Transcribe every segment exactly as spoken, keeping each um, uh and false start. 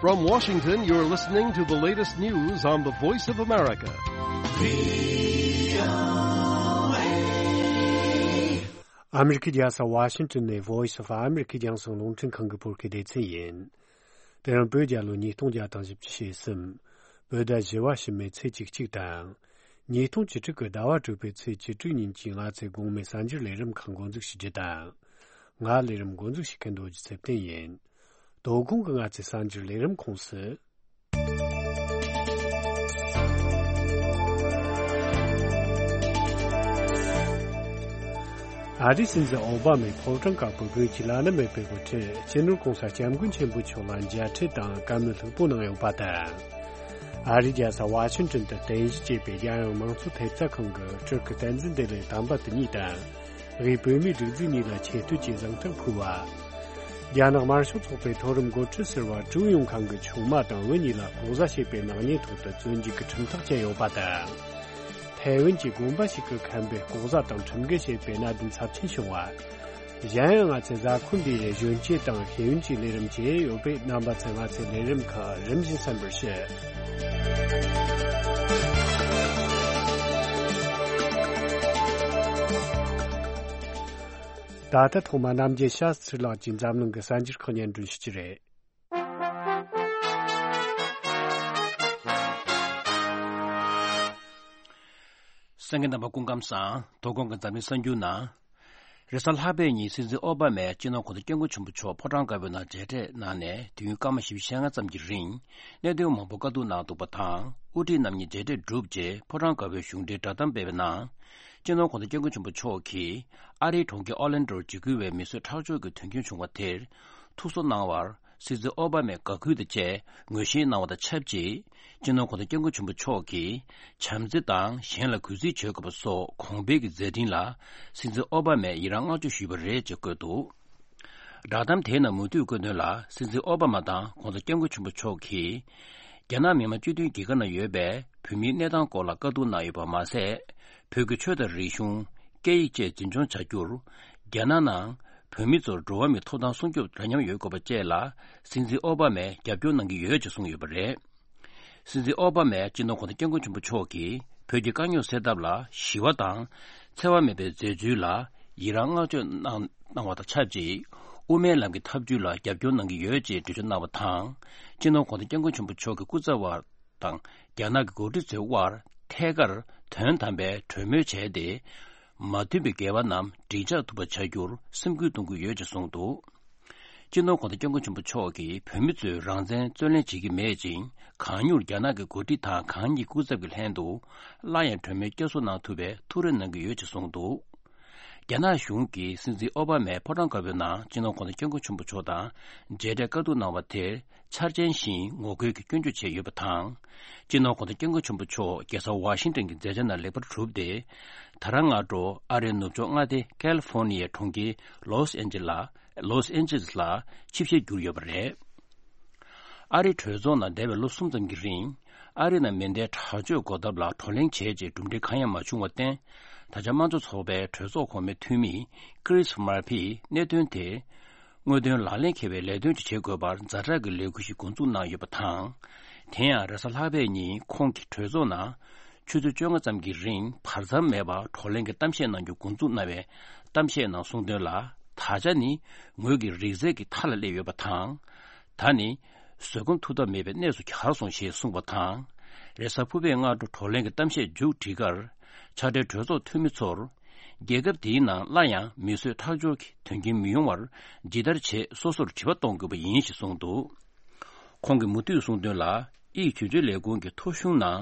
From Washington, you're listening to the latest news on the Voice of America. ཨ་མི་རི་ཁའི་རྒྱལ་ས་ཝ་ཤིང་ཏོན་ནས་Voice of America རྒྱང་སྲིང་རླུང་འཕྲིན་ཁང་གི་བོད་སྐད་སྡེ་ཚན་ཡིན། དེ་རིང་བོད་རྒྱལ་ལོ་ཉིས་སྟོང་བརྒྱ་དང་བཞི་བཅུ་ཞེ་གསུམ། བོད་ཟླ་བཞི་པ་ཕྱི་མའི་ཚེས་བཅུ་གཅིག་དང་། ཉིས་སྟོང་བཅུ་དྲུག་གི་ཟླ་བ་དྲུག་པའི་ཚེས་བཅུ་དྲུག་ཉིན་གྱི་ང་ཚོའི་དགོང་མོའི་གསར་འགྱུར་ལས་རིམ་ཁག་འགོ་འཛུགས་ཞུ་རྒྱུ་དང་། ང་ལས་རིམ་འགོ་འཛུགས་བྱེད་མཁན་རྡོ་རྗེ་ཚེ་བརྟན་ཡིན། དོ་དགོང་གི་ང་ཚོའི་གསར་འགྱུར་ལས་རིམ་ཁོངས་སུ། ཨ་རིའི་སྲིད་འཛིན་ཨོ་བྷ་མས་ཕོ་བྲང་དཀར་པོའི་དགུན་གྱི་བླ་ན་མེད་པའི་དབུ་ཁྲིད་སྤྱི་ནོར་༧གོང་ས་༧སྐྱབས་མགོན་ཆེན་པོ་མཆོག་ལ་མཇལ་འཕྲད་དང་བཀའ་མོལ་ལྷུག་པོ་གནང་ཡོད་པ་དང་། ཨ་རིའི་རྒྱལ་ས་ཝ་ཤིང་ཏོན་དུ་རྟེན་གཞི་བྱས་པའི་རྒྱལ་ཡོངས་མང་གཙོ་ཐེབས་རྩ་ཁང་གི་སྤྲུལ་སྐུ་བསྟན་འཛིན་བདེ་ལེགས་དམ་པ་དེ་ཉིད་དང་། དབུས་བོད་མིའི་སྒྲིག་འཛུགས་གཉིས་ལ་ཆེ་བསྟོད་ཀྱི་གཟེངས་རྟགས་ཕུལ་བ། རྒྱ་ནག་དམར་ཤོག་ཚོགས་པའི་མཐོ་རིམ་འགོ་ཁྲིད་ཟུར་པ་ཀྲུའུ་ཡུང་ཁང་གི་ཆུང་མ་དང་བུ་གཉིས་ལ་ལྐོག་ཟ་བྱས་པའི་ནག་ཉེས་ཐོག་ཏུ་བཙོན་འཇུག་གི་ཁྲིམས་ཐག་བཅད་ཡོད་པ་དང་། ཐའེ་ཝན་གྱི་དགོན་པ་ཞིག་གི་མཁན་པོས་ལྐོག་ཟ་དང་ཁྲིམས་འགལ་བྱས་པའི་གནད་དོན་ཚབས་ཆེན་བྱུང་བ། གཞན་ཡང་ང་ཚོའི་གཟའ་འཁོར་འདིའི་གཞོན་སྐྱེས་དང་ཤེས་ཡོན་གྱི་ལས་རིམ་བཅས་ཡོད་པས། རྣམ་པ་ཚོས་ང་ཚོའི་ལས་རིམ་ཁག་རིམ་བཞིན་གསན་པར་ཞུ། ད་ལྟ་ཐོག་མ་རྣམ་རྒྱལ་ཤཱ་སྟྲི་ལགས་ཀྱིས་འཛམ་གླིང་གི་གསར་འགྱུར་ཁག་སྙན་སྒྲོན་ཞུ་རྒྱུ་རེད། གསན་མཁན་རྣམ་པ་སྐུ་ཁམས་བཟང་། དོ་དགོང་གི་འཛམ་གླིང་གསར་འགྱུར་ནང་། རེས་གཟའ་ལྷག་པའི་ཉིན་སྲིད་འཛིན་ཨོ་བྷ་མས་སྤྱི་ནོར་༧གོང་ས་༧སྐྱབས་མགོན་ཆེན་པོ་མཆོག་ཕོ་བྲང་དཀར་པོའི་ནང་མཇལ་འཕྲད་གནང་ནས་དུས་ཡུན་སྐར་མ་བཞི་བཅུ་ཞེ་ལྔ་ཙམ་གྱི་རིང་གནད་དོན་མང་པོ་བཀའ་བསྡུར་གནང་འདུག་པ་དང་། དབུ་ཁྲིད་རྣམ་གཉིས་མཇལ་འཕྲད་གྲུབ་རྗེས་ཕོ་བྲང་དཀར་པོའི་གཞུང་འབྲེལ་བསྒྲགས་གཏམ་སྤེལ་བའི་ནང་། སྤྱི་ནོར་༧གོང་ས་༧སྐྱབས་མགོན་ཆེན་པོ་མཆོག་གིས་ཨ་རིའི་གྲོང་ཁྱེར་ཨོ་ལན་ཌོར་འཇིགས་སྐུལ་བའི་མི་གསོད་ཁྲག་སྦྱོར་གྱི་དོན་རྐྱེན་བྱུང་བ་དེར་ཐུགས་གསོ་གནང་བར་སྲིད་འཛིན་ཨོ་བྷ་མས་དགའ་གུས་དང་བཅས་ངོས་བཞེས་གནང་བ་དང་ཆབས་ཅིག་སྤྱི་ནོར་༧གོང་ས་༧སྐྱབས་མགོན་ཆེན་པོ་མཆོག་གིས་བྱམས་བརྩེ་དང་གཞན་ལ་གུས་བརྩི་བྱེད་དགོས་པ་སོགས་གོང་འཕེལ་གྱི་མཛད་འཕྲིན་ལ་སྲིད་འཛིན་ཨོ་བྷ་མས་ཡི་རང་བསྔགས་བརྗོད་ཞུས་པ་རེད་ཅེས་བཀོད་འདུག་བསྒྲགས་གཏམ་དེའི་ནང་མུ་མཐུད་བཀོད་དོན་ལ། སྲིད་འཛིན་ཨོ་བྷ་མ་དང་༧གོང་ས་༧སྐྱབས་མགོན་ཆེན་པོ་མཆོག་གིས་རྒྱ་ནག་མི་དམངས་སྤྱི་མཐུན་རྒྱལ་ཁབ་ནང་ཡོད་པའི་བོད་མིའི་གནས་སྟངས་སྐོར་ལ་བཀའ་བསྡུར་གནང་ཡོད་པ་མ་ཟད། བོད་ཀྱི་ཆོས་དང་རིག་གཞུང་། སྐད་ཡིག་བཅས་འཛིན་སྐྱོང་བྱ་རྒྱུར། རྒྱ་ནག་ནང་བོད་མི་ཚོར་འགྲོ་བ་མིའི་ཐོབ་ཐང་སྲུང་སྐྱོབ་འདྲ་མཉམ་ཡོད་དགོས་པ་བཅས་ལ་སྲིད་འཛིན་ཨོ་བྷ་མས་རྒྱབ་སྐྱོར་གནང་གི་ཡོད་ཅེས་གསུངས་ཡོད་པ་རེད། སྲིད་འཛིན་ཨོ་བྷ་མས་སྤྱི་ནོར་༧གོང་ས་༧སྐྱབས་མགོན་ཆེན་པོ་མཆོག་གིས་བོད་ཀྱི་དཀའ་རྙོག་སེལ་ཐབས་ལ་ཞི་བ་དང་། འཚེ་བ་མེད་པའི་མཛད་ཚུལ་ལ་ཡི་རང་བསྔགས་བརྗོད་གནང་གནང་བ་དང་ཆབས་ཅིག་དབུ་མའི་ལམ་གྱི་ཐབས་ཇུས་ལ་རྒྱབ་སྐྱོར་གནང་གི་ཡོད་ཅེས་འགྲེལ་བརྗོད་གནང་བ་དང་། སྤྱི་ནོར་༧གོང་ས་༧སྐྱབས་མགོན་ཆེན་པོ་མཆོག་གི་སྐུ་ཚབ་པ་དང་རྒྱ་ནག་གི་འགོ་ཁྲིད་ཚོའི་དབར་ཐད་ཀར་དོན་དམ་པའི་གྲོས་མོལ་བྱས་ཏེ། མ་མཐུན་པའི་འགལ་བ་རྣམས་འགྲིག་ཆགས་ཐུབ་པ་བྱ་རྒྱུར་སེམས་ཁུར་གཏོང་གི་ཡོད་ཅེས་གསུངས་འདུག་སྤྱི་ནོར་༧གོང་ས་༧སྐྱབས་མགོན་ཆེན་པོ་མཆོག་གིས་བོད་མི་ཚོས་རང་བཙན་རྩོད་ལེན་བྱེད་ཀྱི་མེད་ཅིང་། གང་མྱུར་རྒྱ་ནག་གི་འགོ་ཁྲིད་དང་གང་ཉིད་སྐུ་ཚབ་ཀྱི་ལྷན་དུ་སླར་ཡང་གྲོས་མོལ་བསྐྱར་གསོ་གནང་ཐུབ་པའི་ཐུགས་རེ་གནང་གི་ཡོད་ཅེས་གསུངས་འདུག་རྒྱ་ནག་གཞུང་གིས་སྲིད་འཛིན་ཨོ་བྷ་མས་ཕོ་བྲང་དཀར་པོའི་ནང་སྤྱི་ནོར་༧གོང་ས་༧སྐྱབས་མགོན་ཆེན་པོ་མཆོག་དང་མཇལ་འཕྲད་བཀའ་བསྡུར་གནང་བ་དེར་འཆར་ཅན་ཞིང་ངོ་རྒོལ་གྱི་སྐྱོན་བརྗོད་བྱས་ཡོད་པ་དང་། སྤྱི་ནོར་༧གོང་ས་༧སྐྱབས་མགོན་ཆེན་པོ་མཆོག་རྒྱལ་ས་ཝ་ཤིང་ཏོན་གྱི་མཛད་འཆར་ནང་ལེགས་པར་གྲུབ་སྟེ། ད་རང་སྔ་དྲོ་ཨ་རིའི་ནུབ་ཕྱོགས་མངའ་སྡེ་ཀལ་ཧྥོར་ནི་ཡའི་གྲོང་ཁྱེར་ལོས་ཨན་ཇི་ལ་ལོས་ཨན་ཇི་ལིས་ལ་ཆིབས་ཞལ་བསྒྱུར་ཡོད་པ་རེད། ཨ་རིའི་གྲོས་ཚོགས་ནང་འདས་པའི་ལོ་གསུམ་ཙམ་གྱི་རིང་། ཨ་རི་ནང་མེ་མདའི་དྲག་སྤྱོད་འགོག་ཐབས་ལ་བགྲོ་གླེང་བྱས་རྗེས་གྲུབ་འབྲས་གང་ཡང་མ་བྱུང་བར་བརྟེན། ད་ཆ་དམངས་གཙོ་ཚོགས་པའི་གྲོས་ཚོགས་གོང་མའི་འཐུས་མི་ཀི་རིས་མར་ཕིས་གནད་དོན་དེ། དངོས་དོན་ལག་ལེན་འཁེལ་བའི་ལས་དོན་ཅིག་བྱེད་དགོས་པར་ཛ་དྲག་གི་ལས་འགུལ་ཞིག་འགོ་འཛུགས་གནང་ཡོད་པ་དང་། དེ་ཡང་རེས་གཟའ་ལྷག་པའི་ཉིན་ཁོང་གིས་གྲོས་ཚོགས་ནང་ཆུ་ཚོད་བཅོ་ལྔ་ཙམ་གྱི་རིང་བར་མཚམས་མེད་པར་བགྲོ་གླེང་གི་གཏམ་བཤད་གནང་རྒྱུ་འགོ་འཛུགས་གནང་བའི་གཏམ་བཤད་ནང་གསུངས་དོན་ལ། ད་ཆ་ནི་ངོས་ཀྱི་རིག་རྩལ་གྱི་མཐའ་ལ་སླེབས་ཡོད་པ་དང་། ད་ནི་བཟོད་སྒོམ་ཐུབ་ཐབས་མེད་པའི་གནས་སུ་གྱར་སོང་ཞེས་གསུངས་པ་དང་། རེས་གཟའ་ཕུར་བུའི་སྔ་དྲོ་བགྲོ་གླེང་གི་གཏམ་བཤད་མཇུག་སྒྲིལ་ཁར། ཕྱག་སྦྲེལ་གྲོས་ཚོགས་འཐུས་མི་ཚོར། རྒྱལ་ཁབ་དེའི་ནང་སླར་ཡང་མི་གསོད་ཁྲག་སྦྱོར་གྱི་དོན་རྐྱེན་མི་ཡོང་བར་ཇི་ལྟར་བྱེད་སོ་སོར་དྲི་བ་གཏོང་དགོས་པ་ཡིན་ཞེས་གསུངས་འདུག་ཁོང་གིས་མུ་མཐུད་གསུངས་དོན་ལ། དབྱིས་ཆོས་བརྒྱུད་ལས་ཁུངས་ཀྱི་ཐོ་གཞུང་ནང་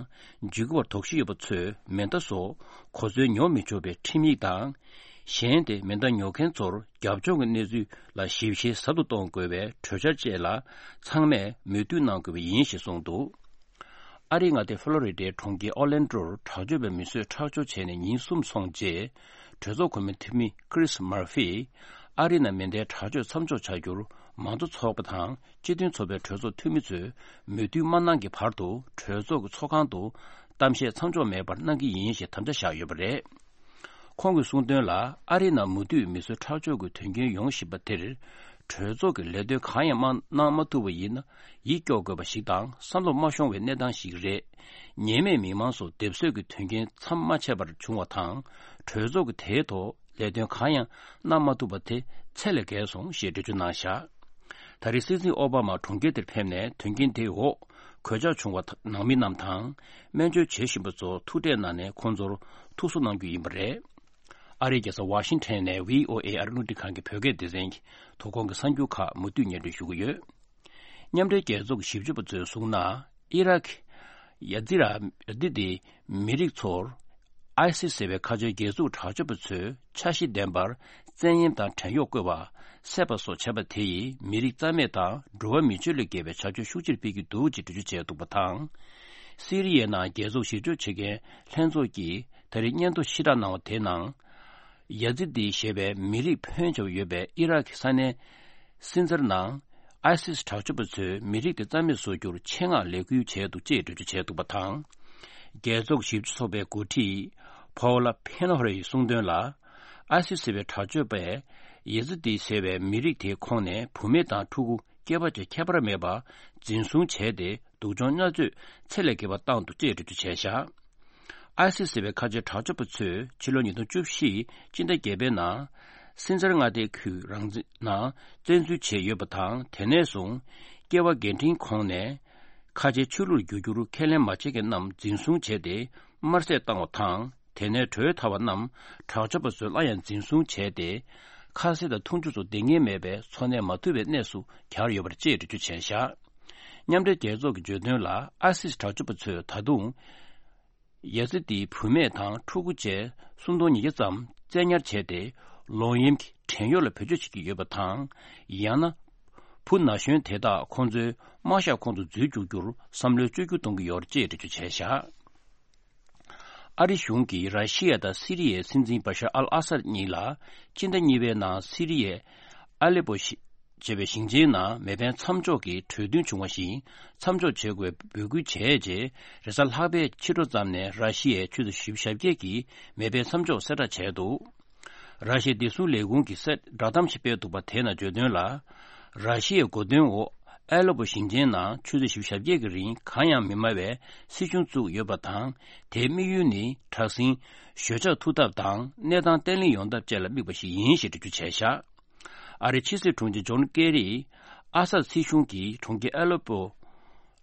འཇུག་གི་བར་དོགས་གཞི་ཡོད་པ་ཚོས་མེ་མདའ་སོགས་གོ་མཚོན་ཉོ་མི་ཆོག་པའི་ཁྲིམས་ཡིག་དང་། གཞན་ཏེ་མེ་མདའ་ཉོ་མཁན་ཚོར་རྒྱབ་ལྗོངས་ཀྱི་གནས་ཚུལ་ལ་ཞིབ་བཤེར་ཟབ་ཏུ་གཏོང་དགོས་པའི་གྲོས་འཆར་བཅས་ལ་ཚང་མས་མོས་མཐུན་གནང་དགོས་པ་ཡིན་ཞེས་གསུངས་འདུག་ཨ་རིའི་མངའ་སྡེ་ཕོ་ལོ་རི་ཌའི་གྲོང་ཁྱེར་ཨོ་ལན་ཌོར་དྲག་སྤྱོད་པའི་མི་གསོད་ཁྲག་སྦྱོར་བྱས་ནས་ཉིན་གསུམ་སོང་རྗེས། གྲོས་ཚོགས་གོང་མའི་འཐུས་མི་ཀི་རིས་མར་ཕིས་ཨ་རི་ནང་མེ་མདའི་དྲག་སྤྱོད་མཚམས་འཇོག་བྱ་རྒྱུར་མང་གཙོ་ཚོགས་པ་དང་སྤྱི་མཐུན་ཚོགས་པའི་གྲོས་ཚོགས་འཐུས་མི་ཚོས་མོས་མཐུན་མ་གནང་གི་བར་དུ་གྲོས་ཚོགས་ཀྱི་ཚོགས་ཁང་དུ་གཏམ་བཤད་མཚམས་འཇོག་མེད་པར་གནང་གི་ཡིན་ཞེས་དམ་བཅའ་བཞག་ཡོད་པ་རེད། ཁོང་གིས་གསུངས་དོན་ལ། ཨ་རི་ནང་མུ་མཐུད་མི་གསོད་ཁྲག་སྦྱོར་གྱི་དོན་རྐྱེན་ཡོང་བཞིན་པ་དེར། གྲོས་ཚོགས་ཀྱི་ལས་དོན་གང་ཡང་མ་གནང་མ་ཐུབ་པ་ཡིན་ན། ཡིད་སྐྱོ་དགོས་པ་ཞིག་དང་བསམ་བློ་མ་ཤོང་བའི་གནས་སྟངས་ཤིག་རེད། ཉེས་མེད་མི་མང་སོགས་སྡེབ་གསོད་ཀྱི་དོན་རྐྱེན་མཚམས་མ་ཆད་པར་བྱུང་བ་དང་། གྲོས་ཚོགས་ཀྱིས་དེའི་ཐོག་ལས་དོན་གང་ཡང་གནང་མ་ཐུབ་པ་དེ་ཚད་ལས་བརྒལ་སོང་ཞེས་འགྲེལ་བརྗོད་གནང་བཞག་ད་རེས་སྲིད་འཛིན་ཨོ་བྷ་མ་གྲོང་ཁྱེར་དེར་ཕེབས་ནས་དོན་རྐྱེན་དེའི་འོག་གོད་ཆག་བྱུང་བ་ནང་མི་རྣམས་དང་། སྨན་བཅོས་བྱེད་བཞིན་པ་ཚོར་ཐུག་འཕྲད་གནང་ནས་ཁོང་ཚོར་ཐུགས་གསོ་གནང་རྒྱུ་ཡིན་པ་རེད། ཨ་རིའི་རྒྱལ་ས་ཝ་ཤིང་ཊོན་ནས་བྷི་ཨོ་ཨེ་ཨ་རི་རླུང་འཕྲིན་ཁང་གི་བོད་སྐད་སྡེ་ཚན་གྱི་དོ་དགོང་གི་གསར་འགྱུར་ཁག་མུ་མཐུད་སྙན་སྒྲོན་ཞུ་གི་ཡོད། མཉམ་འབྲེལ་རྒྱལ་ཚོགས་ཀྱི་ཞིབ་དཔྱོད་པ་ཚོས་གསུངས་ན། ཨི་རག་ཡ་ཛི་ར་ཡ་ཛི་དིའི་མི་རིགས་ཚོར་ཨའི་སིས་ཟེར་བའི་ཁ་ཆེའི་སྒེར་ཚུགས་དྲག་སྤྱོད་པ་ཚོས་འཆར་གཞི་ལྡན་པར་བཙན་གཡེམ་དང་བྲན་གཡོག་བཀོལ་བ། བསད་པ་སོགས་བྱས་པ་དེ་ཡིས་མི་རིགས་རྩ་མེད་དང་འགྲོ་བ་མི་ཆོས་ལས་བརྒལ་བའི་བྱ་སྤྱོད་ཤུགས་ཆེར་སྤེལ་གྱི་འདུག་ཅེས་འགྲེལ་བརྗོད་བྱས་འདུག་པ་དང་། སི་རི་ཡའི་ནང་རྒྱལ་ཚོགས་ཞིབ་དཔྱོད་བྱེད་མཁན་ལྷན་ཚོགས་ཀྱིས་ད་རེས་སྙན་ཐོ་ཕྱིར་བསྒྲགས་གནང་བ་དེའི་ནང་། ཡ་ཛི་དི་ཞེས་པའི་མི་རིགས་ཕོན་ཆེ་བ་ཡོད་པའི་ཨི་རག་གི་ས་གནས་སིན་ཛར་ནང་ཨའི་སིས་དྲག་སྤྱོད་པ་ཚོས་མི་རིགས་དེ་རྩ་མེད་བཟོ་རྒྱུར་ཆེད་མངགས་ལས་འགུལ་བྱས་འདུག་ཅེས་འགྲེལ་བརྗོད་བྱས་འདུག་པ་དང་། རྒྱལ་ཚོགས་ཞིབ་དཔྱོད་ཚོགས་པའི་འགོ་ཁྲིད་ཕོ་ལ་ཕེ་ནོ་ར་ཡིས་གསུངས་དོན་ལ། ཨའི་སིས་ཟེར་བའི་དྲག་སྤྱོད་པས་ཡ་ཛི་དི་ཟེར་བའི་མི་རིགས་དེའི་ཁོངས་ནས་བུད་མེད་དང་ཕྲུ་གུ་སྐྱེས་པ་བཅས་ཁྱད་པར་མེད་པར་འཛིན་བཟུང་བྱས་ཏེ། སྡུག་སྦྱོང་མནར་གཅོད་ཚད་ལས་བརྒལ་བ་བཏང་འདུག་ཅེས་འགྲེལ་བརྗོད་བྱས་བཞག་ཨའི་སིས་ཟེར་བའི་ཁ་ཆེའི་དྲག་སྤྱོད་པ་ཚོས་ཕྱི་ལོ་ཉིས་སྟོང་བཅུ་བཞི་སྤྱི་ཟླ་བརྒྱད་པའི་ནང་སིན་ཛར་མངའ་སྡེའི་ཁུལ་རང་བཙན་ནང་བཙན་འཛུལ་བྱས་ཡོད་པ་དང་། དེ་ནས་བཟུང་སྐྱེ་བ་རྒན་འཕྲིན་ཁོངས་ནས་ཁ་ཆེའི་ཆོས་ལུགས་བསྒྱུར་རྒྱུར་ཁས་ལེན་མ་བྱེད་མཁན་རྣམས་འཛིན་བཟུང་བྱས་ཏེ་དམར་བསད་བཏང་བ་དང་། དེ་ནས་བྲོས་ཐར་བ་རྣམས་དྲག་སྤྱོད་པ་ཚོས་སླར་ཡང་འཛིན་བཟུང་བྱས་ཏེ། ཁ་ཟས་དང་འཐུང་ཆུ་སོགས་འདང་ངེས་མེད་པའི་འཚོ་གནས་མ་ཐུབ་པའི་གནས་སུ་གྱར་ཡོད་པར་ཅེས་འགྲེལ་བརྗོད་བྱས་བཞག་མཉམ་འབྲེལ་རྒྱལ་ཚོགས་ཀྱིས་བརྗོད་དོན་ལ། ཨའི་སིས་དྲག་སྤྱོད་པ་ཚོས་ད་དུང་ཡ་ཛི་དིའི་བུད་མེད་དང་ཕྲུ་གུ་བཅས་སུམ་སྟོང་ཉིས་བརྒྱ་ཙམ་བཙན་ཉར་བྱས་ཏེ། ལོག་གཡེམ་གྱི་བྲན་གཡོག་ལ་བེད་སྤྱོད་བྱེད་ཀྱི་ཡོད་པ་དང་། ཡང་ན། བུ་ན་གཞོན་དེ་དག་ཁོང་ཚོའི་དམག་ཞབས་ཁོངས་སུ་འཛུལ་བཅུག་རྒྱུར་བསམ་བློའི་བཅོས་བསྒྱུར་གཏོང་གི་ཡོད་རེད་ཅེས་འགྲེལ་བརྗོད་བྱས་བཞག་ཨ་རི་གཞུང་གིས་ར་ཤི་ཡ་དང་སི་རི་ཡའི་སྲིད་འཛིན་བ་ཤར་ཨལ་ཨ་སད་གཉིས་ལ་སྤྱི་ཟླ་གཉིས་པའི་ནང་སི་རི་ཡའི་ཨ་ལེ་པོ་ཞེས་པའི་ཞིང་ཆེན་ནང་མེ་འཕེན་མཚམས་འཇོག་གི་གྲོས་མཐུན་བྱུང་བ་བཞིན་མཚམས་འཇོག་བྱེད་དགོས་པའི་འབོད་སྐུལ་བྱས་རྗེས། རེས་གཟའ་ལྷག་པའི་ཕྱི་དྲོ་ཙམ་ནས་ར་ཤི་ཡའི་ཆུ་ཚོད་བཞི་བཅུ་ཞེ་བརྒྱད་ཀྱི་མེ་འཕེན་མཚམས་འཇོག་གསལ་བསྒྲགས་བྱས་འདུག་ར་ཤི་ཡའི་བདེ་སྲུང་ལས་ཁུངས་ཀྱིས་གསལ་བསྒྲགས་གཏམ་ཞིག་སྤེལ་འདུག་པ་དེ་ནང་བརྗོད་དོན་ལ། ར་ཤི་ཡའི་འགོ་འདྲེན་འོག་ཨ་ལེ་པོ་ཞིང་ཆེན་ནང་ཆུ་ཚོད་བཞི་བཅུ་ཞེ་བརྒྱད་ཀྱི་རིང་གང་ཡང་མི་སྨྲ་བའི་སྲིད་གཞུང་བཙུགས་ཡོད་པ་དང་། དེའི་དམིགས་ཡུལ་ནི་དྲག་ཟིང་ཞོད་འཇགས་ཐུབ་ཐབས་དང་གནས་སྟངས་བརྟན་ལྷིང་ཡོང་ཐབས་བཅས་ལ་དམིགས་པ་ཞིག་ཡིན་ཞེས་འགྲེལ་བརྗོད་བྱས་བཞག་ཨ་རིའི་ཕྱི་སྲིད་དྲུང་ཆེ་ཇོན་ཀེ་རིས་ཨ་སད་སྲིད་གཞུང་གིས་གྲོང་ཁྱེར་ཨ་ལེ་པོ་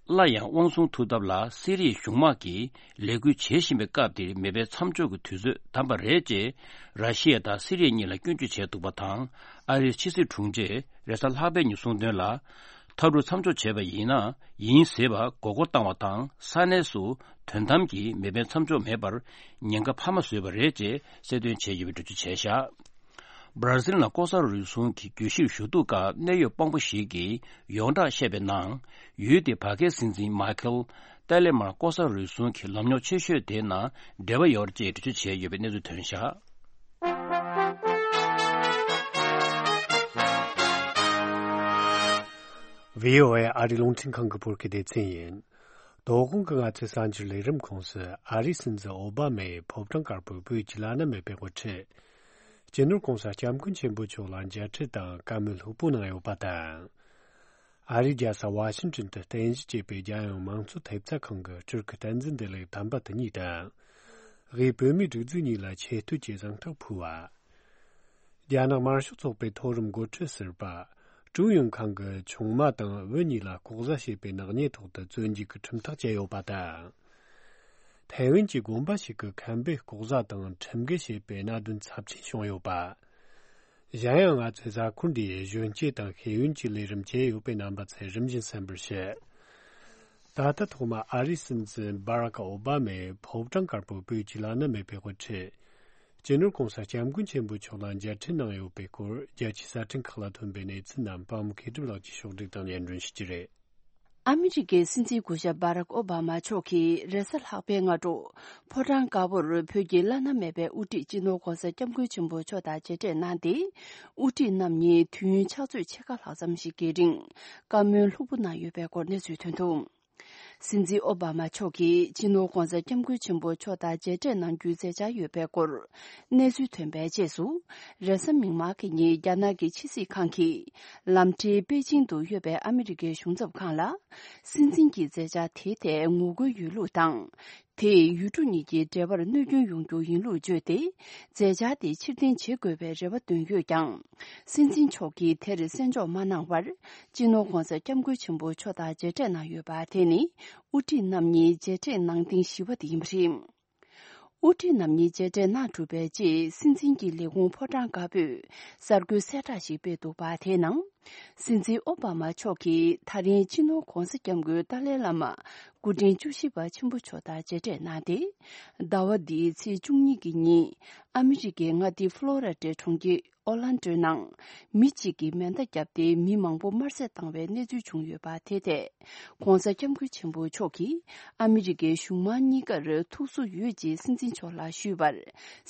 སླར་ཡང་དབང་བཟུང་ཐུབ་ཐབས་ལ་སི་རི་ཡའི་གཞུང་དམག་གིས་ལས་འགུལ་བྱེད་བཞིན་པའི་སྐབས་འདིར་མེ་འཕེན་མཚམས་འཇོག་གི་དུས་ཚོད་བདམས་པ་རེད་ཅེས་ར་ཤི་ཡ་དང་སི་རི་ཡ་གཉིས་ལ་སྐྱོན་བརྗོད་བྱས་འདུག་པ་དང་། ཨ་རིའི་ཕྱི་སྲིད་དྲུང་ཆེས་རེས་གཟའ་ལྷག་པའི་ཉིན་གསུངས་དོན་ལ། འཐབ་འཁྲུག་མཚམས་འཇོག་བྱས་པ་ཡིན་ན་ཡིན་ཟེར་བར་མགོ་སྐོར་བཏང་བ་དང་། ས་གནས་སུ་དོན་དམ་གྱི་མེ་འཕེན་མཚམས་འཇོག་མེད་པར་ཉེན་ཁ་འཕར་མ་བཟོས་པ་རེད་ཅེས་གསལ་སྟོན་བྱས་ཡོད་པའི་འགྲེལ་བརྗོད་བྱས་བཞག་བར་ཛིལ་ནང་ལྐོག་ཟ་རུལ་སུངས་ཀྱི་གྱོད་གཞིར་ཞུ་གཏུག་སྐབས་གནད་ཡོད་དཔང་པོ་ཞིག་གིས་ཡོངས་གྲགས་བཤད་པའི་ནང་། ཡུལ་དེའི་བར་བརྒལ་སྲིད་འཛིན་མཱི་ཁེལ་ཏཱ་ལེ་མར་ལྐོག་ཟ་རུལ་སུངས་ཀྱི་ལམ་རྙོག་ཆེ་ཤོས་དེའི་ནང་འབྲེལ་བ་ཡོད་ཅེས་འགྲེལ་བརྗོད་བྱས་ཡོད་པའི་གནས་ཚུལ་ཐོན་བཞག་བྷི་ཨོ་ཨེ་ཨ་རིའི་རླུང་འཕྲིན་ཁང་གི་བོད་སྐད་སྡེ་ཚན་ཡིན། དོ་དགོང་གི་ང་ཚོའི་གསར་འགྱུར་ལས་རིམ་ཁོངས་སུ་ཨ་རིའི་སྲིད་འཛིན་ཨོ་བྷ་མས་ཕོ་བྲང་དཀར་པོའི་བོད་ཀྱི་བླ་ན་མེད་པའི་དབུ་ཁྲིད། སྤྱི་ནོར་༸གོང་ས་༸སྐྱབས་མགོན་ཆེན་པོ་མཆོག་ལ་མཇལ་འཕྲད་དང་བཀའ་མོལ་ལྷུག་པོ་གནང་ཡོད་པ་དང་། ཨ་རིའི་རྒྱལ་ས་ཝ་ཤིང་ཊོན་དུ་རྟེན་གཞི་བྱས་པའི་རྒྱལ་ཡོངས་མང་གཙོ་ཐེབས་རྩ་ཁང་གི་སྤྲུལ་སྐུ་བསྟན་འཛིན་བདེ་ལེགས་དམ་པ་དེ་ཉིད་དང་། དབུས་བོད་མིའི་སྒྲིག་འཛུགས་གཉིས་ལ་ཆེ་བསྟོད་ཀྱི་གཟེངས་རྟགས་ཕུལ་བ། རྒྱ་ནག་དམར་ཤོག་ཚོགས་པའི་མཐོ་རིམ་འགོ་ཁྲིད་ཟུར་པ། ཀྲུའུ་ཡོན་ཁང་གི་ཆུང་མ་དང་བུ་གཉིས་ལ་ལྐོག་ཟ་བྱས་པའི་ནག་ཉེས་ཐོག་ཏུ་བཙོན་འཇུག་གི་ཁྲིམས་ཐག་བཅད་ཡོད་པ་དང་། ཐའེ་ཝན་གྱི་དགོན་པ་ཞིག་གི་མཁན་པོས་ལྐོག་ཟ་དང་ཁྲིམས་འགལ་བྱས་པའི་གནད་དོན་ཚབས་ཆེན་བྱུང་ཡོད་པ། གཞན་ཡང་ང་ཚོས་གཟའ་འཁོར་འདིའི་གཞོན་སྐྱེས་དང་ཤེས་ཡོན་གྱི་ལས་རིམ་བྱས་ཡོད་པའི་རྣམ་པ་ཚོས་རིམ་བཞིན་གསན་པར་ཞུ། ད་ལྟ་ཐོག་མ་ཨ་རིའི་སྲིད་འཛིན་སྦ་རག་ཨོ་བྷ་མས་ཕོ་བྲང་དཀར་པོའི་བོད་ཀྱི་བླ་ན་མེད་པའི་དབུ་ཁྲིད། སྤྱི་ནོར་༸གོང་ས་༸སྐྱབས་མགོན་ཆེན་པོ་མཆོག་ལ་མཇལ་འཕྲད་གནང་ཡོད་པའི་སྐོར་རྒྱལ་སྤྱིའི་གསར་འཕྲིན་ཁག་ལ་ཐོན་པའི་གནས་ཚུལ་རྣམས་པད་མ་མཁས་གྲུབ་ལགས་ཀྱིས་ཕྱོགས་སྒྲིག་དང་སྙན་སྒྲོན་ཞུ་རྒྱུ་རེད། ཨ་མི་རི་ཀའི་སྲིད་འཛིན་སྐུ་ཞབས་སྦ་རག་ཨོ་བྷ་མ་མཆོག་གིས་རེས་གཟའ་ལྷག་པའི་སྔ་དྲོ། ཕོ་བྲང་དཀར་པོར་བོད་ཀྱི་བླ་ན་མེད་པའི་དབུ་ཁྲིད་སྤྱི་ནོར་༸གོང་ས་༸སྐྱབས་མགོན་ཆེན་པོ་མཆོག་དང་མཇལ་འཕྲད་གནང་སྟེ། དབུ་ཁྲིད་རྣམ་གཉིས་དུས་ཡུན་ཕྱག་ཚོད་ཕྱེད་ཀ་ལྷག་ཙམ་ཞིག་གི་རིང་བཀའ་མོལ་ལྷུག་པོ་གནང་ཡོད་པའི་སྐོར་གནས་ཚུལ་ཐོན་འདུག་སྲིད་འཛིན་ཨོ་བྷ་མ་མཆོག་གིས་སྤྱི་ནོར་༧གོང་ས་༧སྐྱབས་མགོན་ཆེན་པོ་མཆོག་དང་མཇལ་འཕྲད་གནང་རྒྱུའི་མཛད་འཆར་ཡོད་པའི་སྐོར་གནས་ཚུལ་ཐོན་པའི་རྗེས་སུ། རེས་གཟའ་མིག་དམར་གྱི་ཉིན་རྒྱ་ནག་གི་ཕྱི་སྲིད་ཁང་གིས་ལམ་འབྲས་པེ་ཅིང་དུ་ཡོད་པའི་ཨ་མི་རི་ཀའི་གཞུང་ཚབ་ཁང་ལ། སྲིད་འཛིན་གྱི་མཛད་འཆར་དེའི་ཐད་ངོ་རྒོལ་ཡོད་ལུགས་དང་། དེས་ཡུལ་གྲུ་གཉིས་ཀྱི་འབྲེལ་བར་གནོད་སྐྱོན་ཡོང་རྒྱུ་ཡིན་ལུགས་བརྗོད་དེ། མཛད་འཆར་དེ་ཕྱིར་འཐེན་བྱེད་དགོས་པའི་རེ་བ་བཏོན་ཡོད་ཀྱང་། སྲིད་འཛིན་མཆོག་གིས་དེར་གསན་འཇོག་མ་གནང་བར། སྤྱི་ནོར་༧གོང་ས་༧སྐྱབས་མགོན་ཆེན་པོ་མཆོག་དང་མཇལ་འཕྲད་གནང་ཡོད་པ་དེ་ནི། དབུ་ཁྲིད་རྣམ་གཉིས་མཇལ་འཕྲད་གནང་ཐེངས་བཞི་པ་དེ་ཡིན་པ་རེད། དབུ་ཁྲིད་རྣམ་གཉིས་མཇལ་འཕྲད་གནང་གྲུབ་པའི་རྗེས། སྲིད་འཛིན་གྱི་ལས་ཁུངས་ཕོ་བྲང་དཀར་པོས་གསར་འགོད་གསལ་བསྒྲགས་ཤིག་སྤེལ་འདུག་པ། དེའི་ནང་། སྲིད་འཛིན་ཨོ་བྷ་མ་མཆོག་གིས་ད་རིང་སྤྱི་ནོར་༧གོང་ས་༧སྐྱབས་མགོན་ཏཱ་ལའི་བླ་མ་སྐུ་ཕྲེང་བཅུ་བཞི་པ་ཆེན་པོ་མཆོག་དང་མཇལ་འཕྲད་གནང་སྟེ། ཟླ་བ་འདིའི་ཚེས་བཅུ་གཉིས་ཀྱི་ཉིན། ཨ་མི་རི་ཀའི་མངའ་སྡེ་ཕློ་ར་ཌའི་གྲོང་ཁྱེར་ཨོ་ལན་ཌོའི་ནང་། མི་གཅིག་གིས་མེ་མདའ་བརྒྱབ་སྟེ་མི་མང་པོ་དམར་གསོད་བཏང་བའི་གནས་ཚུལ་བྱུང་ཡོད་པ། དེ་ཐད། ༧གོང་ས་༧སྐྱབས་མགོན་ཆེན་པོ་མཆོག་གིས་ཨ་མི་རི་ཀའི་གཞུང་མང་གཉིས་ཀར་ཐུགས་གསོ་ཡོད་ཅེས་སྲིད་འཛིན་མཆོག་ལ་ཞུས་པར།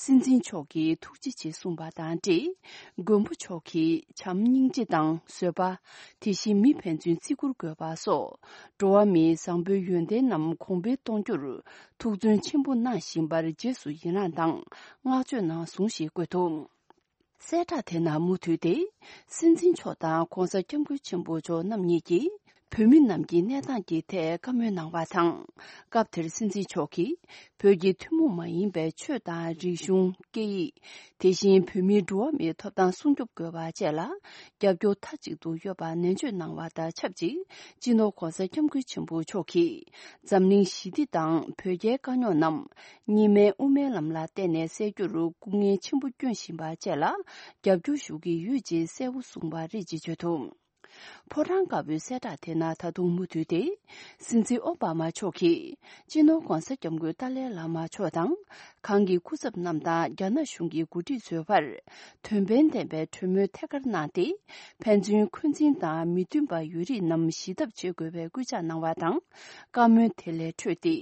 སྲིད་འཛིན་མཆོག་གིས་ཐུགས་རྗེ་ཆེ་གསུངས་པ་དང་འབྲེལ། མགོན་པོ་མཆོག་གིས་བྱམས་སྙིང་རྗེ་དང་བཟོད་པ། དེ་བཞིན་མི་ཕན་ཚུན་བརྩི་བཀུར་དགོས་པ་སོགས། འགྲོ་བ་མིའི་བཟང་པོའི་ཡོན་ཏན་རྣམས་གོང་འཕེལ་གཏོང་རྒྱུར་ཐུགས་བརྩོན་ཆེན་པོ་གནང་བཞིན་པར་རྗེས་སུ་ཡི་རངས་དང་བསྔགས་བརྗོད་གནང་གསུངས་ཞེས་བཀོད་འདུག་གསལ་བསྒྲགས་དེ་ནང་མུ་མཐུད་དེ། སྲིད་འཛིན་མཆོག་དང་༧གོང་ས་༧སྐྱབས་མགོན་ཆེན་པོ་མཆོག་རྣམ་གཉིས་ཀྱིས། བོད་མི་རྣམས་ཀྱི་གནས་སྟངས་ཀྱི་ཐད་བཀའ་མོལ་གནང་བ་དང་། སྐབས་དེར་སྲིད་འཛིན་མཆོག་གིས། བོད་ཀྱི་ཐུན་མོང་མ་ཡིན་པའི་ཆོས་དང་རིག་གཞུང་། སྐད་ཡིག་དེ་བཞིན་བོད་མིའི་འགྲོ་བ་མིའི་ཐོབ་ཐང་སྲུང་སྐྱོབ་དགོས་པ་བཅས་ལ། རྒྱབ་སྐྱོར་མཐའ་གཅིག་ཏུ་ཡོད་པ་ནན་བརྗོད་གནང་བ་དང་ཆབས་ཅིག་སྤྱི་ནོར་༧གོང་ས་༧སྐྱབས་མགོན་ཆེན་པོ་མཆོག་གིས། འཛམ་གླིང་ཞི་བདེ་དང་བོད་རྒྱའི་དཀའ་རྙོག་རྣམས། གཉིས་སྨན་དབུ་མའི་ལམ་ལ་བརྟེན་ནས་སེལ་རྒྱུར་སྐུ་ངལ་ཆེན་པོ་བསྐྱོན་བཞིན་པ་བཅས་ལ། རྒྱབ་སྐྱོར་ཞུ་གི་ཡོད་ཅེས་གསལ་པོ་གསུངས་པ་རེད་ཅེས་བརྗོད་འདུག་ཕོ་བྲང་དཀར་པོའི་གསལ་བསྒྲགས་དེ་ནང་ད་དུང་མུ་མཐུད་དེ། སྲིད་འཛིན་ཨོ་བྷ་མ་མཆོག་གིས། སྤྱི་ནོར་༧གོང་ས་༧སྐྱབས་མགོན་ཏཱ་ལའི་བླ་མ་མཆོག་དང་། གང་གི་སྐུ་ཚབ་རྣམས་དང་རྒྱ་ནག་གཞུང་གི་འགོ་ཁྲིད་ཚོའི་བར། དོན་ཕན་ལྡན་པའི་གྲོས་མོལ་ཐད་ཀར་གནང་སྟེ། ཕན་ཚུན་འཁོན་འཛིན་དང་མི་མཐུན་པ་ཡོད་རིགས་རྣམས་ཞི་ཐབས་བྱེད་དགོས་པའི་སྐུལ་ལྕག་གནང་བ་དང་། བཀའ་མོལ་དེ་ལས་འཕྲོས་ཏེ།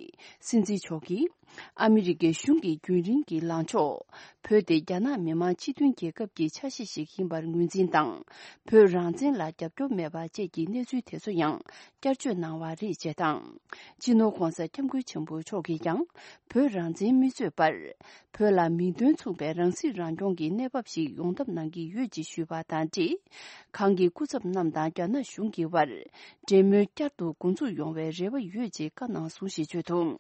སྲིད་འཛིན་མཆོག་གིས། ཨ་མི་རི་ཀའི་གཞུང་གི་རྒྱུན་རིང་གི་ལངས་ཕྱོགས། བོད་དེ་རྒྱ་ནག་མི་དམངས་སྤྱི་མཐུན་རྒྱལ་ཁབ་ཀྱི་ཆ་ཤས་ཤིག་ཡིན་པར་ངོས་འཛིན་དང་། བོད་རང་བཙན་ལ་རྒྱབ་སྐྱོར་མེད་པ་བཅས་ཀྱི་གནས་ཚུལ་དེ་ཚོ་ཡང་བསྐྱར་བརྗོད་གནང་བ་རེད་ཅེས་དང་། སྤྱི་ནོར་༧གོང་ས་༧སྐྱབས་མགོན་ཆེན་པོ་མཆོག་གིས་ཀྱང་། བོད་རང་བཙན་མི་རྩོད་པར། བོད་ལ་མིང་དོན་མཚུངས་པའི་རང་སྲིད་རང་སྐྱོང་གི་གནས་བབ་ཞིག་ཡོང་ཐབས་གནང་གི་ཡོད་ཅེས་ཞུས་པ་དང་འབྲེལ། གང་གི་སྐུ་ཚབ་རྣམས་དང་རྒྱ་ནག་གཞུང་གི་བར། འབྲེལ་མོལ་བསྐྱར་དུ་འགོ་འཛུགས་ཡོང་བའི་རེ་བ་ཡོད་ཅེས་བཀའ་གནང་གསུངས་ཞེས་བརྗོད་འདུག་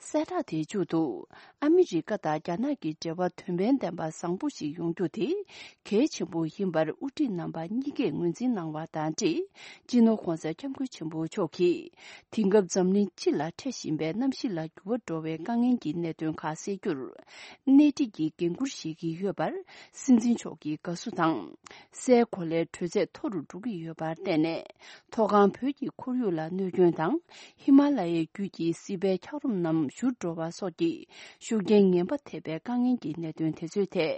གསལ་བསྒྲགས་དེའི་མཇུག་ཏུ། ཨ་མི་རི་ཀ་དང་རྒྱ་ནག་གི་འབྲེལ་བ་དོན་ཕན་ལྡན་པ་བཟང་པོ་ཞིག་ཡོང་རྒྱུ་དེ་གལ་ཆེན་པོ་ཡིན་པར་དབུ་ཁྲིད་རྣམ་པ་གཉིས་ཀས་ངོས་འཛིན་གནང་བ་དང་འབྲེལ། སྤྱི་ནོར་༧གོང་ས་༧སྐྱབས་མགོན་ཆེན་པོ་མཆོག་གིས། དེང་སྐབས་འཛམ་གླིང་སྤྱི་ལ་འཕྲད་བཞིན་པའི་གནམ་གཤིས་ལ་འགྱུར་བ་འགྲོ་བའི་དཀའ་ངལ་གྱི་གནད་དོན་ཁག་སེལ་རྒྱུར། སྣེ་ཁྲིད་ཀྱི་འགན་འཁུར་བཞེས་ཀྱི་ཡོད་པར། སྲིད་འཛིན་མཆོག་གིས་དགའ་བསུ་དང་། སའི་གོ་ལའི་དྲོད་ཚད་མཐོ་རུ་འགྲོ་གི་ཡོད་པར་བརྟེན་ནས། མཐོ་སྒང་བོད་ཀྱི་ཁོར་ཡུག་ལ་གནོད་སྐྱོན་དང་། ཧི་མ་ལ་ཡའི་རྒྱུད་ཀྱི་སྲིད་པའི་འཁྱགས་རོམ་རྣམས་བཞུར་འགྲོ་བ་སོགས་ཀྱི་ཤུགས་རྐྱེན་ངན་པ་ཐེབས་པའི་དཀའ་ངལ་གྱི་གནད་དོན་དེ་ཚོའི་ཐད།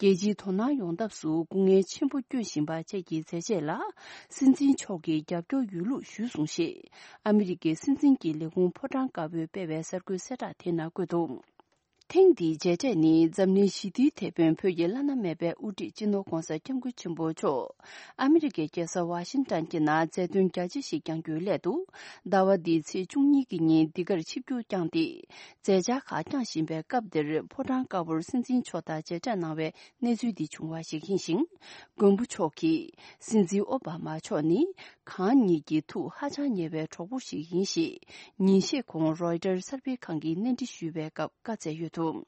རྒྱལ་སྤྱིའི་དོ་སྣང་ཡོང་ཐབས་སུ་སྐུ་ངལ་ཆེན་པོ་བསྐྱོན་བཞིན་པ་བཅས་ཀྱི་མཛད་རྗེས་ལ། སྲིད་འཛིན་མཆོག་གིས་རྒྱབ་སྐྱོར་ཡོད་ལུགས་ཞུས་སོང་ཞེས། ཨ་མི་རི་ཀའི་སྲིད་འཛིན་གྱི་ལས་ཁུངས་ཕོ་བྲང་དཀར་པོས་སྤེལ་བའི་གསར་འགོད་གསལ་བསྒྲགས་དེ་ནང་བཀོད་འདུག་ཐེངས་འདིའི་མཇལ་འཕྲད་ནི་འཛམ་གླིང་ཞི་བདེའི་དེད་དཔོན་བོད་ཀྱི་བླ་ན་མེད་པའི་དབུ་ཁྲིད་སྤྱི་ནོར་༧གོང་ས་༧སྐྱབས་མགོན་ཆེན་པོ་མཆོག་ཨ་མི་རི་ཀའི་རྒྱལ་ས་ཝ་ཤིང་ཏན་གྱི་ནང་མཛད་དོན་རྒྱ་ཆེ་ཞིག་བསྐྱངས་རྒྱུའི་སླད་དུ། ཟླ་བ་འདིའི་ཚེས་བཅུ་གཉིས་ཀྱི་ཉིན་འདི་གར་ཆིབས་བསྒྱུར་བསྐྱངས་ཏེ། མཛད་འཆར་ཁག་བསྐྱངས་བཞིན་པའི་སྐབས་འདིར་ཕོ་བྲང་དཀར་པོར་སྲིད་འཛིན་མཆོག་དང་མཇལ་འཕྲད་གནང་བའི་གནས་ཚུལ་འདི་བྱུང་བ་ཞིག་ཡིན་ཞིང་། མགོན་པོ་མཆོག་གིས་སྲིད་འཛིན་ཨོ་བྷ་མ་མཆོག་ནི། གང་ཉིད་ཀྱི་ཐུགས་ཧ་ཅང་ཉེ་བའི་གྲོགས་པོ་ཞིག་ཡིན་ཞེས། ཉིན་ཤས་གོང་རོའི་ཊར་གསར་སྤེལ་ཁང་གིས་གནས་འདྲི་ཞུས་པའི་སྐབས་བཀའ་སྩལ་ཡོད་འདུག་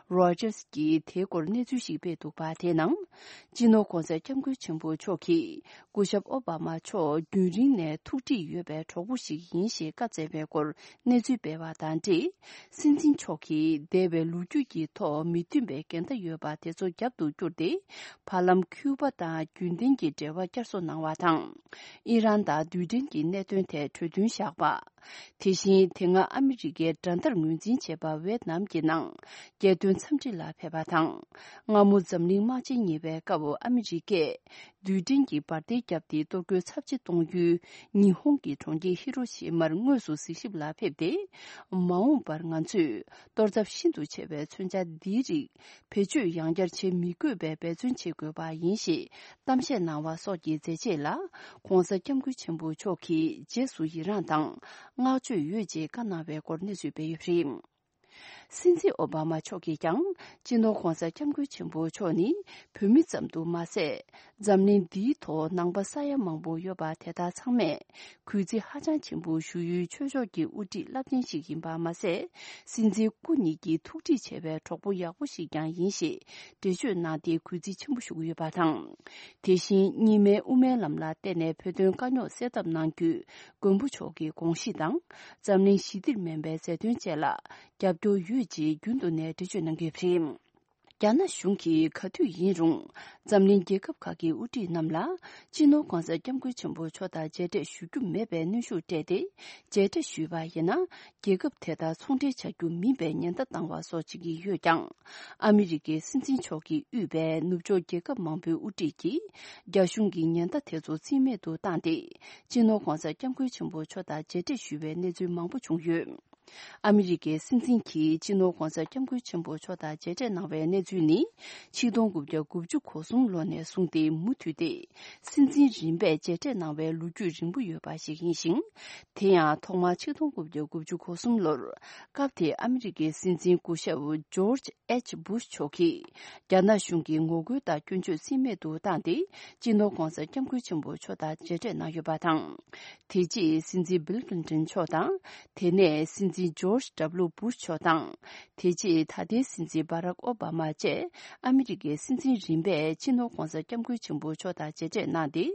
རོའི་ཊར་གྱིས་དེའི་སྐོར་གནས་ཚུལ་ཞིག་སྤེལ་འདུག་པ། དེའི་ནང་། སྤྱི་ནོར་༧གོང་ས་༧སྐྱབས་མགོན་ཆེན་པོ་མཆོག་གིས། སྐུ་ཞབས་ཨོ་བྷ་མ་མཆོག་རྒྱུན་རིང་ནས་ཐུགས་འདྲིས་ཡོད་པའི་གྲོགས་པོ་ཞིག་ཡིན་ཞེས་བཀའ་སྩལ་བའི་སྐོར་གནས་ཚུལ་སྤེལ་བ་དང་འབྲེལ། སྲིད་འཛིན་མཆོག་གིས་འདས་པའི་ལོ་རྒྱུས་ཀྱི་ཐོག་མི་མཐུན་པའི་འགལ་ཟླ་ཡོད་པ་དེ་ཚོ་རྒྱབ་ཏུ་བསྐྱུར་ཏེ། བར་ལམ་ཁྱུ་པ་དང་རྒྱུན་ལྡན་གྱི་འབྲེལ་བ་བསྐྱར་གསོ་གནང་བ་དང་། ཨི་རན་དང་རྡུལ་ཕྲན་གྱི་གནད་དོན་ཐད་གྲོས་མཐུན་བཞག་པ། དེ་བཞིན་དེ་སྔ་ཨ་མི་རི་ཀའི་དགྲ་ཟླར་ངོས་འཛིན་བྱས་པ་ཝེ་ཏི་ནམ་གྱི་ནང་ རྒྱལ་དོན་འཚམས་འདྲི་ལ་ཕེབས་པ་དང་། སྔ་མོ་འཛམ་གླིང་དམག་ཆེན་གཉིས་པའི་སྐབས་ཨ་མི་རི་ཀས་རྡུལ་ཕྲན་གྱི་འབར་མདེལ་བརྒྱབ་སྟེ་གཏོར་རྒོལ་ཚབས་ཆེ་གཏོང་རྒྱུའི་ཉི་ཧོང་གི་གྲོང་ཁྱེར་ཧི་རོ་ཤི་མར་དངོས་སུ་གཟིགས་ཞིབ་ལ་ཕེབས་ཏེ། མ་འོངས་པར་ང་ཚོས་གཏོར་ཚབས་ཤིན་ཏུ་ཆེ་བའི་མཚོན་ཆ་འདིའི་རིགས་བེད་སྤྱོད་ཡང་བསྐྱར་བྱེད་མི་དགོས་པའི་འབད་བརྩོན་བྱེད་དགོས་པ་ཡིན་ཞེས་གཏམ་བཤད་གནང་བ་སོགས་ཀྱི་མཛད་རྗེས་ལ་༸གོང་ས་༸སྐྱབས་མགོན་ཆེན་པོ་མཆོག་གིས་རྗེས་སུ་ཡི་རངས་དང་བསྔགས་བརྗོད་ཡོད་ཅེས་བཀའ་གནང་བའི་སྐོར་གནས་ཚུལ་སྤེལ་ཡོད་པ་རེད། སྲིད་འཛིན་ཨོ་བྷ་མ་མཆོག་གིས་ཀྱང་སྤྱི་ནོར་༸གོང་ས་༸སྐྱབས་མགོན་ཆེན་པོ་མཆོག་ནི་བོད་མི་ཙམ་དུ་མ་ཟད། འཛམ་གླིང་འདིའི་ཐོག་ནང་པ་ས་ཡ་མང་པོ་ཡོད་པ་དེ་དག་ཚང་མས་གུས་བརྩི་ཧ་ཅང་ཆེན་པོ་ཞུ་ཡུལ་ཆོས་ཕྱོགས་ཀྱི་དབུ་ཁྲིད་རླབས་ཆེན་ཞིག་ཡིན་པ་མ་ཟད། སྲིད་འཛིན་སྐུ་ཉིད་ཀྱི་ཐུགས་ཁྲིད་བྱས་པའི་གྲོགས་པོ་ཡག་པོ་ཞིག་ཀྱང་ཡིན་ཞེས་འགྲེལ་བརྗོད་གནང་སྟེ་གུས་བརྩི་ཆེན་པོ་ཞུ་གི་ཡོད་པ་དང་། དེ་བཞིན་གཉིས་སྨན་དབུ་མའི་ལམ་ལ་བརྟེན་ནས་བོད་དོན་དཀའ་རྙོག་སེལ་ཐབས་གནང་རྒྱུའི་མགོན་པོ་མཆོག་གི་དགོངས་གཞི་དང་། འཛམ་གླིང་ཞི་བདེར་སྨན་པའི་མཛད་དོན་བཅས་ལ་རྒྱབ་སྐྱོར་ཡོད་ཅེས་རྒྱུན་དུ་ནས་འགྲེལ་བརྗོད་གནང་གི་ཡོད་པ་རེད། རྒྱ་ནག་གཞུང་གིས་ག་དུས་ཡིན་རུང་འཛམ་གླིང་རྒྱལ་ཁབ་ཁག་གི་དབུ་ཁྲིད་རྣམས་ལ་སྤྱི་ནོར་༸གོང་ས་༸སྐྱབས་མགོན་ཆེན་པོ་མཆོག་དང་མཇལ་འཕྲད་ཞུ་རྒྱུ་མེད་པའི་གནོན་ཤུགས་སྤྲད་དེ། མཇལ་འཕྲད་ཞུས་པ་ཡིན་ན་རྒྱལ་ཁབ་དེ་དག་ཚོང་འབྲེལ་བྱ་རྒྱུ་མིན་པའི་ཉེན་བརྡ་བཏང་བ་སོགས་བྱེད་ཀྱི་ཡོད་ཀྱང་། ཨ་མི་རི་ཀའི་སྲིད་འཛིན་མཆོག་གིས་དབུས་པའི་ནུབ་ཕྱོགས་རྒྱལ་ཁབ་མང་པོའི་དབུ་ཁྲིད་ཀྱིས་རྒྱ་གཞུང་གི་ཉེན་བརྡ་དེ་ཚོ་རྩིས་མེད་དུ་བཏང་སྟེ། སྤྱི་ནོར་༸གོང་ས་༸སྐྱབས་མགོན་ཆེན་པོ་མཆོག་དང་མཇལ་འཕྲད་ཞུས་པའི་གནས་ཚུལ་མང་པོ་བྱུང་ཡོད། ཨ་མི་རི་ཀའི་སྲིད་འཛིན་གྱིས་སྤྱི་ནོར་༸གོང་ས་༸སྐྱབས་མགོན་ཆེན་པོ་མཆོག་དང་མཇལ་འཕྲད་གནང་བའི་གནས་ཚུལ་ནི། ཆིག་སྟོང་དགུ་བརྒྱ་དགུ་བཅུ་གོ་གསུམ་ལོ་ནས་བཟུང་སྟེ་མུ་མཐུད་དེ། སྲིད་འཛིན་རིམ་པས་མཇལ་འཕྲད་གནང་བའི་ལོ་རྒྱུས་རིང་པོ་ཡོད་པ་ཞིག་ཡིན་ཞིང་། དེ་ཡང་ཐོག་མར་ཆིག་སྟོང་དགུ་བརྒྱ་དགུ་བཅུ་གོ་གསུམ་ལོར། སྐབས་དེའི་ཨ་མི་རི་ཀའི་སྲིད་འཛིན་སྐུ་ཞབས་ཇོརྗ་ཨེཆ་བུ་ཤ་མཆོག་གིས། རྒྱ་ནག་གཞུང་གི་ངོ་རྒོལ་དང་སྐྱོན་བརྗོད་རྩིས་མེད་དུ་བཏང་སྟེ། སྤྱི་ནོར་༸གོང་ས་༸སྐྱབས་མགོན་ཆེན་པོ་མཆོག་དང་མཇལ་འཕྲད་གནང་ཡོད་པ་དང་། དེ་རྗེས་སྲིད་འཛིན་བིལ་ཀིན་ཏོན་མཆོག་དང་། དེ་ནས་སྲིད་འཛིན་ཇོརྗ་ཌབ་ལུ་བུ་ཤ་མཆོག་དང་། དེ་རྗེས་ད་ལྟའི་སྲིད་འཛིན་བྷ་རག་ཨོ་བྷ་མ་བཅས་ཨ་མི་རི་ཀའི་སྲིད་འཛིན་རིམ་པས་སྤྱི་ནོར་༸གོང་ས་༸སྐྱབས་མགོན་ཆེན་པོ་མཆོག་དང་མཇལ་འཕྲད་གནང་སྟེ།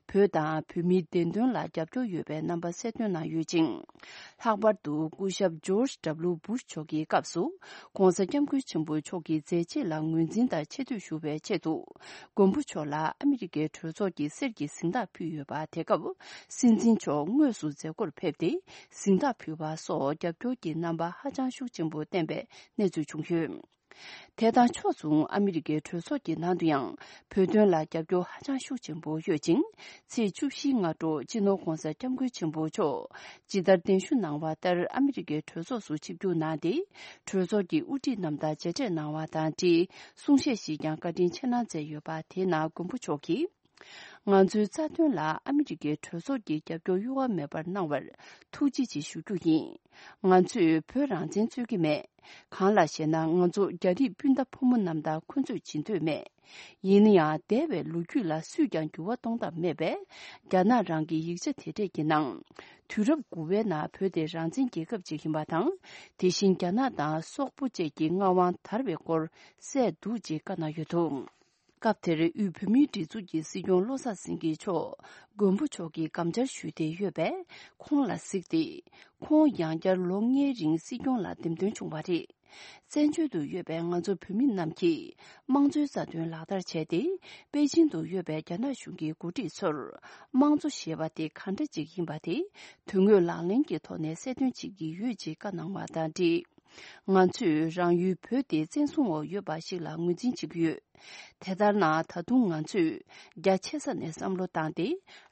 བོད་དང་བོད་མིའི་བདེན་དོན་ལ་རྒྱབ་སྐྱོར་ཡོད་པའི་རྣམ་པ་གསལ་སྟོན་གནང་ཡོད་ཅིང་། ལྷག་པར་དུ་སྐུ་ཞབས་ཇོརྗ་ཌབ་ལུ་བུ་ཤ་མཆོག་གི་སྐབས་སུ། ༸གོང་ས་༸སྐྱབས་མགོན་ཆེན་པོ་མཆོག་གི་མཛད་རྗེས་ལ་ངོས་འཛིན་དང་ཆེ་བསྟོད་ཞུ་བའི་ཆེད་དུ། མགོན་པོ་མཆོག་ལ་ཨ་མི་རི་ཀའི་གྲོས་ཚོགས་ཀྱི་གསེར་གྱི་གཟེངས་རྟགས་ཕུལ་ཡོད་པ། དེ་སྐབས་སྲིད་འཛིན་མཆོག་དངོས་སུ་མཛད་སྒོར་ཕེབས་ཏེ། གཟེངས་རྟགས་ཕུལ་བ་སོགས་རྒྱབ་སྐྱོར་གྱི་རྣམ་པ་ཧ་ཅང་ཤུགས་ཆེན་པོ་བསྟན་པའི་གནས་ཚུལ་བྱུང་ཡོད། དེ་དང་ཕྱོགས་མཚུངས་ཨ་མི་རི་ཀའི་གྲོས་ཚོགས་ཀྱི་ནང་དུ་ཡང་བོད་དོན་ལ་རྒྱབ་སྐྱོར་ཧ་ཅང་ཤུགས་ཆེན་པོ་ཡོད་ཅིང་། ཚེས་བཅུ་བཞིའི་སྔ་དྲོ་སྤྱི་ནོར་༸གོང་ས་༸སྐྱབས་མགོན་ཆེན་པོ་མཆོག་ཇི་ལྟར་གདན་ཞུ་གནང་བ་ལྟར་ཨ་མི་རི་ཀའི་གྲོས་ཚོགས་སུ་ཆིབས་བསྒྱུར་གནང་སྟེ། གྲོས་ཚོགས་ཀྱི་དབུ་ཁྲིད་རྣམས་དང་མཇལ་འཕྲད་གནང་བ་དང་འབྲེལ་གསུང་བཤད་ཞིག་ཀྱང་བཀའ་དྲིན་ཆེ་གནང་མཛད་ཡོད་པ། དེའི་ནང་མགོན་པོ་མཆོག་གིས། ང་ཚོའི་རྩ་དོན་ལ་ཨ་མི་རི་ཀའི་གྲོས་ཚོགས་ཀྱིས་རྒྱབ་སྐྱོར་གཡོ་བ་མེད་པར་གནང་བར་ཐུགས་རྗེ་ཆེ་ཞུ་རྒྱུ་ཡིན། ང་ཚོས་བོད་རང་བཙན་རྩོད་ཀྱི་མེད། གང་ལགས་ཤེ་ན། ང་ཚོ་རྒྱ་རིགས་སྤུན་ཟླ་ཕོ་མོ་རྣམས་དང་འཁོན་རྩོད་བྱེད་འདོད་མེད། ཡིན་ན་ཡང་འདས་པའི་ལོ་རྒྱུས་ལ་སུས་ཀྱང་འགྱུར་བ་གཏོང་ཐབས་མེད་པས། རྒྱ་ནག་རང་གི་ཡིག་ཆ་དེ་གྲས་ཀྱི་ནང་། དུས་རབས་དགུ་པའི་ནང་བོད་དེ་རང་བཙན་རྒྱལ་ཁབ་ཅིག་ཡིན་པ་དང་། དེ་བཞིན་རྒྱ་ནག་དང་སོག་པོ་བཅས་ཀྱི་མངའ་དབང་དར་བའི་སྐོར་གསལ་འདུག་ཅེས་བཀའ་གནང་ཡོད་འདུག་སྐབས་དེར་དབུས་བོད་མིའི་སྒྲིག་འཛུགས་ཀྱི་སྲིད་སྐྱོང་བློ་བཟང་སེང་གེ་མཆོག་མགོན་པོ་མཆོག་གིས་དགམ་བཅར་ཞུས་ཏེ་ཡོད་པས། ཁོང་ལ་གཟིགས་ཏེ། ཁོང་ཡང་བསྐྱར་ལོ་ལྔའི་རིང་སྲིད་སྐྱོང་ལ་འདེམས་ཐོན་བྱུང་བ་རེད། བཙན་བྱོལ་དུ་ཡོད་པའི་ང་ཚོ་བོད་མི་རྣམས་ཀྱིས་དམངས་གཙོའི་རྩ་དོན་ལག་བསྟར་བྱས་ཏེ། པེ་ཅིང་དུ་ཡོད་པའི་རྒྱ་ནག་གཞུང་གི་འགོ་ཁྲིད་ཚོར། དམངས་གཙོ་ཞེས་པ་དེ་གང་འདྲ་ཅིག་ཡིན་པ་དེ་དོན་དངོས་ལག་ལེན་གྱི་ཐོག་ནས་གསལ་སྟོན་བྱེད་ཀྱི་ཡོད་ཅེས་བཀའ་གནང་བ་དང་འབྲེལ། ང་ཚོས་རང་ཡུལ་བོད་དེ་བཙན་བཟུང་འོག་ཡོད་པ་ཞིག་ལ་ངོས་འཛིན་བྱེད་ཀྱི་ཡོད། དེ་ལྟར་ན་ད་དུང་ང་ཚོས་རྒྱ་ཆེ་ས་ནས་བསམ་བློ་བཏང་སྟེ་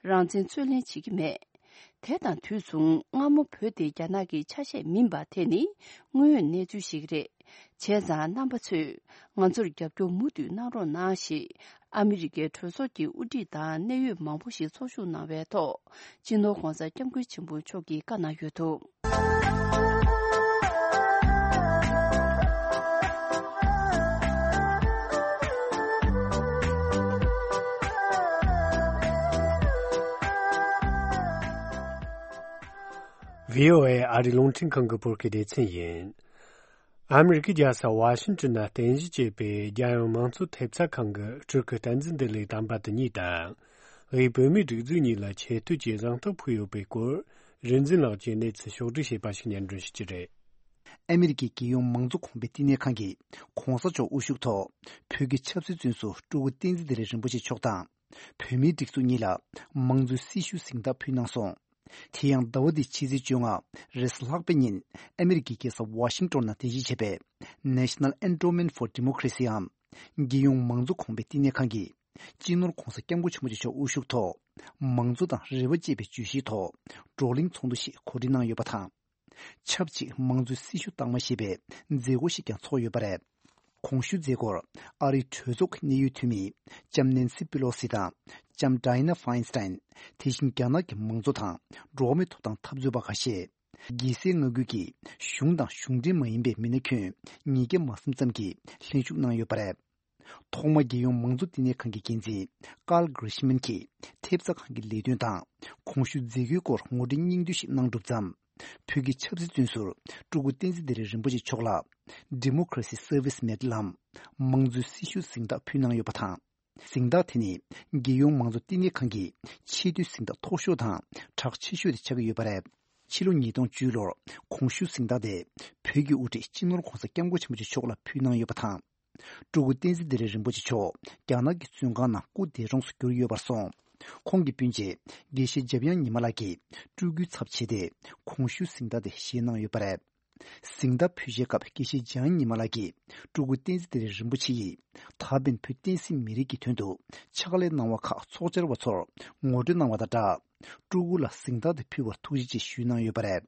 རང་བཙན་རྩོད་ལེན་བྱེད་ཀྱི་མེད། དེ་དང་དུས་མཚུངས་སྔ་མོ་བོད་དེ་རྒྱ་ནག་གི་ཆ་ཤས་མིན་པ་དེ་ནི་དངོས་ཡོད་གནས་ཚུལ་ཞིག་རེད། བྱས་ཙང་རྣམ་པ་ཚོས་ང་ཚོར་རྒྱབ་སྐྱོར་མུ་མཐུད་གནང་རོགས་གནང་ཞེས་ཨ་མི་རི་ཀའི་གྲོས་ཚོགས་ཀྱི་དབུ་ཁྲིད་དང་གནད་ཡོད་མང་པོ་ཞིག་ཚོགས་ཞུགས་གནང་བའི་ཐོག་སྤྱི་ནོར་༸གོང་ས་༸སྐྱབས་མགོན་ཆེན་པོ་མཆོག་གིས་བཀའ་གནང་ཡོད་འདུག་ཝི་ཨོ་ཨེ་ཨ་རིའི་རླུང་འཕྲིན་ཁང་གི་བོད་སྐད་སྡེ་ཚན་ཡིན། ཨ་མི་རི་ཀའི་རྒྱལ་ས་ཝ་ཤིང་ཏོན་ན་རྟེན་གཞི་བྱས་པའི་རྒྱལ་ཡོངས་མང་གཙོ་ཐེབས་རྩ་ཁང་གི་སྤྲུལ་སྐུ་བསྟན་འཛིན་བདེ་ལེགས་དམ་པ་དེ་ཉིད་དང་། དབུས་བོད་མིའི་སྒྲིག་འཛུགས་གཉིས་ལ་ཆེ་བསྟོད་ཀྱི་གཟེངས་རྟགས་ཕུལ་ཡོད་པའི་སྐོར། རིག་འཛིན་ལགས་ཀྱིས་གནས་ཚུལ་ཕྱོགས་བསྒྲིགས་བྱས་པ་ཞིག་སྙན་སྒྲོན་ཞུ་རྒྱུ་རེད། ཨ་མི་རི་ཀའི་རྒྱལ་ཡོངས་མང་གཙོ་གོང་འཕེལ་བསྟི་གནས་ཁང་གིས་༸གོང་ས་མཆོག་དབུ་བཞུགས་ཐོག་བོད་ཀྱི་ཆབ་སྲིད་བཙོན་ཟུར་སྤྲུལ་སྐུ་བསྟན་འཛིན་བདེ་ལེགས་རིན་པོ་ཆེ་མཆོག་དང་། བོད་མིའི་སྒྲིག་འཛུགས་གཉིས་ལ་དམངས་གཙོའི་སྲི་ཞུའི་གཟེངས་རྟགས་ཕུལ་གནང་སོང་། དེ་ཡང་ཟླ་བ་འདིའི་ཕྱི་ཚེས་བཅོ་ལྔ་རེས་ལྷག་པའི་ཉིན་ཨ་མི་རི་ཀའི་རྒྱལ་ས་ཝ་ཤིང་ཏོན་ནང་རྟེན་གཞི་བྱས་པའི་National Endowment for Democracy འམ་རྒྱལ་ཡོངས་མང་གཙོ་གོང་འཕེལ་བསྟི་གནས་ཁང་གིས་སྤྱི་ནོར་༧གོང་ས་༧སྐྱབས་མགོན་ཆེན་པོ་མཆོག་དབུ་བཞུགས་ཐོག་མང་གཙོ་དང་རེ་བ་ཅེས་པའི་བརྗོད་གཞིའི་ཐོག་བགྲོ་གླེང་ཚོགས་འདུ་ཞིག་གོ་སྒྲིག་གནང་ཡོད་པ་དང་། ཆབས་ཅིག་དམངས་གཙོའི་སྲི་ཞུ་བཏང་མ་ཤེས་པའི་མཛད་སྒོ་ཞིག་ཀྱང་ཚོགས་ཡོད་པ་རེད། གོང་ཞུས་མཛད་སྒོར་ཨ་རིའི་གྲོས་ཚོགས་ཀྱི་གནད་ཡོད་འཐུས་མི་ལྕམ་ནན་སི་པི་ལོ་སི་དང་ལྕམ་ཌའི་ན་ཧྥ་ཨིན་སི་ཏན། དེ་བཞིན་རྒྱ་ནག་གི་མང་གཙོ་དང་འགྲོ་བ་མིའི་ཐོབ་ཐང་འཐབ་རྩོད་པ་ཁ་ཤས། རྒྱལ་སའི་མངའ་ཁུལ་གྱི་གཞུང་དང་གཞུང་འབྲེལ་མ་ཡིན་པའི་མི་སྣ་ཁྱོན་ཉིས་བརྒྱ་མ་ཟིན་ཙམ་གྱིས་ལྷན་ཞུགས་གནང་ཡོད་པ་རེད། ཐོག་མར་རྒྱལ་ཡོངས་མང་གཙོ་བསྟི་གནས་ཁང་གི་འགན་འཛིན་ཀཱལ་གྷི་རི་ཤི་མན་གྱིས་ཐེབས་རྩ་ཁང་གི་ལས་དོན་དང་གོང་ཞུས་མཛད་སྒོའི་སྐོར་ངོ་སྤྲོད་སྙིང་བསྡུས་ཤིག་གནང་གྲུབ་མཚམས། བོད་ཀྱི་ཆབ་སྲིད་བཙོན་ཟུར་སྤྲུལ་སྐུ་བསྟན་འཛིན་བདེ་ལེགས་རིན་པོ་ཆེ་མཆོག་ལ་Democracy Service Medal ལམ་དམངས་གཙོའི་སྲི་ཞུ་གཟེངས་རྟགས་ཕུལ་གནང་ཡོད་པ་དང་། གཟེངས་རྟགས་དེ་ནི་རྒྱལ་ཡོངས་མང་གཙོ་བསྟི་གནས་ཁང་གི་ཆེས་མཐོའི་གཟེངས་རྟགས་མཐོ་ཤོས་དང་གྲགས་ཆེ་ཤོས་དེ་ཆགས་ཀྱི་ཡོད་པ་རེད། ཕྱི་ལོ་ཉིས་སྟོང་བཅུ་ལོར་གོང་ཞུས་གཟེངས་རྟགས་དེ་བོད་ཀྱི་དབུ་ཁྲིད་སྤྱི་ནོར་༧གོང་ས་༧སྐྱབས་མགོན་ཆེན་པོ་མཆོག་ལ་ཕུལ་གནང་ཡོད་པ་དང་། སྤྲུལ་སྐུ་བསྟན་འཛིན་བདེ་ལེགས་རིན་པོ་ཆེ་མཆོག་རྒྱ་ནག་གི་བཙོན་ཁང་ནང་སྐུ་འདས་གྲོངས་སུ་གྱུར་ཡོད་པར་སོང་། ཁོང་གི་སྤུན་མཆེད་དགེ་བཤེས་འཇམ་དབྱངས་ཉི་མ་ལགས་ཀྱིས་སྤྲུལ་སྐུའི་ཚབ་བྱས་ཏེ་གོང་ཞུས་གཟེངས་རྟགས་དེ་བཞེས་གནང་ཡོད་པ་རེད། གཟེངས་རྟགས་ཕུལ་བྱེད་སྐབས་དགེ་བཤེས་འཇམ་དབྱངས་ཉི་མ་ལགས་ཀྱིས་སྤྲུལ་སྐུ་བསྟན་འཛིན་བདེ་ལེགས་རིན་པོ་ཆེ་ཡིས་ད་ཕན་བོད་བསྟན་སྲིད་མི་རིགས་ཀྱི་དོན་དུ་ཕྱག་ལས་གནང་བ་ཁག་ཚོགས་བཅར་བ་ཚོར་ངོ་སྤྲོད་གནང་བ་དང་སྦྲགས། སྤྲུལ་སྐུ་ལ་གཟེངས་རྟགས་དེ་ཕུལ་བར་ཐུགས་རྗེ་ཆེ་ཞུས་གནང་ཡོད་པ་རེད།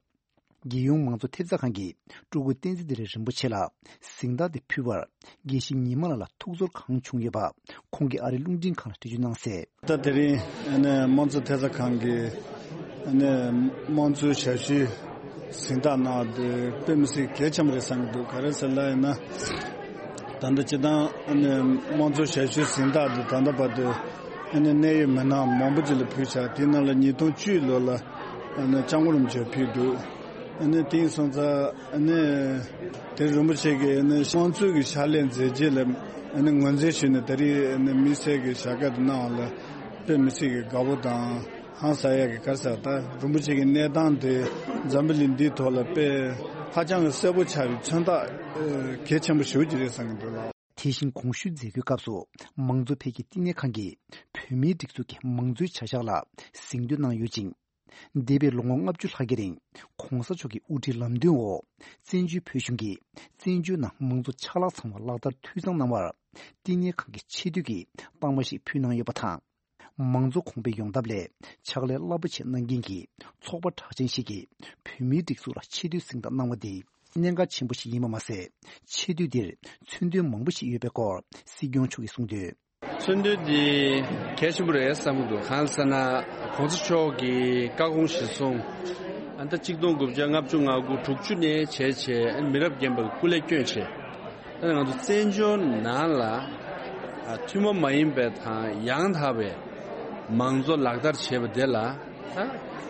རྒྱལ་ཡོངས་མང་གཙོ་ཐེབས་རྩ་ཁང་གིས་སྤྲུལ་སྐུ་བསྟན་འཛིན་བདེ་ལེགས་རིན་པོ་ཆེ་ལ་གཟེངས་རྟགས་དེ་ཕུལ་བར་དགེ་བཤེས་ཉི་མ་ལགས་ལ་ཐུགས་ཚོར་གང་བྱུང་ཡོད་པ་ཁོང་གིས་ཨ་རིའི་རླུང་འཕྲིན་ཁང་ལ་འགྲེལ་བརྗོད་གནང་གསལ། ད་དེ་རིང་ཨ་ནི་དམངས་གཙོ་ཐེབས་རྩ་ཁང་གིས་ཨ་ནི་དམངས་གཙོའི་ཞབས་ཞུའི་གཟེངས་རྟགས་གནང་བ་དེ་དཔེ་མི་སྲིད་གལ་ཆེན་པོ་རེད་བསམ་གྱི་འདུག་ག་རེ་ཟེར་ལབ་ཡིན་ན། ད་ལྟ་སྤྱིར་བཏང་ཨ་ནི་དམངས་གཙོའི་ཞབས་ཞུའི་གཟེངས་རྟགས་དེ་ད་ལྟ་བར་དུ་ཨ་ནི་གནད་ཡོད་མི་སྣ་མང་པོ་ཅིག་ལ་ཕུལ་བྱས། དེའི་ནང་ལ་ཉིས་སྟོང་བཅུ་ལོ་ལ་ཨ་ནི་སྐྱབས་མགོན་རིན་པོ་ཆེར་ཕུལ་འདུག་ཨ་ནི་དེང་སང་ཙང་ཨ་ནི་དེ་རིན་པོ་ཆེ་གིས་ཨ་ནི་དམངས་གཙོའི་གི་ཕྱག་ལས་མཛད་རྗེས་ལ་ཨ་ནི་ངོས་འཛིན་ཞུས་ནས་ད་རེས་ཨ་ནི་དམིགས་བསལ་གྱི་ཞལ་བཀའ་དེ་གནང་བ་ལ་དཔེ་མི་སྲིད་ཀྱི་དགའ་པོ་དང་ཧང་སང་ཡག་གི། ག་རེ་ཟེར་ད་རིན་པོ་ཆེ་གི་གནས་སྟངས་དེ་འཛམ་བུ་གླིང་འདིའི་ཐོག་ལ་དཔེ་ཧ་ཅང་གི་གསལ་པོ་ཆགས་པའི་མཚོན་རྟགས་གལ་ཆེན་པོ་ཞེ་པོ་ཅིག་རེད་བསམ་གྱི་འདུག་ལགས། དེ་བཞིན་གོང་ཞུས་མཛད་སྒོའི་སྐབས་སུ་མང་གཙོ་འཕེལ་རྒྱས་བསྟི་གནས་ཁང་གིས་བོད་མིའི་སྒྲིག་འཛུགས་ཀྱི་མང་གཙོའི་བྱ་གཞག་ལ་གཟེངས་བསྟོད་གནང་ཡོད་ཅིང་། འདས་པའི་ལོ་ངོ་ལྔ་བཅུ་ལྷག་གི་རིང་གོང་ས་མཆོག་གི་དབུ་ཁྲིད་ལམ་སྟོན་འོག་བཙན་བྱོལ་བོད་གཞུང་གིས་བཙན་བྱོལ་ནང་མང་གཙོ་ཆ་ལག་ཚང་བ་ལག་བསྟར་འཐུས་ཚང་གནང་བར་བསྟི་གནས་ཁང་གི་ཆེ་བསྟོད་ཀྱི་རྟགས་མ་ཞིག་ཕུལ་གནང་ཡོད་པ་དང་། མང་གཙོ་གོང་འཕེལ་ཡོང་ཐབས་ལ་ཕྱག་ལས་རླབས་པོ་ཆེ་གནང་མཁན་གྱི་ཚོགས་པ་གྲགས་ཅན་ཞིག་གིས་བོད་མིའི་སྒྲིག་འཛུགས་ལ་ཆེ་བསྟོད་གཟེངས་རྟགས་གནང་བ་འདི་གནད་འགག་ཆེན་པོ་ཞིག་ཡིན་པ་མ་ཟད། ཆེ་བསྟོད་འདིར་མཚོན་དོན་མང་པོ་ཞིག་ཡོད་པའི་སྐོར་སྲིད་སྐྱོང་མཆོག་གིས་གསུངས་དོན། མཚོན་དོན་འདི་གལ་ཆེན་པོ་རེད་བསམ་གྱི་འདུག་གང་ཟེར་ན་གོང་ས་མཆོག་གིས་བཀའ་དགོངས་གཞིར་བཟུང་ཨ་ད་གཅིག་སྟོང་དགུ་བརྒྱ་ལྔ་བཅུ་ང་དགུ་དྲུག་ཅུ་ནས་བྱས་བྱས་མི་རབས་རྒན་པ་གི་སྐུ་ལས་བསྐྱོན་བྱས། ད་ང་ཚོ་བཙན་བྱོལ་ནང་ལ་ཨ་ཐུན་མོང་མ་ཡིན་པའི་དང་ཡང་དག་པའི་མང་གཙོ་ལག་བསྟར་བྱེད་པ་དེ་ལ་ཨ་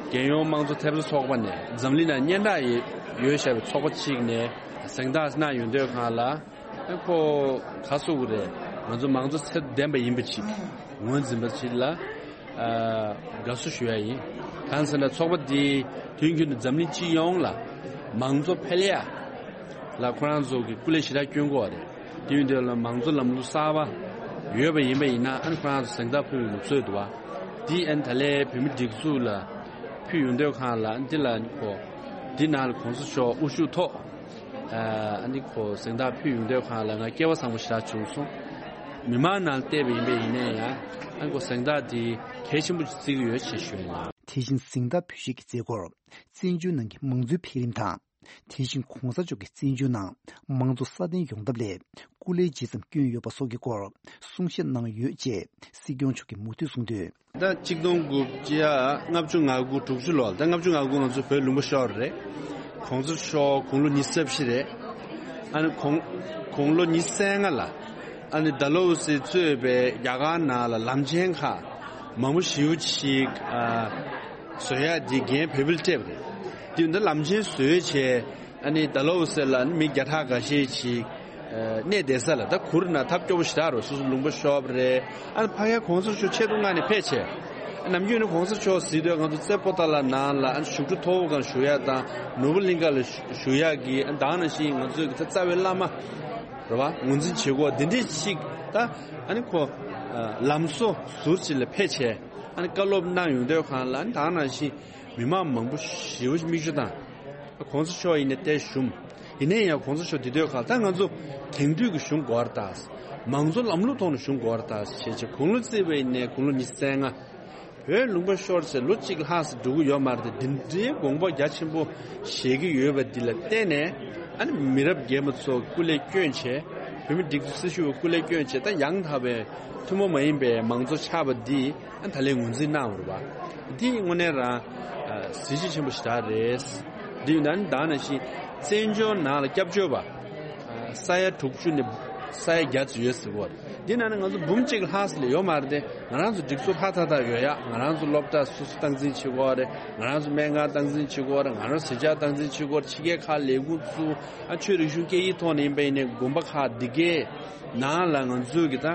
རྒྱལ་ཡོངས་དམངས་གཙོ་ཐེབས་རྩ་ཚོགས་པ་ནས་འཛམ་གླིང་ནང་སྙན་གྲགས་ཡོད་ཡོད་བཞག་པའི་ཚོགས་པ་གཅིག་ནས་གཟེངས་རྟགས་གནང་ཡོང་དུས་སྒང་ལ་ཨ་ཁོ་ག་ཟེར་དགོས་རེད། ང་ཚོ་མང་གཙོ་ཚད་ལྡན་པ་ཡིན་པ་ཅིག་ངོས་འཛིན་པ་ཅིག་ལ། ཨ་དགའ་བསུ་ཞུ་ཡ་ཡིན། གང་ཟེར་ན་ཚོགས་པ་འདི་དུས་རྒྱུན་དུ་འཛམ་གླིང་སྤྱི་ཡོངས་ལ་མང་གཙོ་འཕེལ་ཡ་ལ་ཁོ་རང་ཚོ་གི་སྐུ་ལས་ཞེ་དྲག་བསྐྱོན་གྱི་ཡོད་རེད། དེ་ཡིན་དུས་ལ་མང་གཙོ་ལམ་ལུགས་གསར་པ་ཡོད་པ་ཡིན་པ་ཡིན་ན་ཨ་ནི་ཁོ་རང་ཚོ་གཟེངས་རྟགས་ཕུལ་བའི་ལུགས་སྲོལ་འདུག་བ། འདི་ཨ་ནི་ད་ལས་བོད་མི་སྒྲིག་འཛུགས་ལ་ཕུལ་ཡོང་དུས་སྒང་ལ་འདི་ལ་ཁོ་འདི་ནང་ལ་གོང་ས་མཆོག་དབུ་བཞུགས་ཐོག་ཨ་ནི་ཁོ་གཟེངས་རྟགས་ཕུལ་ཡོང་དུས་སྒང་ལ་ང་སྐལ་བ་བཟང་པོ་ཞེ་དྲག་བྱུང་སོང་། མི་མང་ནང་བལྟས་པ་ཡིན་པ་ཡིན་ནའི་ཡང་ཨ་ནི་ཁོ་གཟེངས་རྟགས་འདི་གལ་ཆེན་པོ་ཞིག་བརྩི་གི་ཡོད་ཅེས་ཞུ་ཡ་ཡིན། དེ་བཞིན་གཟེངས་རྟགས་ཕུལ་བྱེད་ཀྱི་མཛད་སྒོར་བཙན་བྱོལ་ནང་གི་མང་གཙོའི་འཕེལ་རིམ་དང་། དེ་བཞིན་གོང་ས་མཆོག་གིས་བཙན་བྱོལ་ནང་མང་གཙོ་སྲ་བརྟན་ཡོང་ཐབས་ལ་སྐུ་ལས་ཇི་ཙམ་བསྐྱོན་ཡོད་པ་སོགས་ཀྱི་སྐོར་གསུང་བཤད་གནང་ཡོད་ཅེས་སྲིད་སྐྱོང་མཆོག་གིས་མུ་མཐུད་གསུངས་དོན། ད་གཅིག་སྟོང་དགུ་བརྒྱ་ལྔ་བཅུ་ང་དགུ་དྲུག་ཅུ་ལོ་ལ། ད་ལྔ་བཅུ་ང་དགུ་ང་ཚོ་བོད་ལུང་པ་ཤོར་རེད། གོང་ས་མཆོག་དགུང་ལོ་ཉི་ཤུ་རྩ་བཞི་རེད། ཨ་ནི་དགུང་དགུང་ལོ་ཉི་ཤུ་རྩ་ལྔ་ལ་ཨ་ནི་ཌལ་ཧོ་སི་གཙོས་པའི་རྒྱ་གར་ནང་ལ་ལམ་ཆེན་ཁག་མང་པོ་ཞེ་པོ་ཅིག་ཨ་བཟོ་ཡག་འདི་འགན་བོད་པས་སྤྲད་པ་རེད། དེ་ཡིན་ད་ལམ་ཆེན་བཟོས་བྱས། ཨ་ནི་ཌལ་ཧོ་སི་ལ་ནི་མི་བརྒྱ་ཕྲག་འགའ་ཤས་ཅིག་ཨ་གནས་བསྡད་ས་ལ། ད་གུར་ནང་ཐབས་སྐྱོ་པོ་ཞེ་དྲག་རེད། སོ་སོ་ལུང་པ་ཤོར་བ་རེད། ཨ་ནི་ཕ་གིར་གོང་ས་མཆོག་ཆེད་དུ་མངགས་ནས་ཕེབས་བྱས། ཨ་ནམ་རྒྱུན་ནི་གོང་ས་མཆོག་གཟིགས་དུས་ང་ཚོ་རྩེ་པོ་ཏཱ་ལ་ནང་ལ་ཨ་ནི་བཞུགས་ཁྲི་མཐོ་པོ་སྒང་བཞུགས་ཡག་དང་ནོར་བུ་གླིང་ཁ་ལ་བཞུགས་ཡག་གི་ཨ་ནི་ད་ག་ནང་བཞིན་ང་ཚོའི་གི་ད་རྩ་བའི་བླ་མ་རེད་བ། ངོས་འཛིན་བྱེད་སྒོ་འདི་འདྲས་ཅིག་ད་ཨ་ནི་ཁོ་ཨ་ལམ་བཟོ་ཟུར་ཅིག་ལ་ཕེབས་བྱས། ཨ་ནི་བཀའ་སློབ་གནང་ཡོང་དུས་སྒང་ལ་ཨ་ནི་ད་ག་ནང་བཞིན། མི་མང་མང་པོ་ཞེ་པོ་ཅིག་མིག་ཆུ་བཏང་། གོང་ས་མཆོག་ཡིན་ནའི་ཏོག་ཙམ་ཞུམ། ཡིན་ནའི་ཡང་གོང་ས་མཆོག་འདི་དུས་ཁ་ད་ང་ཚོ་དེང་དུས་ཀྱི་གཞུང་དགོས་རེད་ད། མང་གཙོ་ལམ་ལུགས་ཐོག་ནས་གཞུང་དགོས་རེད་ད་ཞེས་བྱས་དགུང་ལོ་བརྩིས་པ་ཡིན་ནའི་དགུང་ལོ་ཉི་ཤུ་རྩ་ལྔ། བོད་ལུང་པ་ཤོར་ཚེ་ལོ་གཅིག་ལྷག་ཙམ་འགྲོ་གི་ཡོད་མ་རེད་དེ། འདི་འདྲའི་དགོངས་པ་རྒྱ་ཆེན་པོ་བཞེས་ཀྱི་ཡོད་པ་འདི་ལ་བརྟེན་ནས། ཨ་ནི་མི་རབས་རྒན་པ་ཚོ་སྐུ་ལས་བསྐྱོན་བྱས། བོད་མི་སྒྲིག་འཛུགས་སྲི་ཞུ་བ་སྐུ་ལས་བསྐྱོན་བྱས། ད་ཡང་དག་པའི་ཐུན་མོང་མ་ཡིན་པའི་མང་གཙོ་ཆགས་པ་འདི་ཨ་ནི་ད་ལན་ངོས་འཛིན་གནང་བ་རེད་པ། འདི་དངོས་གནས་རང་ཨ་གཟི་བརྗིད་ཆེན་པོ་ཞེ་དྲག་རེད། འདི་ཡིན་ན་ནི་ད་ནང་བཞིན་བཙན་བྱོལ་ནང་ལ་སྐྱབས་བཅོལ་བ་ཨ་ས་ཡ་དྲུག་ཅུ་ནས་ས་ཡ་བརྒྱ་ཙམ་ཡོད་ཟེར་གོ་རེད། འདི་ནང་ནས་ང་ཚོ་འབུམ་གཅིག་ལྷག་ཙམ་ལས་ཡོད་མ་རེད་དེ། ང་རང་ཚོ་སྒྲིག་འཛུགས་ལྷག་ཏག་ཏག་ཡོད་ཡ། ང་རང་ཚོ་སློབ་གྲྭ་སོ་སོ་སྟངས་འཛིན་བྱེད་ཀྱི་ཡོད་རེད། ང་རང་ཚོ་སྨན་ཁང་སྟངས་འཛིན་བྱེད་ཀྱི་ཡོད་རེད། ང་རང་ཚོ་གཟི་བརྗིད་སྟངས་འཛིན་བྱེད་ཀྱི་ཡོད་རེད། ཕྱི་རྒྱལ་ཁག་ལས་ཁུངས་བཙུགས། ཨ་ཆོས་རིག་གཞུང་སྐད་ཡིག་ཐོག་ནས་ཡིན་པ་ཡིན་ནའི་དགོན་པ་ཁག་འདི་གའི་ནང་ལ་ང་ཚོའི་གི་ད་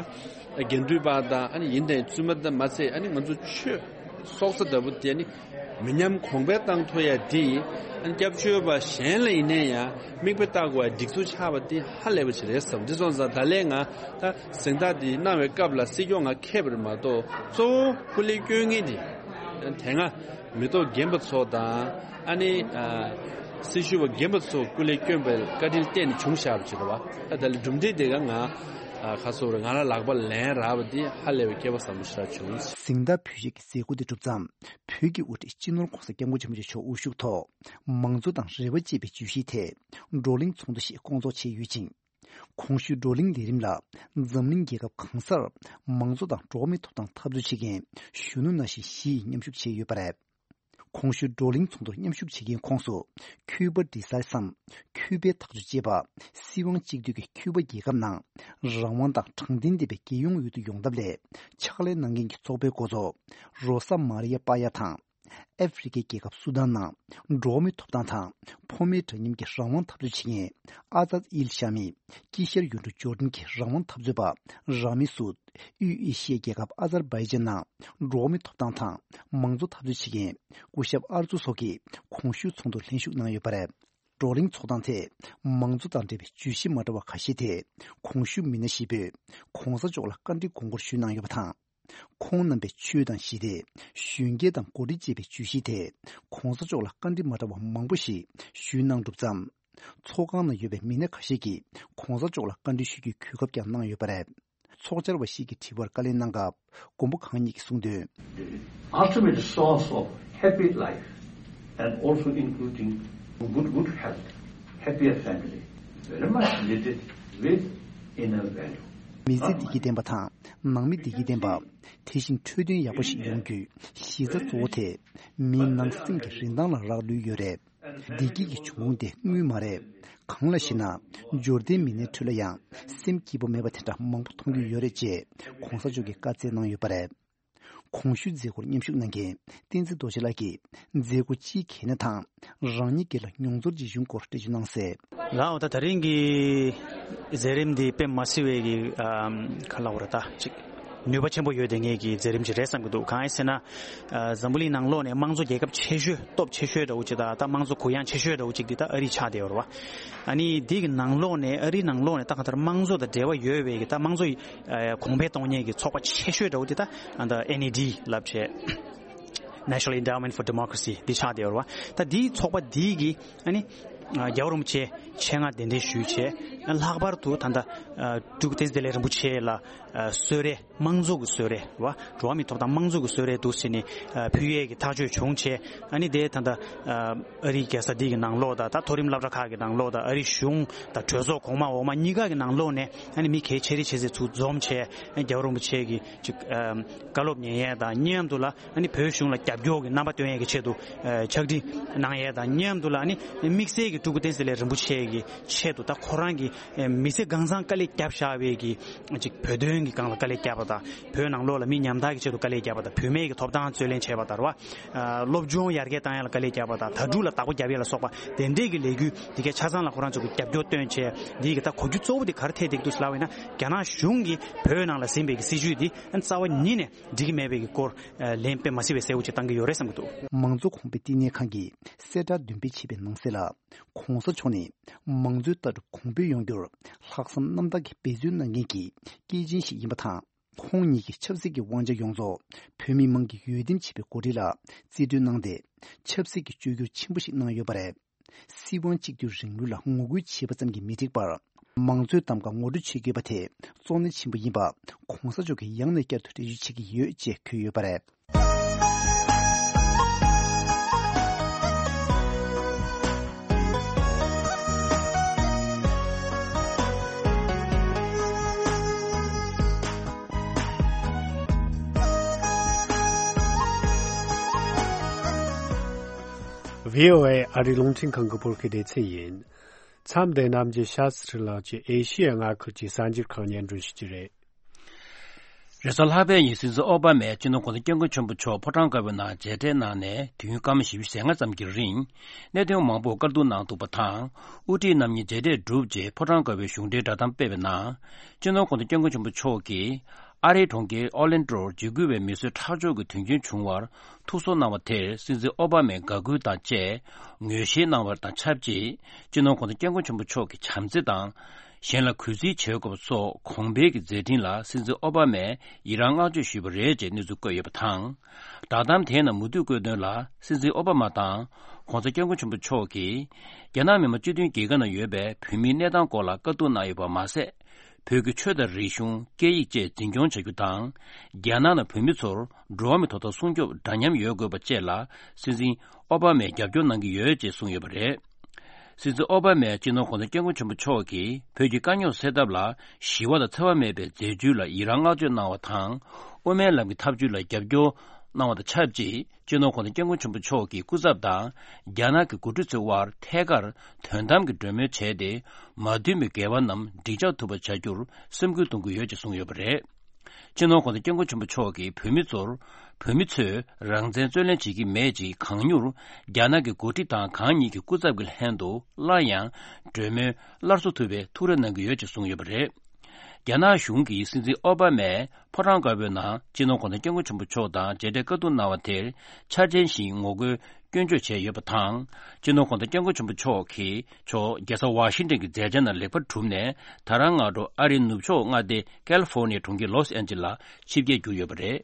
དགེ་འདུན་པ་དང་། ཨ་ནི་ཡིན་དང་བཙུན་མ་དང་མ་ཚད། ཨ་ནི་ང་ཚོ་ཆོས་སྲོག་རྩ་ལྟ་བུ་དེ་ནི་མི་ཉམས་གོང་འཕེལ་བཏང་ཐུབ་ཡ་དེ། ཨ་ནི་སྐྱབས་བཅོལ་བ་གཞན་ལ་ཡིན་ནའི་ཡང་མིག་དཔེ་ལྟ་དགོས་པའི་སྒྲིག་འཛུགས་ཆགས་པ་དེ་ཧ་ལས་པ་ཞིག་རེད་བསམ། འདི་སོང་ཙང་ད་ལན་ང་ད་གཟེངས་རྟགས་འདི་གནང་བའི་སྐབས་ལ་སྲིད་སྐྱོང་ང་ཁེབས་པ་རེད་མ་གཏོགས། གཙོ་བོ་སྐུ་ལས་བསྐྱོན་མཁན་དེ་དེ་སྔ་མི་ཐོག་རྒན་པ་ཚོ་དང་། ཨ་ནི་ཨ་སྲི་ཞུ་བ་རྒན་པ་ཚོ་སྐུ་ལས་བསྐྱོན་པའི་བཀའ་དྲིན་བརྟེན་ནས་བྱུང་བཞག་པ་ཅིག་རེད་པ། ད་ད་ལན་གྲུབ་འབྲས་དེ་ག་ང་ཨ་ཁ་སོ་རེད། ང་རང་ལག་པ་ལེན་རག་པ་འདི་ཧ་ལས་པའི་སྐལ་བ་བཟང་པོ་ཞིག་རག་བྱུང་། གཟེངས་རྟགས་ཕུལ་བྱེད་ཀྱི་མཛད་སྒོ་དེ་གྲུབ་མཚམས། བོད་ཀྱི་དབུ་ཁྲིད་སྤྱི་ནོར་༸གོང་ས་༸སྐྱབས་མགོན་ཆེན་པོ་མཆོག་དབུ་བཞུགས་ཐོག་མང་གཙོ་དང་རེ་བ་ཅེས་པའི་བརྗོད་གཞིའི་ཐད་བགྲོ་གླེང་ཚོགས་འདུ་ཞིག་བསྐོང་ཚོགས་བྱས་ཡོད་ཅིང་། གོང་ཞུས་བགྲོ་གླེང་ལས་རིམ་ལ་འཛམ་གླིང་རྒྱལ་ཁབ་གང་སར་མང་གཙོ་དང་འགྲོ་བ་མིའི་ཐོབ་ཐང་འཐབ་རྩོད་བྱེད་མཁན་གཞོན་ནུ་ནང་བཞིན་བཞི་ཡིས་མཉམ་ཞུགས་བྱས་ཡོད་པ་རེད། གོང་ཞུས་བགྲོ་གླེང་ཚོགས་འདུར་མཉམ་ཞུགས་བྱེད་མཁན་ཁོངས་སུ་ཁྱུ་པ་ཌི་སཱའི་སམ། ཁྱུ་པའི་ཐག་གཅོད་ཅེས་པ། སྲིད་དབང་གཅིག་སྡུད་ཀྱི་ཁྱུ་པ་རྒྱལ་ཁབ་ནང་རང་དབང་དང་དྲང་བདེན་ལྡན་པའི་རྒྱལ་ཡོངས་འོས་བསྡུ་ཡོང་ཐབས་སླད་ཕྱག་ལས་གནང་མཁན་གྱི་ཚོགས་པའི་འགོ་གཙོ་རོ་ས་མ་རི་ཡ་པ་ཡ་དང་། ཨ་ཧྥེ་རི་ཁའི་རྒྱལ་ཁབ་སུ་དཱན་ནང་འགྲོ་བ་མིའི་ཐོབ་ཐང་དང་ཕོ་མོའི་འདྲ་མཉམ་གྱི་རང་དབང་འཐབ་རྩོད་བྱེད་མཁན་ཨ་ཛཱད་ཨིལ་ཤ་མི། དཀྱིལ་ཤར་ཡུལ་གྲུ་ཇོར་ཌན་གྱི་རང་དབང་འཐབ་རྩོད་པ་ར་མི་སུད། དབུས་ཨེ་ཤི་ཡའི་རྒྱལ་ཁབ་ཨ་ཛར་བྷའི་ཇན་ནང་འགྲོ་བ་མིའི་ཐོབ་ཐང་དང་མང་གཙོ་འཐབ་རྩོད་བྱེད་མཁན་སྐུ་ཞབས་ཨར་ཛུ་སོགས་ཀྱིས་གོང་ཞུས་ཚོགས་འདུར་ལྷན་ཞུགས་གནང་ཡོད་པ་རེད། བགྲོ་གླེང་ཚོགས་སྟངས་ཐད་མང་གཙོ་དང་འབྲེལ་བའི་བརྗོད་གཞི་མ་འདྲ་བ་ཁ་ཤས་ཐད་གོང་ཞུས་མི་སྣ་ཞིག་པོས་གོང་ས་མཆོག་ལ་བཀའ་འདྲི་དགོངས་སྐོར་ཞུས་གནང་ཡོད་པ་དང་། ཁོང་རྣམ་པས་ཆོས་དང་ཞི་བདེ། གཞོན་སྐྱེས་དང་འགོ་ཁྲིད་ཅེས་པའི་བརྗོད་གཞིའི་ཐད་གོང་ས་མཆོག་ལ་བཀའ་འདྲི་མ་འདྲ་བ་མང་པོ་ཞིག་ཞུས་གནང་གྲུབ་མཚམས། ཚོགས་ཁང་ནང་ཡོད་པའི་མི་སྣ་ཁ་ཤས་ཀྱིས་གོང་ས་མཆོག་ལ་བཀའ་འདྲི་ཞུ་རྒྱུའི་གོ་སྐབས་ཀྱང་གནང་ཡོད་པ་རེད། ཚོགས་བཅར་བ་ཞིག་གིས་དྲི་བར་བཀའ་ལན་གནང་སྐབས། མགོན་པོ་གང་ཉིད་ཀྱིས་གསུངས་དོན། The ultimate source of happy life and also including good, good health, happier family, very much related with inner value. མི་ཚེ་བདེ་སྐྱིད་ལྡན་པ་དང་ནང་མི་བདེ་སྐྱིད་ལྡན་པ། དེ་བཞིན་འཕྲོད་བསྟེན་ཡག་པོ་ཞིག་ཡོང་རྒྱུའི་གཞི་རྩ་གཙོ་བོ་དེ་མིའི་ནང་སེམས་ཀྱི་རིན་ཐང་ལ་རག་ལུས་ཡོད་རེད། བདེ་སྐྱིད་ཀྱི་འབྱུང་ཁུངས་དེ་དངུལ་མ་རེད། གང་ལགས་ཤེ་ན། འབྱོར་ལྡན་མི་སྣའི་ཁྲོད་ལ་ཡང་སེམས་སྐྱིད་པོ་མེད་པ་དེ་འདྲ་མང་པོ་མཐོང་རྒྱུ་ཡོད་རེད་ཅེས་གོང་ས་མཆོག་གིས་བཀའ་སྩལ་གནང་ཡོད་པ་རེད། གོང་ཞུས་མཛད་སྒོར་མཉམ་ཞུགས་གནང་མཁན་བསྟན་འཛིན་རྡོ་རྗེ་ལགས་ཀྱིས་མཛད་སྒོ་སྤྱིའི་གལ་གནད་དང་རང་ཉིད་སྒེར་ལ་མྱོང་ཚོར་ཅིག་ཡོང་སྐོར་འགྲེལ་བརྗོད་གནང་གསལ། ལགས་འོ། ད་དེ་རིང་གི་མཛད་རིམ་འདི་དཔེ་མ་སྲིད་པའི་གི་ཨམ་ག་ལབ་དགོས་རེད། ད་ཅིག་ནུས་པ་ཆེན་པོ་ཡོད་བསྡད་མཁན་གྱི་མཛད་རིམ་ཅིག་རེད་བསམ་གྱི་འདུག་གང་ཡིན་ཟེར་ན། ཨ་འཛམ་བུ་གླིང་ནང་ལོགས་ནས་དམངས་གཙོ་རྒྱལ་ཁབ་ཆེ་ཤོས་སྟོབས་ཆེ་ཤོས་འདྲ་བོ་ཅིག་དང་། ད་དམངས་གཙོ་གུ་ཡངས་ཆེ་ཤོས་འདྲ་བོ་ཅིག་འདི་ད་ཨ་རི་ཆགས་བསྡད་ཡོད་རེད་བ། ཨ་ནི་འདི་གི་ནང་ལོགས་ནས་ཨ་རིའི་ནང་ལོགས་ནས་ད་གང་ལྟར་དམངས་གཙོ་དང་འབྲེལ་བ་ཡོད་པའི་གི་ད་དམངས་གཙོ་ཨ་གོང་འཕེལ་གཏོང་མཁན་གྱི་ཚོགས་པ་ཆེ་ཤོས་འདྲ་བོ་འདི་ད་ཨ་ད་ཨེན་ཨི་ཌི་ལབ་བྱས། National Endowment for Democracy འདི་ཆགས་བསྡད་ཡོད་རེད་བ། ད་འདིའི་ཚོགས་པ་འདི་གི་ཨ་ནི་ཨ་རྒྱལ་བ་རིན་པོ་ཆེ་ཆེད་མངགས་གདན་འདྲེན་ཞུས་བྱས། ཨ་ལྷག་པར་དུ་ད་ལྟ་ཨ་སྤྲུལ་སྐུ་བསྟན་འཛིན་བདེ་ལེགས་རིན་པོ་ཆེ་ལ་ཨ་གསོལ་རས། དམངས་གཙོ་གི་གསོལ་རས་རེད་བ། འགྲོ་བ་མིའི་ཐོབ་ཐང་དམངས་གཙོ་གི་གསོལ་རས་འདུག་ཟེར་ནས་ཨ་ཕུལ་ཡས་ཀྱི་ཐག་གཅོད་བྱུང་བྱས། ཨ་ནི་དེ་ད་ལྟ་ཨ་ཨ་རིའི་རྒྱལ་ས་འདི་གི་ནང་ལོགས་དང་། ད་མཐོ་རིམ་སློབ་གྲྭ་ཁག་གི་ནང་ལོགས་དང་། ཨ་རིའི་གཞུང་དང་གྲོས་ཚོགས་གོང་མ་འོག་མ་གཉིས་ཀ་གི་ནང་ལོགས་ནས་ཨ་ནི་མི་གལ་ཆེ་རིགས་ཆེ་ཚད་ཚུར་འཛོམས་བྱས། ཨ་རྒྱལ་བ་རིན་པོ་ཆེ་གི་ཅིག་ཨ་བཀའ་སློབ་ཉན་ཡས་དང་མཉམ་དུ་ལ། ཨ་ནི་བོད་གཞུང་ལ་རྒྱབ་སྐྱོར་གྱི་རྣམ་པ་སྟོན་ཡས་ཀྱི་ཆེད་དུ་ཨ་ཕྱག་བྲིས་གནང་ཡས་དང་མཉམ་དུ་ལ། ཨ་ནི་དམིགས་བསལ་གྱི་སྤྲུལ་སྐུ་བསྟན་འཛིན་བདེ་ལེགས་རིན་པོ་ཆེ་གི་ཆེད་དུ། ད་ཁོ་རང་གི་ཨ་མི་ཚེ་གང་ཚང་དཀའ་ལས་བརྒྱབ་བཞག་པའི་གི་ཅིག་བོད་དོན་གྱི་སྒང་ལ་དཀའ་ལས་བརྒྱབ་པ་དང་། བོད་ནང་ལོགས་ལ་མི་ཉམ་ཐག་གི་ཆེད་དུ་དཀའ་ལས་བརྒྱབ་པ་དང་། བུད་མེད་ཀྱི་ཐོབ་ཐང་རྩོད་ལེན་བྱས་པ་དང་རེད་བ། ཨ་སློབ་སྦྱོང་ཡར་རྒྱས་བཏང་ཡ་ལ་དཀའ་ལས་བརྒྱབ་པ་དང་། དྭ་ཕྲུག་ལ་བདག་པོ་རྒྱབ་ཡ་ལ་སོགས་པ་དེ་འདྲས་ཀྱི་ལས་འགུལ་འདི་གའི་ཆ་ཚང་ལ་ཁོ་རང་ཚོ་གི་རྒྱབ་སྐྱོར་བཏོན་བྱས། འདི་གི་ད་གོ་རྒྱུ་གཙོ་བོ་དེ་ག་རེ་ཐེབས་བསྡད་ཀྱི་འདུག་ཟེར་ལབ་པ་ཡིན་ན། རྒྱ་ནག་གཞུང་གིས་བོད་ནང་ལ་ཟིན་པའི་གི་སྲིད་བྱུས་འདི་རྩ་བ་ཉིད་ནས་འགྲིག་གི་མེད་པའི་གི་སྐོར་ལན་དཔེ་མ་སྲིད་པའི་གསལ་བོ་ཅིག་བཏང་གི་ཡོད་རེད་བསམ་གྱི་འདུག། མང་གཙོ་གོང་འཕེལ་བསྟི་གནས་ཁང་གིས་གསལ་བསྒྲགས་འདོན་སྤེལ་བྱས་པའི་ནང་གསལ་ལ། གོང་ས་མཆོག་ནི་མང་གཙོའི་ལྟ་གྲུབ་གོང་འཕེལ་ཡོང་རྒྱུར་ལྷག་བསམ་རྣམ་དག་གིས་འབད་བརྩོན་གནང་མཁན་གྱི་སྐྱེས་ཆེན་ཞིག་ཡིན་པ་དང་ ཁོང་ཉིད་ཀྱིས་ཆབ་སྲིད་ཀྱི་དབང་ཆ་ཡོངས་རྫོགས་བོད་མི་མང་གིས་འོས་འདེམས་བྱས་པའི་འགོ་ཁྲིད་ལ་རྩིས་སྤྲོད་གནང་སྟེ། ཆབ་སྲིད་ཀྱི་བཅོས་བསྒྱུར་ཆེན་པོ་ཞིག་གནང་ཡོད་པ་རེད། སྲིད་དབང་གཅིག་སྡུད་རིང་ལུགས་ལ་ངོ་རྒོལ་བྱས་པ་ཙམ་གྱིས་མི་འགྲིག་པར། མང་གཙོའི་གདམ་ག་ངོ་སྤྲོད་བྱེད་དགོས་པ་དེ་གཙོ་གནད་ཆེན་པོ་ཡིན་པ། ྋགོང་ས་མཆོག་གིས་ཡང་ནས་བསྐྱར་དུ་འགྲེལ་བརྗོད་བྱེད་ཀྱི་ཡོད་ཅེས་འཁོད་ཡོད་པ་རེད། བྷི་ཨོ་ཨེ་ཨ་རིའི་རླུང་འཕྲིན་ཁང་གི་བོད་སྐད་སྡེ་ཚན་ཡིན། མཚམས་འདི་ནམ་གྱི་ཤ་སི་ཁྲི་ལགས་ཀྱིས་ཨེ་ཤི་ཡ་མངའ་ཁུལ་གྱི་གསར་འགྱུར་ཁག་སྙན་སྒྲོན་ཞུ་རྒྱུ་རེད། རེས་གཟའ་ལྷག་པའི་ཉིན་སྲིད་འཛིན་ཨོ་བྷ་མས་སྤྱི་ནོར་༧གོང་ས་༧སྐྱབས་མགོན་ཆེན་པོ་མཆོག་ཕོ་བྲང་དཀར་པོའི་ནང་མཇལ་འཕྲད་གནང་ནས་དུས་ཡུན་སྐར་མ་བཞི་བཅུ་ཞེ་ལྔ་ཙམ་གྱི་རིང་། གནད་དོན་མང་པོར་བཀའ་བསྡུར་གནང་འདུག་པ་དང་། དབུ་ཁྲིད་རྣམ་གཉིས་མཇལ་འཕྲད་གྲུབ་རྗེས་ཕོ་བྲང་དཀར་པོའི་གཞུང་འབྲེལ་བསྒྲགས་གཏམ་སྤེལ་བའི་ནང་། སྤྱི་ནོར་༧གོང་ས་༧སྐྱབས་མགོན་ཆེན་པོ་མཆོག་གིས། ཨ་རིའི་གྲོང་ཁྱེར་ཨོ་ལན་ཏོར་འཇིགས་སྐུལ་བའི་མི་གསོད་ཁྲག་སྦྱོར་གྱི་དོན་རྐྱེན་བྱུང་བར་ཐུགས་གསོ་གནང་བ་དེར་སྲིད་འཛིན་ཨོ་བྷ་མས་དགའ་གུས་དང་བཅས་ངོས་བཞེས་གནང་བ་དང་ཆབས་ཅིག་སྤྱི་ནོར་༧གོང་ས་༧སྐྱབས་མགོན་ཆེན་པོ་མཆོག་གི་བྱམས་བརྩེ་དང་། གཞན་ལ་གུས་བརྩི་བྱེད་དགོས་པ་སོགས་གོང་འཕེལ་གྱི་མཛད་འཕྲིན་ལ་སྲིད་འཛིན་ཨོ་བྷ་མས་ཡི་རང་བསྔགས་བརྗོད་ཞུས་པ་རེད་ཅེས་གནས་ཚུལ་བཀོད་ཡོད་པ་དང་། བསྒྲགས་གཏམ་དེའི་ནང་མུ་མཐུད་བཀོད་དོན་ལ། སྲིད་འཛིན་ཨོ་བྷ་མ་དང་༧གོང་ས་༧སྐྱབས་མགོན་ཆེན་པོ་མཆོག་གིས། རྒྱ་ནག་མི་དམངས་སྤྱི་མཐུན་རྒྱལ་ཁབ་ནང་ཡོད་པའི་བོད་མིའི་གནས་སྟངས་སྐོར་ལ་བཀའ་བསྡུར་གནང་ཡོད་པ་མ་ཟད། བོད་ཀྱི་ཆོས་དང་རིག་གཞུང་། སྐད་ཡིག་བཅས་འཛིན་སྐྱོང་བྱ་རྒྱུ་དང་། རྒྱ་ནག་ནང་བོད་མི་ཚོར་འགྲོ་བ་མིའི་ཐོབ་ཐང་སྲུང་སྐྱོབ་འདྲ་མཉམ་ཡོད་དགོས་པ་བཅས་ལ་སྲིད་འཛིན་ཨོ་བྷ་མས་རྒྱབ་སྐྱོར་གནང་གི་ཡོད་ཅེས་གསུངས་ཡོད་པ་རེད། སྲིད་འཛིན་ཨོ་བྷ་མས་སྤྱི་ནོར་༧གོང་ས་༧སྐྱབས་མགོན་ཆེན་པོ་མཆོག་གིས་བོད་ཀྱི་དཀའ་རྙོག་སེལ་ཐབས་ལ་ཞི་བ་དང་འཚེ་བ་མེད་པའི་མཛད་བྱུས་ལ་ཡི་རང་བསྔགས་བརྗོད་གནང་བ་དང་། དབུ་མའི་ལམ་གྱི་ཐབས་བྱུས་ལ་རྒྱབ་སྐྱོར་གནང་བ་དང་ཆབས་ཅིག་སྤྱི་ནོར་༧གོང་ས་༧སྐྱབས་མགོན་ཆེན་པོ་མཆོག་གི་སྐུ་ཚབ་དང་རྒྱ་ནག་གི་འགོ་ཁྲིད་ཚོའི་དབར་ཐད་ཀར་དོན་དམ་གྱི་གྲོས་མོལ་བྱས་ཏེ། མ་མཐུན་པའི་འགལ་བ་རྣམས་འགྲིག་འཇགས་ཐུབ་པ་བྱ་རྒྱུར་སེམས་ཁུར་གཏོང་གི་ཡོད་ཅེས་གསུངས་ཡོད་པ་རེད། སྤྱི་ནོར་༧གོང་ས་༧སྐྱབས་མགོན་ཆེན་པོ་མཆོག་གིས་བོད་མི་ཚོར། བོད་མི་ཚོས་རང་བཙན་རྩོད་ལེན་བྱེད་ཀྱི་མེད་ཅེས་གང་མྱུར་རྒྱ་ནག་གི་འགོ་ཁྲིད་དང་གང་ཉིད་ཀྱི་སྐུ་ཚབ་ཀྱི་ལྷན་དུ་སླར་ཡང་གྲོས་མོལ་སླར་གསོ་ཐུབ་པའི་ཐུགས་རེ་གནང་གི་ཡོད་ཅེས་གསུངས་ཡོད་པ་རེད། རྒྱ་ནག་གཞུང་གིས་སྲིད་འཛིན་ཨོ་བྷ་མས་ཕོ་བྲང་དཀར་པོའི་ནང་སྤྱི་ནོར་༧གོང་ས་༧སྐྱབས་མགོན་ཆེན་པོ་མཆོག་དང་མཇལ་འཕྲད་བཀའ་བསྡུར་གནང་བ་དེར་འཆར་ཅན་བཞིན་ངོ་རྒོལ་སྐྱོན་བརྗོད་བྱས་ཡོད་པ་དང་། སྤྱི་ནོར་༧གོང་ས་༧སྐྱབས་མགོན་ཆེན་པོ་མཆོག་གིས་མཆོག་རྒྱལ་ས་ཝ་ཤིང་ཏན་གྱི་མཛད་འཆར་ནང་ལེགས་པར་གྲུབ་ནས། ད་རང་སྔ་དྲོ་ཨ་རིའི་ནུབ་ཕྱོགས་མངའ་སྡེ་ཀལ་ཧྥོར་ནི་ཡའི་གྲོང་ཁྱེར་ལོས་ཨན་ཇི་ལ་ཆིབས་རྒྱས་གྱུར་ཡོད་པ་རེད།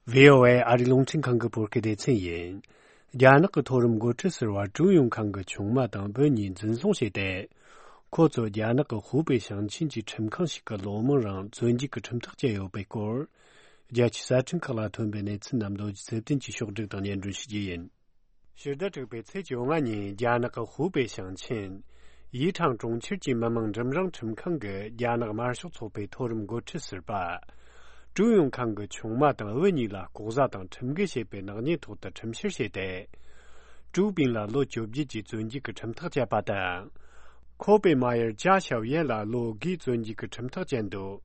བྷི་ཨོ་ཨེ་ཨ་རིའི་རླུང་འཕྲིན་ཁང་གི་བོད་སྐད་སྡེ་ཚན་ཡིན། རྒྱ་ནག་གི་མཐོ་རིམ་འགོ་ཁྲིད་ཟུར་པ་ཀྲུའུ་ཡུང་ཁང་གི་ཆུང་མ་དང་བུ་གཉིས་འཛིན་བཟུང་བྱས་ཏེ། ཁོ་ཚོ་རྒྱ་ནག་གི་ཧུའུ་པེ་ཞིང་ཆེན་གྱི་ཁྲིམས་ཁང་ཞིག་གི་ལོ་མང་རིང་བཙོན་འཇུག་གི་ཁྲིམས་ཐག་བཅད་ཡོད་པའི་སྐོར། རྒྱལ་སྤྱིའི་གསར་འཕྲིན་ཁག་ལ་ཐོན་པའི་གནས་ཚུལ་རྣམས་རྡོ་རྗེ་ཚེ་བརྟན་གྱིས་ཕྱོགས་བསྒྲིགས་དང་སྙན་སྒྲོན་ཞུ་རྒྱུ་ཡིན། ཕྱི་ཟླ་དྲུག་པའི་ཚེས་བཅོ་ལྔ་ཉིན་རྒྱ་ནག་གི་ཧུའུ་པེ་ཞིང་ཆེན། ཡི་ཁྲང་གྲོང་ཁྱེར་གྱི་མི་དམངས་འབྲིང་རིམ་ཁྲིམས་ཁང་གིས་རྒྱ་ནག་དམར་ཤོག་ཚོགས་པའི་མཐོ་རིམ་འགོ་ཁྲིད་ཟུར་པ། ཀྲུའུ་ཡུང་ཁང་གི་ཆུང་མ་དང་བུ་གཉིས་ལ་ལྐོག་ཟ་དང་ཁྲིམས་འགལ་བྱས་པའི་ནག་ཉེས་ཐོག་ཏུ་ཁྲིམས་བཤེར་བྱས་ཏེ། ཀྲུའུ་པིན་ལ་ལོ་བཅོ་བརྒྱད་ཀྱི་བཙོན་འཇུག་གི་ཁྲིམས་ཐག་བཅད་པ་དང་། ཁོ་པེ་མ་ཡར་ཅཱ་ཞའོ་ཡན་ལ་ལོ་དགུའི་བཙོན་འཇུག་གི་ཁྲིམས་ཐག་བཅད་འདུག་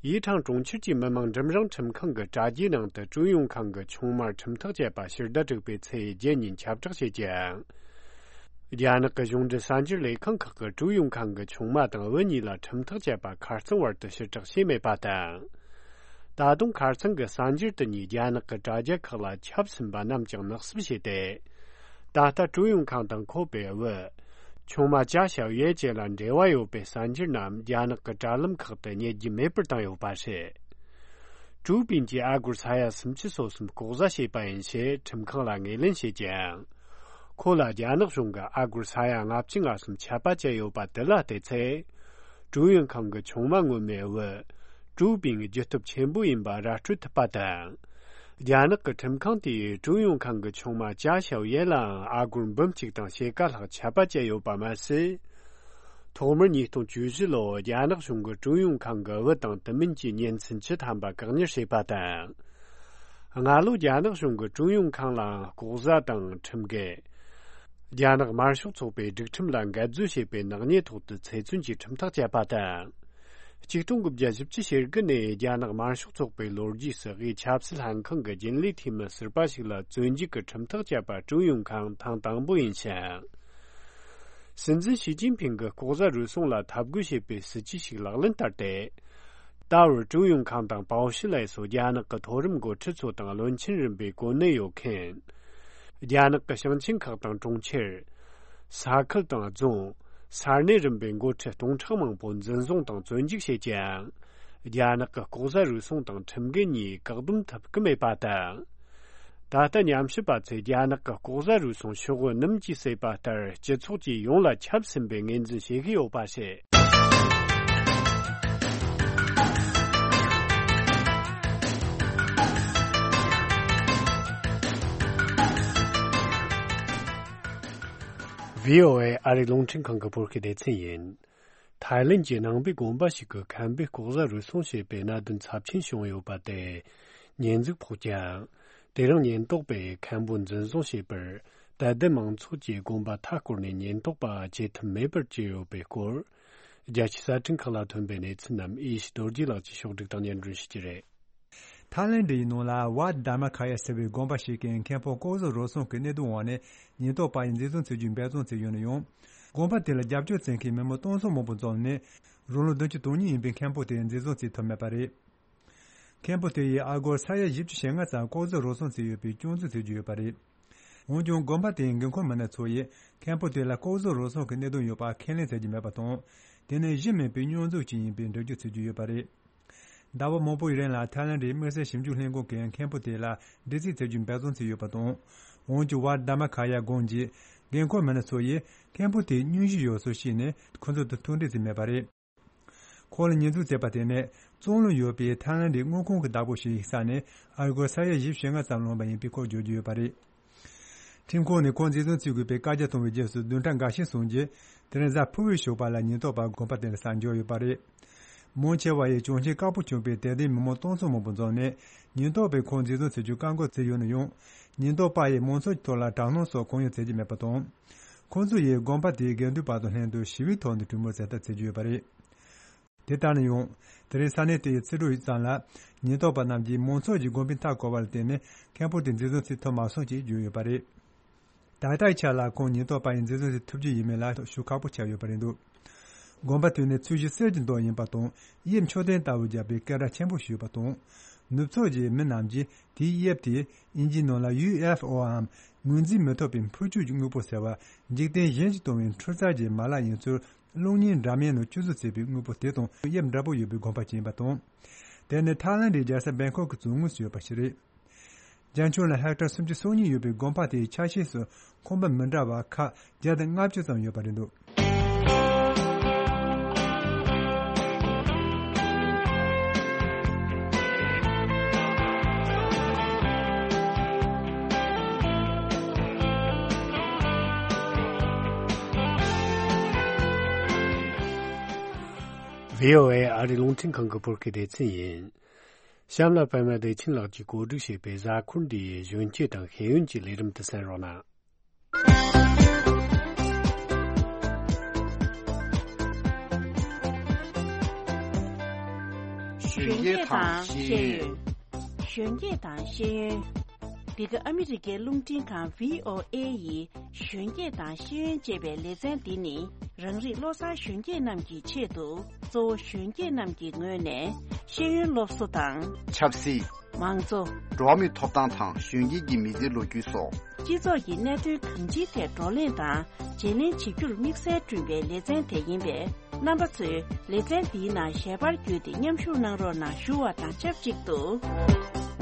ཡི་ཁྲང་གྲོང་ཁྱེར་གྱི་མི་དམངས་འབྲིང་རིམ་ཁྲིམས་ཁང་གི་དྲ་རྒྱའི་ནང་དུ་ཀྲུའུ་ཡུང་ཁང་གི་ཆུང་མར་ཁྲིམས་ཐག་བཅད་པ་ཕྱི་ཟླ་དྲུག་པའི་ཚེས་བརྒྱད་ཉིན་ཁྱབ་བསྒྲགས་བྱས་ཀྱང་། རྒྱ་ནག་གི་གཞུང་འབྲེལ་གསར་འགྱུར་ལས་ཁང་ཁག་གིས་ཀྲུའུ་ཡུང་ཁང་གི་ཆུང་མ་དང་བུ་གཉིས་ལ་ཁྲིམས་ཐག་བཅད་པ་ཁ་རྩང་བར་དུ་ཕྱིར་བསྒྲགས་བྱས་མེད་པ་དང་། ད་དུང་ཁ་རྩང་གི་གསར་འགྱུར་དེ་གཉིས་རྒྱ་ནག་གི་དྲ་རྒྱ་ཁག་ལ་ཁྱབ་ཟིན་པ་རྣམས་ཀྱང་ནག་བསུབ་བྱས་ཏེ། ད་ལྟ་ཀྲུའུ་ཡུང་ཁང་དང་ཁོ་པའི་བུ། ཆུང་མ་ཅཱ་ཞའོ་ཡན་བཅས་ལ་འབྲེལ་བ་ཡོད་པའི་གསར་འགྱུར་རྣམས་རྒྱ་ནག་གི་དྲ་ལམ་ཁག་ཏུ་རྙེད་རྒྱུ་མེད་པར་བཏང་ཡོད་པ་རེད། ཀྲུའུ་པིན་གྱིས་ཨ་སྒོར་ས་ཡ་སུམ་ཅུ་སོ་གསུམ་ལྐོག་ཟ་བྱས་པ་ཡིན་ཞེས་ཁྲིམས་ཁང་ལ་ངོས་ལེན་བྱས་ཀྱང་། ཁོ་ལ་རྒྱ་ནག་གཞུང་གིས་ཨ་སྒོར་ས་ཡ་ལྔ་བཅུ་ང་གསུམ་ཆད་པ་བཅད་ཡོད་པ་དེ་ལ་བལྟས་ཚེ། ཀྲུའུ་ཡུང་ཁང་གི་ཆུང་མ་ངོ་མའི་བུ། ཀྲུའུ་པིན་རྒྱུ་སྟོབས་ཆེན་པོ་ཡིན་པ་ར་སྤྲོད་ཐུབ་པ་དང་། རྒྱ་ནག་གི་ཁྲིམས་ཁང་དེས་ཀྲུའུ་ཡུང་ཁང་གི་ཆུང་མ་ཅཱ་ཞའོ་ཡན་ལའང་ཨ་སྒོར་འབུམ་གཅིག་དང་ཕྱེད་ཀ་ལྷག་ཆད་པ་བཅད་ཡོད་པ་མ་ཟད། ཐོག་མར་ཉིས་སྟོང་བཅུ་བཞི་ལོར་རྒྱ་ནག་གཞུང་གིས་ཀྲུའུ་ཡུང་ཁང་གི་བུ་དང་དེ་མིན་གྱི་གཉེན་ཚན་བཅུ་ཐམ་པ་བཀག་ཉར་བྱས་པ་དང་། སྔ་ལོ་རྒྱ་ནག་གཞུང་གིས་ཀྲུའུ་ཡུང་ཁང་ལའང་ལྐོག་ཟ་དང་ཁྲིམས་འགལ། རྒྱ་ནག་དམར་ཤོག་ཚོགས་པའི་སྒྲིག་ཁྲིམས་ལ་འགལ་འཛོལ་བྱས་པའི་ནག་ཉེས་ཐོག་ཏུ་ཚེ་བཙོན་གྱི་ཁྲིམས་ཐག་བཅད་པ་དང་། ཆིག་སྟོང་དགུ་བརྒྱ་བཞི་བཅུ་ཞེ་དགུ་ནས་རྒྱ་ནག་དམར་ཤོག་ཚོགས་པའི་ལོ་རྒྱུས་སུ་དབུས་ཆབ་སྲིད་ལྷན་ཁང་གི་རྒྱུན་ལས་འཐུས་མི་ཟུར་པ་ཞིག་ལ་བཙོན་འཇུག་གི་ཁྲིམས་ཐག་བཅད་པ་ཀྲུའུ་ཡུང་ཁང་ཐེངས་དང་པོ་ཡིན་ཞིང་། སྲིད་འཛིན་ཞི་ཅིན་ཕིང་གིས་ལྐོག་ཟ་རུལ་སུངས་ལ་འཐབ་རྒོལ་བྱེད་པའི་སྲིད་ཇུས་ཤིག་ལག་ལེན་བསྟར་ཏེ། ད་བར་ཀྲུའུ་ཡུང་ཁང་དང་པའོ་ཞི་ལའེ་སོགས་རྒྱ་ནག་གི་མཐོ་རིམ་འགོ་ཁྲིད་ཚོ་དང་བློན་ཆེན་རིམ་པའི་གོ་གནས་ཡོད་མཁན། རྒྱ་ནག་གི་ཞིང་ཆེན་ཁག་དང་གྲོང་ཁྱེར། ས་ཁུལ་དང་རྫོང་། ས་གནས་རིམ་པའི་འགོ་ཁྲིད་སྟོང་ཕྲག་མང་པོ་འཛིན་བཟུང་དང་བཙོན་འཇུག་བྱས་ཀྱང་། རྒྱ་ནག་གི་ལྐོག་ཟ་རུལ་སུངས་དང་ཁྲིམས་འགལ་གཉིས་བཀག་སྡོམ་ཐུབ་ཀྱི་མེད་པ་དང་། ད་ལྟ་ཉམས་ཞིབ་པ་ཚོས་རྒྱ་ནག་གི་ལྐོག་ཟ་རུལ་སུངས་ཤོག་བུ་སྣུམ་གྱིས་བསྲེས་པ་ལྟར་སྤྱི་ཚོགས་ཀྱི་ཡོངས་ལ་ཁྱབ་ཟིན་པའི་ངོས་འཛིན་བྱེད་ཀྱི་ཡོད་པ་རེད། ཝི་ཨོ་ཨེ་ཨ་རིའི་རླུང་འཕྲིན་ཁང་གི་བོད་སྐད་སྡེ་ཚན་ཡིན། ཐའི་ལེན་གྱི་ནང་པའི་དགོན་པ་ཞིག་གི་མཁན་པོས་ལྐོག་ཟ་རུལ་སུངས་བྱས་པའི་གནད་དོན་ཚབས་ཆེན་བྱུང་ཡོད་པ་དེ་ཉེས་འཛུགས་ཕོག་ཀྱང་། དེ་རིང་ཉེན་རྟོག་པས་མཁན་པོ་འཛིན་བཟུང་བྱས་པར། དད་ལྡན་མང་ཚོགས་ཀྱིས་དགོན་པ་མཐའ་བསྐོར་ནས་ཉེན་རྟོག་པ་བྱེད་ཐབས་མེད་པར་གྱུར་ཡོད་པའི་སྐོར། རྒྱལ་སྤྱིའི་གསར་འཕྲིན་ཁག་ལ་ཐོན་པའི་གནས་ཚུལ་རྣམས་ཨེ་ཤེ་རྡོ་རྗེ་ལགས་ཀྱིས་ཕྱོགས་སྒྲིག་དང་སྙན་སྒྲོན་ཞུ་རྒྱུ་རེད། ཐའི་ལེན་ཌི་ཡི་ནང་ལ་ཝཱ་དྷར་མ་ཁ་ཡ་ཟེར་བའི་དགོན་པ་ཞིག་གི་མཁན་པོ་ལྐོག་ཟ་རུལ་སུངས་ཀྱི་གནད་དོན་འོག་ནས་ཉེན་རྟོག་པ་ཡིས་འཛིན་བཟུང་བྱེད་རྒྱུའི་འབད་བརྩོན་བྱས་ཡོད་ན་ཡང་། དགོན་པ་དེ་ལ་རྒྱབ་སྐྱོར་བྱེད་མཁན་མི་མང་སྟོང་ཚོ་མང་པོ་འཛོམས་ནས། རང་ལོ་བདུན་ཅུ་དོན་གཉིས་ཡིན་པའི་མཁན་པོ་དེ་འཛིན་བཟུང་བྱེད་ཐུབ་མེད་པ་རེད། མཁན་པོ་དེ་ཡིས་ཨ་སྒོར་ས་ཡ་བཞི་བཅུ་ཞེ་ལྔ་ཙམ་ལྐོག་ཟ་རུལ་སུངས་བྱས་ཡོད་པའི་སྐྱོན་འཛུགས་བྱེད་རྒྱུ་ཡོད་པ་རེད། འོན་ཀྱང་དགོན་པ་དེའི་འགན་འཁུར་མི་སྣ་ཚོ་ཡིས་མཁན་པོ་དེ་ལ་ལྐོག་ཟ་རུལ་སུངས་ཀྱི་གནད་དོན་ཡོད་པ་ཁས་ལེན་བྱེད་ཀྱི་མེད་པ་དང་། དེ་ནི་གཞི་མེད་པའི་སྙོན་འཛུགས་ཅིག་ཡིན་པའི་འགྲེལ་བརྗོད་བྱེད་ཀྱི་ཡོད་པ་རེད། ཟླ་བ་མང་པོའི་རིང་ལ་ཐའི་ལེན་ཌིའི་དམིགས་བསལ་ཞིབ་འཇུག་ལྷན་ཁང་གིས་མཁན་པོ་དེ་ལ་འདྲི་རྩད་བྱེད་རྒྱུའི་འབད་བརྩོན་བྱས་ཡོད་པ་དང་། འོན་ཀྱང་ཝཱ་དྷར་མ་ཁ་ཡ་དགོན་གྱི་འགན་འཁུར་མི་སྣ་ཚོ་ཡིས་མཁན་པོ་དེའི་སྙུང་གཞི་ཡོད་ཚུལ་བཤད་ནས་ཁོ་ཚོ་དང་ཐུག་འཕྲད་བྱས་མེད་པ་རེད། ཁོང་ལ་ཉེས་འཛུགས་བྱས་པ་དེ་ནི་བཙོན་ལ་ཡོད་པའི་ཐའི་ལེན་ཌིའི་དངུལ་ཁང་གི་བདག་པོ་ཞིག་ཡིན་ས་ནས་ཨ་སྒོར་ས་ཡ་བཞི་བཅུ་ཞེ་ལྔ་ཙམ་བླངས་པ་ཡིན་པའི་སྐོར་བརྗོད་ཀྱི་ཡོད་པ་རེད། ཁྲིམས་ཁང་ནས་ཁོང་འཛིན་བཟུང་བྱེད་དགོས་པའི་བཀའ་རྒྱ་བཏང་བའི་རྗེས་སུ་བདུན་ཕྲག་འགའ་ཤས་སོང་རྗེས། དེ་རིང་གཟའ་ཕུར་བུའི་ཞོགས་པ་ལ་ཉེན་རྟོག་པ་དགོན་པ་དེ་ལ་གསར་འབྱོར་ཡོད་པ་རེད། མང་ཆེ་བ་ཡིས་གྱོང་ཆེན་དཀར་པོ་བྱུང་བའི་དད་ལྡན་མི་མང་སྟོང་ཚོ་མང་པོ་འཛོམས་ནས་ཉེན་རྟོག་པས་ཁོང་འཛིན་བཟུང་བྱེད་རྒྱུའི་བཀག་འགོག་བྱས་ཡོད་ན་ཡང་། ཉེན་རྟོག་པ་ཡིས་མང་ཚོགས་ཀྱི་ཐོག་ལ་དྲག་གནོན་སོགས་གང་ཡང་བྱེད་ཀྱི་མེད་པ་དང་། ཁོང་ཚོ་ཡིས་དགོན་པ་དེའི་དགེ་འདུན་པ་དང་ལྷན་དུ་ཞི་བའི་ཐོག་ནས་གྲོས་མོལ་མཛད་ཐབས་བྱེད་ཀྱི་ཡོད་པ་རེད། དེ་ལྟར་ན་ཡང་། དེ་རིང་ས་གནས་དེའི་ཚེས་དྲུག་ཙམ་ལ། ཉེན་རྟོག་པ་རྣམས་ཀྱིས་མང་ཚོགས་ཀྱི་དགོན་པའི་མཐའ་བསྐོར་བ་ལ་བརྟེན་ནས་མཁན་པོ་དེ་འཛིན་བཟུང་བྱེད་ཐུབ་མ་སོང་ཞེས་བརྗོད་ཡོད་པ་རེད། ད་ལྟའི་ཆ་ལ་ཁོང་ཉེན་རྟོག་པ་ཡིས་འཛིན་བཟུང་བྱེད་ཐུབ་ཀྱི་ཡིན་མིན་ལ་ཞུ་ཁག་པོ་ཆགས་ཡོད་པ་རེད་འདུག་དགོན་པ་དེ་ནི་ཚོས་གཞི་གསེར་གྱི་མདོག་ཡིན་པ་དང་། དབྱིབས་མཆོད་རྟེན་ལྟ་བུ་བརྒྱབ་པའི་སྐད་གྲགས་ཆེན་པོ་ཞིག་ཡོད་པ་དང་། ནུབ་ཕྱོགས་ཀྱི་མི་རྣམས་ཀྱིས་དེའི་དབྱིབས་དེ་དབྱིན་ཇིའི་ནང་ལ་ཡུ་ཨེཕ་ཨོའམ་ངོས་འཛིན་མི་ཐུབ་པའི་འཕུར་སྐྱོད་ཀྱི་དངོས་པོ་ཟེར་བ། འཇིག་རྟེན་གཞན་གྱིས་སྟོང་བའི་འཕྲུལ་རྩལ་གྱི་མ་ལག་ཡིན་ཚུལ། གློག་བརྙན་འདྲ་མིན་ནང་སྤྱི་བཟོ་བྱས་པའི་དངོས་པོ་དེ་དང་དབྱིབས་འདྲ་པོ་ཡོད་པའི་དགོན་པ་ཅིག་ཡིན་པ་དང་། དེ་ནི་ཐའི་ལན་ཌིའི་རྒྱལ་ས་བེང་ཁོག་གི་བཙུན་དངོས་སུ་ཡོད་པ་ཞིག་རེད། རྒྱ་ཁྱོན་ལ་ཧེག་ཊར་སུམ་ཅུ་སོ་གཉིས་ཡོད་པའི་དགོན་པ་དེའི་ཆ་ཤས་སུ་ཁང་པ་མི་འདྲ་བ་ཁག་བརྒྱ་དང་ལྔ་བཅུ་ཙམ་ཡོད་པ་རེད་འདུག་ཝི་ཨོ་ཨེ་ཨ་རིའི་རླུང་འཕྲིན་ཁང་གི་བོད་སྐད་སྡེ་ཚན་ཡིན། གཤམ་ལ་པད་མ་བདེ་ཆེན་ལགས་ཀྱིས་གོ་སྒྲིག་བྱས་པའི་གཟའ་འཁོར་འདིའི་གཞོན་སྐྱེས་དང་ཤེས་ཡོན་གྱི་ལས་རིམ་དུ་གསན་རོགས་གནང་། གཞོན་སྐྱེས་དང་ཤེས་ཡོན། གཞོན་སྐྱེས་དང་ཤེས་ཡོན། འདི་ག་ཨ་མི་རི་ཀའི་རླུང་འཕྲིན་ཁང་ཝི་ཨོ་ཨེ་ཡི་གཞོན་སྐྱེས་དང་ཤེས་ཡོན་ཅེས་པའི་ལེ་ཚན་འདི་ནི། རང་རིགས་བློ་བཟང་གཞོན་སྐྱེས་རྣམས་ཀྱི་ཆེད་དུ། གཙོ་བོ་གཞོན་སྐྱེས་རྣམས་ཀྱི་ངོས་ནས་ཤེས་ཡོན་སློབ་གསོ་དང་། ཆབ་སྲིད། མང་གཙོ། འགྲོ་བ་མིའི་ཐོབ་ཐང་དང་གཞོན་སྐྱེས་ཀྱི་མི་ཚེའི་ལོ་རྒྱུས་སོགས། སྤྱི་ཚོགས་ཀྱི་གནད་དོན་གང་ཅིའི་ཐད་བགྲོ་གླེང་དང་བརྗེ་ལེན་བྱེད་རྒྱུར་དམིགས་བསལ་བསྐྲུན་པའི་ལེ་ཚན་དེ་ཡིན་པས། རྣམ་པ་ཚོས་ལེ་ཚན་འདིའི་ནང་ཞལ་པར་བརྒྱུད་དེ་མཉམ་ཞུགས་གནང་རོགས་གནང་ཞུ་བ་དང་ཆབས་ཅིག་ཏུ།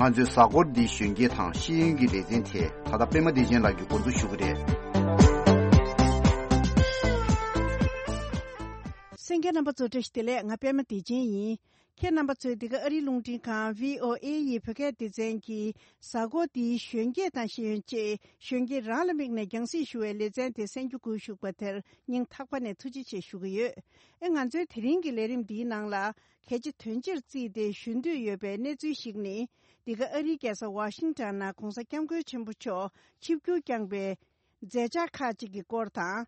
ང་ཚོའི་གཟའ་འཁོར་འདིའི་གཞོན་སྐྱེས་དང་ཤེས་ཡོན་གྱི་ལེ་ཚན་དེ་ད་ལྟ་པད་མ་བདེ་ཆེན་ལགས་ཀྱིས་འགོ་འཛུགས་ཞུ་གི་རེད། གསན་མཁན་རྣམ་པ་ཚོ་བཀྲ་ཤིས་བདེ་ལེགས། ང་པད་མ་བདེ་ཆེན་ཡིན། ཁྱེད་རྣམ་པ་ཚོས་འདི་ག་ཨ་རིའི་རླུང་འཕྲིན་ཁང་ཝི་ཨོ་ཨེ་ཡི་བོད་སྐད་སྡེ་ཚན་གྱི་གཟའ་འཁོར་འདིའི་གཞོན་སྐྱེས་དང་ཤེས་ཡོན་ཅེས་གཞོན་སྐྱེས་རང་ལ་དམིགས་ནས་རྒྱང་སྲིང་ཞུ་བའི་ལེ་ཚན་དེ་གསན་རྒྱུ་སྒུག་བཞུགས་པ་དེར་སྙིང་ཐག་པ་ནས་ཐུགས་རྗེ་ཆེ་ཞུ་གི་ཡོད། ཨེ་ང་ཚོའི་དེ་རིང་གི་ལས་རིམ་འདིའི་ནང་ལ་གལ་ཆེ་དོན་ཆེར་བརྩིས་ཏེ་ཞུ་འདོད་ཡོད་པའི་གནས་ཚུལ་ཞིག་ནི། འདི་ག་ཨ་རིའི་རྒྱལ་ས་ཝ་ཤིང་ཊོན་ནང་གོང་ས་སྐྱབས་མགོན་ཆེན་པོ་མཆོག་ཆིབས་བསྒྱུར་བསྐྱངས་པའི་མཛད་འཆར་ཁག་ཅིག་གི་སྐོར་དང་།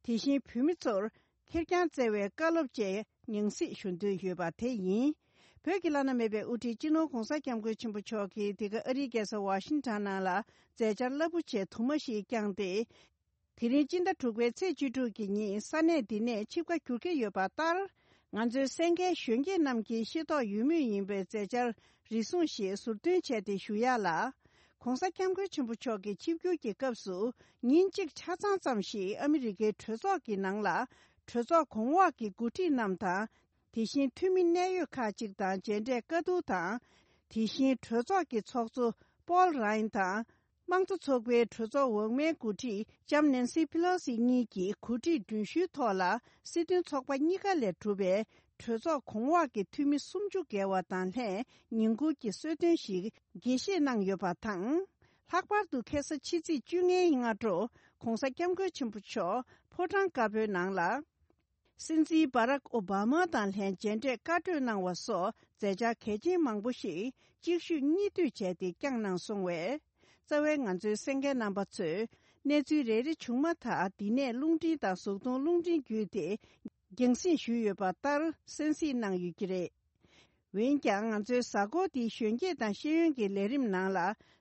དེ་བཞིན་བོད་མི་ཚོར་ཁེར་རྐྱང་བསྩལ་བའི་བཀའ་སློབ་བཅས་ཉུང་ཟད་ཞུ་འདོད་ཡོད་པ་དེ་ཡིན། བོད་ཀྱི་བླ་ན་མེད་པའི་དབུ་ཁྲིད་སྤྱི་ནོར་༸གོང་ས་༸སྐྱབས་མགོན་ཆེན་པོ་མཆོག་གིས་འདི་ག་ཨ་རིའི་རྒྱལ་ས་ཝ་ཤིང་ཊོན་ནང་ལ་མཛད་འཆར་རླབས་པོ་ཆེ་དུ་མ་ཞིག་བསྐྱངས་ཏེ། དེ་རིང་སྤྱི་ཟླ་དྲུག་པའི་ཚེས་བཅུ་དྲུག་གི་ཉིན་ས་གནས་འདི་ནས་ཆིབས་ཁ་བསྒྱུར་གྱི་ཡོད་པ་ལྟར། ང་ཚོའི་གསན་མཁན་གཞོན་སྐྱེས་རྣམས་ཀྱིས་ཤེས་རྟོགས་ཡོད་མུས་ཡིན་པའི་མཛད་འཆར་རེ་ཟུང་ཞིག་ཟུར་འདོན་བྱས་ཏེ་ཞུ་ཡ་ལ། ༸གོང་ས་༸སྐྱབས་མགོན་ཆེན་པོ་མཆོག་གི་ཆིབས་བསྒྱུར་གྱི་སྐབས་སུ། ཉིན་གཅིག་ཆ་ཚང་ཙམ་ཞིག་ཨ་མི་རི་ཀའི་གྲོས་ཚོགས་ཀྱི་ནང་ལ། གྲོས་ཚོགས་གོང་འོག་གི་འགོ་ཁྲིད་རྣམས་དང་། དེ་བཞིན་འཐུས་མི་གནད་ཡོད་ཁག་ཅིག་དང་མཇལ་འཕྲད་བཀའ་བསྡུར་དང་། དེ་བཞིན་གྲོས་ཚོགས་ཀྱི་ཚོགས་གཙོ་པོལ་རཱ་ཡན་དང་། དམངས་གཙོ་ཚོགས་པའི་གྲོས་ཚོགས་འོག་མའི་འགོ་ཁྲིད་ལྕམ་ནན་སི་ཕི་ལོ་སི་གཉིས་ཀྱིས་གོ་སྒྲིག་མགྲོན་ཞུའི་ཐོག་ལ། སྲིད་དོན་ཚོགས་པ་གཉིས་ཀ་ལས་གྲུབ་པའི་གྲོས་ཚོགས་གོང་འོག་གི་འཐུས་མི་སུམ་ཅུ་བརྒལ་བ་དང་ལྷན་ཉིན་གུང་གི་གསོལ་སྟོན་ཞིག་དགྱེས་བཞེས་གནང་ཡོད་པ་དང་། ལྷག་པར་དུ་ཁ་སང་ཕྱི་ཚེས་བཅོ་ལྔའི་སྔ་དྲོ། ༸གོང་ས་༸སྐྱབས་མགོན་ཆེན་པོ་མཆོག་ཕོ་བྲང་དཀར་པོའི་ནང་ལ། སྲིད་འཛིན་སྦ་རག་ཨོ་བྷ་མ་དང་ལྷན་མཇལ་འཕྲད་བཀའ་གྲོས་གནང་བ་སོགས་མཛད་འཆར་གལ་ཆེན་མང་པོ་ཞིག་གཅིག་ཤུས་གཉིས་མཐུད་བྱས་ཏེ་བསྐྱངས་གནང་སོང་བས། རྩ་བའི་ང་ཚོའི་གསན་མཁན་རྣམ་པ་ཚོས་གནས་ཚུལ་རེ་རེ་བྱུང་མ་ཐག་འདི་ནས་རླུང་འཕྲིན་དང་གཟུགས་མཐོང་རླུང་འཕྲིན་བརྒྱུད་དེ་རྒྱང་སྲིང་ཞུས་ཡོད་པ་ལྟར་གསན་གཟིགས་གནང་ཡོད་ཀྱི་རེད། འོན་ཀྱང་ང་ཚོའི་གཟའ་འཁོར་འདིའི་གཞོན་སྐྱེས་དང་ཤེས་ཡོན་གྱི་ལས་རིམ་ནང་ལ་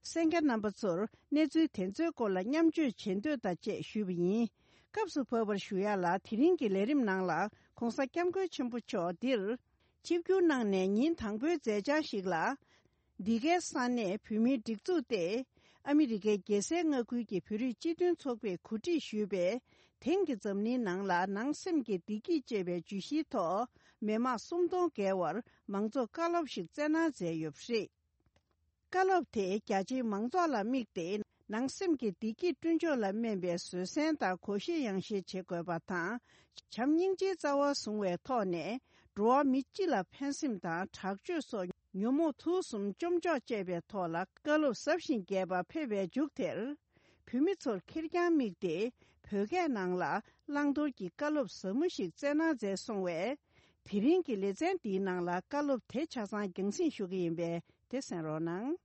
གསན་མཁན་རྣམ་པ་ཚོར་གནས་ཚུལ་དེ་ཚོའི་སྐོར་ལ་མཉམ་སྤྱོད་བྱེད་འདོད་དང་བཅས་ཞུས་པ་ཡིན། སྐབས་སུ་བབས་པར་ཞུ་ཡ་ལ། དེ་རིང་གི་ལས་རིམ་ནང་ལ་༸གོང་ས་༸སྐྱབས་མགོན་ཆེན་པོ་མཆོག་འདིར་ཆིབས་བསྒྱུར་གནང་ནས་ཉིན་དང་པོའི་མཛད་འཆར་ཞིག་ལ། འདི་གའི་ས་གནས་བོད་མིའི་སྒྲིག་འཛུགས་ཏེ། ཨ་མི་རི་ཀའི་རྒྱལ་སའི་མངའ་ཁུལ་གྱི་བོད་རིགས་སྤྱི་མཐུན་ཚོགས་པས་གོ་སྒྲིག་ཞུས་པའི། དེང་གི་འཛམ་གླིང་ནང་ལ་ནང་སེམས་ཀྱི་བདེ་སྐྱིད་ཅེས་པའི་བརྗོད་གཞིའི་ཐོག་མི་མང་སུམ་སྟོང་བརྒལ་བར་མང་ཚོགས་བཀའ་སློབ་ཞིག་བསྩལ་གནང་མཛད་ཡོད་པ་རེད། བཀའ་སློབ་དེ་རྒྱ་ཆེའི་མང་ཚོགས་ལ་དམིགས་ཏེ། ནང་སེམས་ཀྱི་བདེ་སྐྱིད་བསྐྲུན་ཕྱོགས་ལ་སྨན་པའི་བཟོད་བསྲན་དང་དགོངས་བཞེས་ཡང་བཞེས་བྱེད་དགོས་པ་དང་། བྱམས་སྙིང་རྗེའི་རྩ་བ་བཟུང་བའི་ཐོག་ནས། འགྲོ་བ་མི་སྤྱི་ལ་ཕན་སེམས་དང་དྲག་སྤྱོད་སོགས་ཉོན་མོངས་དུག་གསུམ་བཅོམ་འཇོག་ཅེས་པའི་ཐོག་ལ་བཀའ་སློབ་ཟབ་ཞིང་རྒྱས་པ་ཕེབས་པའི་མཇུག་དེར། བོད་མི་ཚོར་ཁེར་རྐྱང་དམིགས་ཏེ། བོད་སྐད་ནང་ལ་བླང་དོར་གྱི་བཀའ་སློབ་ཟབ་མོ་ཞིག་བསྩལ་གནང་མཛད་སོང་བས། དེ་རིང་གི་ལེ་ཚན་འདིའི་ནང་ལ་བཀའ་སློབ་དེ་ཆ་ཚང་རྒྱང་སྲིང་ཞུ་གི་ཡིན་པས། དེ་གསན་རོགས་གནང་།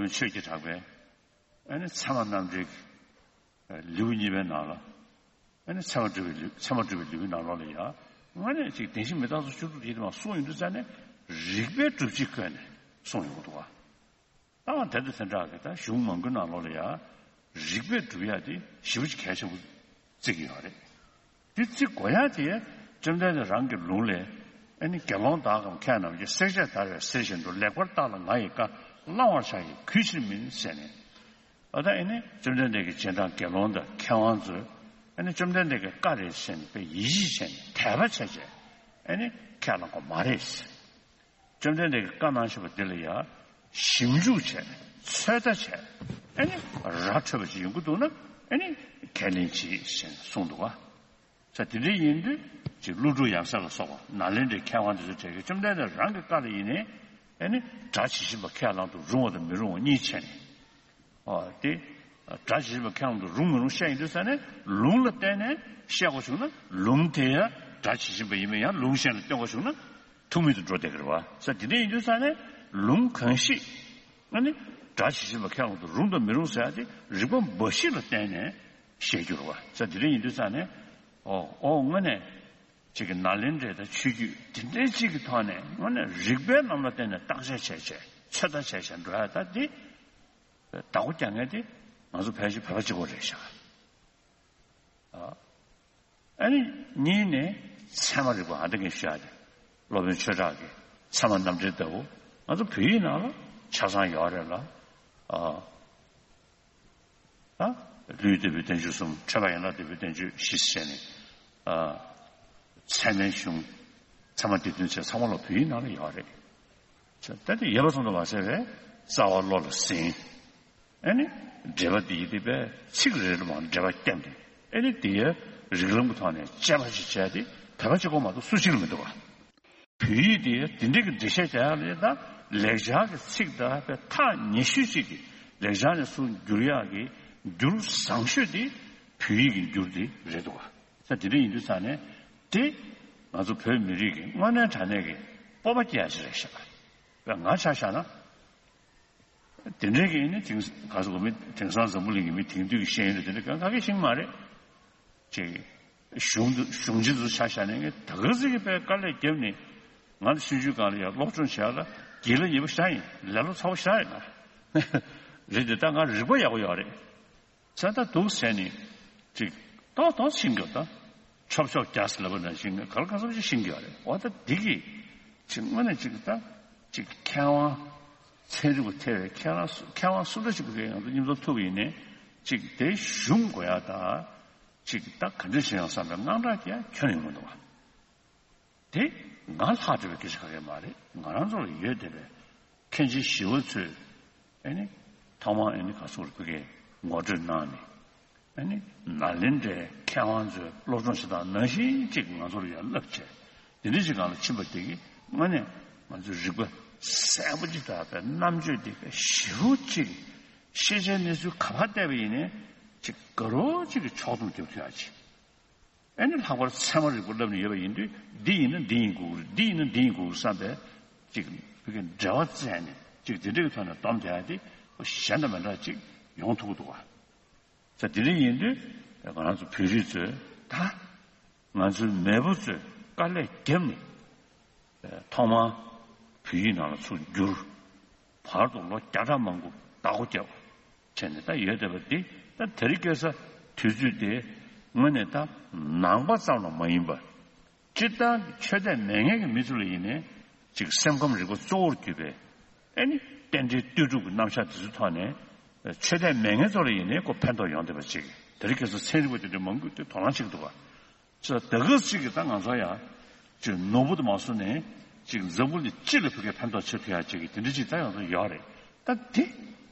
ཆོས་ཀྱི་གྲགས་པའི་ཨ་ནི་ཚད་མ་རྣམ་འགྲེལ་གྱི་ལེའུ་གཉིས་པའི་ནང་ལ། ཨ་ནི་ཚད་མ་སྒྲུབ་པའི་ལེའུ་ཚད་མ་སྒྲུབ་པའི་ལེའུའི་ནང་ལོགས་ལ་ཡང་དངོས་གནས་ཅིག་བདེན་བཞི་མི་རྟག་སོགས་བཅུ་དྲུག་ཡིན་དུ་མ་གསུངས་ཡོང་དུས་ཙ་ནས་རིགས་པའི་སྒྲུབ་བྱེད་བཀོད་ནས་གསུངས་ཡོང་གི་འདུག་བ། ད་དེ་དང་དེ་འདྲ་གི་ད་གཞུང་མང་པོའི་ནང་ལོགས་ལ་ཡང་རིགས་པས་སྒྲུབ་ཡ་དེ་ཞེ་པོ་ཅིག་གལ་ཆེན་པོ་བརྩི་གི་ཡོད་རེད། དེ་བརྩི་དགོས་ཡ་དེ་བཅོམ་ལྡན་འདས་རང་གི་ལུང་ལས། ཨ་ནི་དགེ་སློང་དག་གམ་མཁས་རྣམས་ཀྱིས། བསྲེག་བཅད་བརྡར་བའི་གསེར་བཞིན་དུ། ལེགས་པར་བརྟགས་ལ་ང་ཡི་བཀའ། བླང་བར་བྱ་ཡི་གུས་ཕྱིར་མིན་ཟེར་ནས། ཨ་ད་ཨ་ནི་བཅོམ་ལྡན་འདས་ཀྱི་རྗེས་འབྲང་དགེ་སློང་དང་མཁས་དབང་ཚོས་ཨ་ནི་བཅོམ་ལྡན་འདས་ཀྱི་བཀའ་རེད་ཟེར་ནས་དཔེ་ཡིད་ཆེས་བྱས་ནས་དད་པ་བྱས་བྱས་ཨ་ནི་ཁས་བླངས་པ་མ་རེད། བཅོམ་ལྡན་འདས་ཀྱིས་བཀའ་གནང་བཞིན་པ་འདི་ལ་ཡང་ཞིབ་འཇུག་བྱས། ཚོད་ལྟ་བྱས། ཨ་ནི་ར་འཕྲོད་པ་ཅིག་ཡོང་གི་འདུག་ན་ཨ་ནི་ཁས་ལེན་གྱིས་ཞེས་གསུངས་འདུག་བ། ས་དེ་འདྲ་ཡིན་དུས་ཅིག་ཀླུ་སྒྲུབ་ཡབ་སྲས་ལ་སོགས་པ་ནཱ་ལེནྡྲའི་མཁས་དབང་དེ་ཚོ་གྲས་ཀྱིས་བཅོམ་ལྡན་འདས་རང་གི་བཀའ་ལ་ཡིན་ནའི་ཨ་ནི་སྒྲ་ཇི་བཞིན་པ་ཁས་བླང་དུ་རུང་བ་དང་མི་རུང་བ་གཉིས་ཕྱེ་ནས། ཨོ་དེ། སྒྲ་ཇི་བཞིན་པ་ཁས་བླངས་དུ་རུང་མི་རུང་བཤད་ཡིན་དུས་ཙ་ནས་ལུང་ལ་བརྟེན་ནས་བཤད་དགོས་བྱུང་ན་ལུང་དེ་ཡང་སྒྲ་ཇི་བཞིན་པ་ཡིན་མིན་ཡང་ལུང་གཞན་ལ་སྟོན་དགོས་བྱུང་ན་ཐུག་མེད་དུ་འགྲོ་བསྡད་ཀྱི་རེད་བ། ས་དེ་འདྲ་ཡིན་དུས་ཙ་ནས་ལུང་གང་ཞིག་ཨ་ནི་སྒྲ་ཇི་བཞིན་པ་ཁས་བླངས་དུ་རུང་དང་མི་རུང་ཟེར་ཡ་དེ་རིགས་པ་འབའ་ཞིག་ལ་བརྟེན་ནས་བཤད་རྒྱུ་རེད་བ། ས་དེ་འདྲ་ཡིན་དུས་ཙ་ནས་ཨོ་ཨོ་དངོས་གནས་ཅིག་གི་ནཱ་ལེནྡྲའི་ད་ཆོས་བརྒྱུད་དེ་འདྲའི་ཅིག་གི་ཐོག་ནས་དངོས་གནས་རིགས་པའི་ལམ་ལ་བརྟེན་ནས་བརྟག་དཔྱད་བྱས་བྱས་ཚོད་ལྟ་བྱས་བྱས་འགྲོ་ཡ་ད་འདི། བདག་པོ་རྒྱག་མཁན་དེ་ང་ཚོ་ཕལ་ཆེར་བོད་པ་གཅིག་པོ་རེད་ཤག་ཨ་ནི་གཉིས་ནས་ཚད་མ་རིག་པ་ཨ་འདྲ་མཁན་ཤོད་ཡ་དེ་སློབ་དཔོན་ཆོས་གྲགས་ཀྱི་ཚད་མ་རྣམ་འགྲེལ་ལྟ་བུ་ང་ཚོ་བོད་ཡིག་ནང་ལ་ཆ་ཚང་ཡོད་རེད་ལ། ཨ་ད་ལྷུན་གྱིས་གྲུབ་པའི་བསྟན་བཅོས་གསུམ། འཕྲོས་པ་ཡན་ལག་བསྡུས་པའི་བསྟན་བཅོས་བཞི་ཟེར་ནས། ཨ་ཚད་མའི་གཞུང་། ཚད་མ་སྡེ་བདུན་བཅས་ཚང་མ་ལ་བོད་ཡིག་ནང་ལ་ཡོད་རེད། ད་དེ་ཡོད་པ་ཙམ་དུ་མ་ཟད་པའི་རྩ་བ་བློ་ལ་ཟིན། ཨ་ནི་འགྲེལ་པ་འདི་ཡི་དེ་པའི་ཚིག་རེ་རེ་མ་འགྲེལ་པ་བརྒྱབ་ནས་ཨ་ནི་དེ་ཡི་རིགས་ལམ་གྱི་ཐོག་ནས་དཔྱད་པ་ཞིག་བྱས་ཏེ་བོད་པ་གཅིག་པོ་མ་གཏོགས་སུ་གཅིག་ལ་མི་འདུག་བ། བོད་ཡིག་དེ་དེ་འདྲའི་གི་འགྲེལ་བཤད་རྒྱག་ཡག་ལས་ད་ལེགས་སྦྱར་གྱི་ཚིག་དང་པའི་ཐག་ཉེ་ཤོས་གཅིག་གི་ལེགས་སྦྱར་ནས་ཚུར་བསྒྱུར་ཡག་གི་འགྱུར་བཟང་ཤོས་དེ་བོད་ཡིག་གི་འགྱུར་དེ་རེད་འདུག་བ། ད་དེ་འདྲ་ཡིན་དུས་ཙང་ནས་དེ་ང་ཚོ་བོད་མི་རིགས་ཀྱི་དངོས་གནས་དྲང་གནས་ཀྱི་སྤོབས་པ་སྐྱེ་ཡག་ཞིག་རེད་ཤག་ང་ཆ་བཞག་ན། དེ་འདྲའི་གི་ནི་དེང་ག་ཚོད་གོ་མི་དེང་སང་འཛམ་བུ་གླིང་གི་མི་དེང་དུས་ཀྱི་ཤེས་ཡོན་དེ་འདྲ་གང་ག་གི་ཤེས་ཀྱི་མ་རེད། ཅིག་གཞུང་དུ་གཞུང་ཆེན་དུ་ཆ་བཞག་ནས་ངས་ད་ག་ཟིག་གི་པའི་དཀའ་ལས་བརྒྱབ་ནས་ང་ཚོ་ཆུང་ཆུང་སྒང་ལ་ཡང་སློབ་སྦྱོང་བྱས་ལ་དགེ་ལ་ཉེ་པོ་ཤ་ཡིན་ལས་སློབ་ཚ་བོ་ཤ་ཡིན་ན་རེད་དེ་ད་ང་རིག་པ་ཡག་པོ་ཡོད་རེད། ས་ད་འདུག་ཟེར་ནས་ཅིག་ཏོག་ཏོག་ཕྱིན་དགོས་ད། ཆོབ་ཆོབ་རྒྱག་ཟེར་ལབ་པ་ནང་བཞིན་ག་ལ་ག་ཚོད་ཅིག་ཤེས་ཀྱི་ཡོད་རེད། འོ་ད་འདི་གིས་ཅིག་དངོས་གནས་ཅིག་ད་ཅིག་མཁས་དབང་ཚན་རིག་པ་ཐེ་བའི་མཁས་དབང་སུ་མཁས་དབང་སུ་འདྲ་ཅིག་གི་ང་ཚོ་མཉམ་དུ་ཐུག་པ་ཡིན་ནའི་ཅིག་དེ་གཞུང་དགོས་ཡ་ད་ཅིག་ད་ག་འདྲ་བྱེད་ཡོང་བསམ་པའི་དངངས་སྐྲག་ཀྱང་ཁྱོན་ཡོང་གི་འདུག་བ། དེ་ང་ལྷག་བསྡད་པའི་སྐད་ཆ་ག་གེ་མ་རེད། ང་རང་ཚོ་ལ་ཡོད་བསྡད་པའི་མཁན་ཆེན་ཞི་བ་འཚོས་ཨ་ནི་ཐོག་མར་ཨ་ནི་ག་ཚོད་རེད་ཁོ་གིས་ངོ་སྤྲོད་གནང་ནས་ཨ་ནི་ནཱ་ལེནྡྲའི་མཁས་དབང་ཚོས་སློབ་སྦྱོང་བྱེད་སྟངས་ནང་བཞིན་ཅིག་ང་ཚོར་ཡང་བསླབ་བྱས་དེ་འདྲ་ཅིག་སྒང་ལ་ཕྱིན་པ་དེ་གིས་དངོས་གནས་ང་ཚོའི་རིག་པ་གསལ་པོ་ཅིག་དང་པའི་རྣམ་དཔྱོད་དེ་པའི་ཞེ་པོ་ཅིག་ཤེས་བྱའི་གནས་ཚུལ་ག་པར་བལྟས་པ་ཡིན་ནའི་ཅིག་དགའ་རབ་ཅིག་གི་ཕྱོགས་བསྡོམས་རྒྱབ་ཐུབ་ཡག་ཅིག་ཨ་ནི་ལྷག་པར་ཚད་མ་རིག་པ་བསླབ་ནས་ཡོད་པ་ཡིན་དུས་འདི་ཡིན་ན་འདི་ཡིན་དགོས་ཀྱི་རེད། འདི་ཡིན་ན་འདི་ཡིན་དགོས་ཀྱི་རེད་བསམ་པའི་ཅིག་ཕ་གི་འབྲེལ་བ་བཙལ་ནས་ཅིག་དེ་འདྲ་གི་ཐོག་ནས་སྡོམ་བསྡད་ཡ་དེ་གཞན་དང་མི་འདྲ་ཅིག་ཡོང་ཐུབ་ཀྱི་འདུག་བ། ས་དེ་འདྲ་ཡིན་དུས་ང་རང་ཚོ་བོད་རིགས་ཚོས་ད་ང་ཚོའི་མེས་པོ་ཚོས་དཀའ་ལས་བརྒྱབ་ནས་ཐོག་མར་བོད་ཡིག་ནང་ལ་ཚུར་བསྒྱུར། བར་དུ་ལོ་བརྒྱ་ཕྲག་མང་པོ་བདག་པོ་བརྒྱབ་བྱས་ནས་ད་ཡོད་བསྡད་པ་འདི་ད་དེ་རིང་ཁ་སང་དུས་ཚོད་དེ་དངོས་གནས་ད་ནང་པ་ཙམ་ལ་མ་ཡིན་པར་སྤྱིར་བཏང་གི་ཆོས་དད་མེད་མཁན་གྱི་མི་ཚོ་ལ་ཡིན་ནའི་ཅིག་སེམས་ཁམས་རིག་པ་གཙོ་བོར་གྱུར་པའི་ཨ་ནི་རྟེན་འབྲེལ་ལྟོས་གྲུབ་ཀྱི་རྣམ་གཞག་དེ་ཚོའི་ཐོག་ནས་ཆོས་དད་མེད་མཁན་ཚོ་ལ་ཡིན་ནའི་ཁོ་ཕན་ཐོགས་ཡོང་བསྡད་པ་ཅིག་དེ་རིང་ཁ་སང་ཚན་རིག་པ་དེ་འདྲ་མང་པོས་དེ་དོ་སྣང་བྱེད་ཀྱི་འདུག་ག་ཅིག་ད་ག་ཅིག་གིས་ད་ང་ཚོ་ཡང་ཅིག་ནོར་བུ་དུ་མ་སོང་ནས་ཅིག་འཛམ་བུ་གླིང་སྤྱི་ལ་ཕ་གིར་ཕན་ཐོགས་བྱེད་ཐུབ་ཡ་ཅིག་གི་དེ་འདྲ་ཅིག་ད་ཡོང་ཐུབ་ཡོད་རེད། ད་དེ་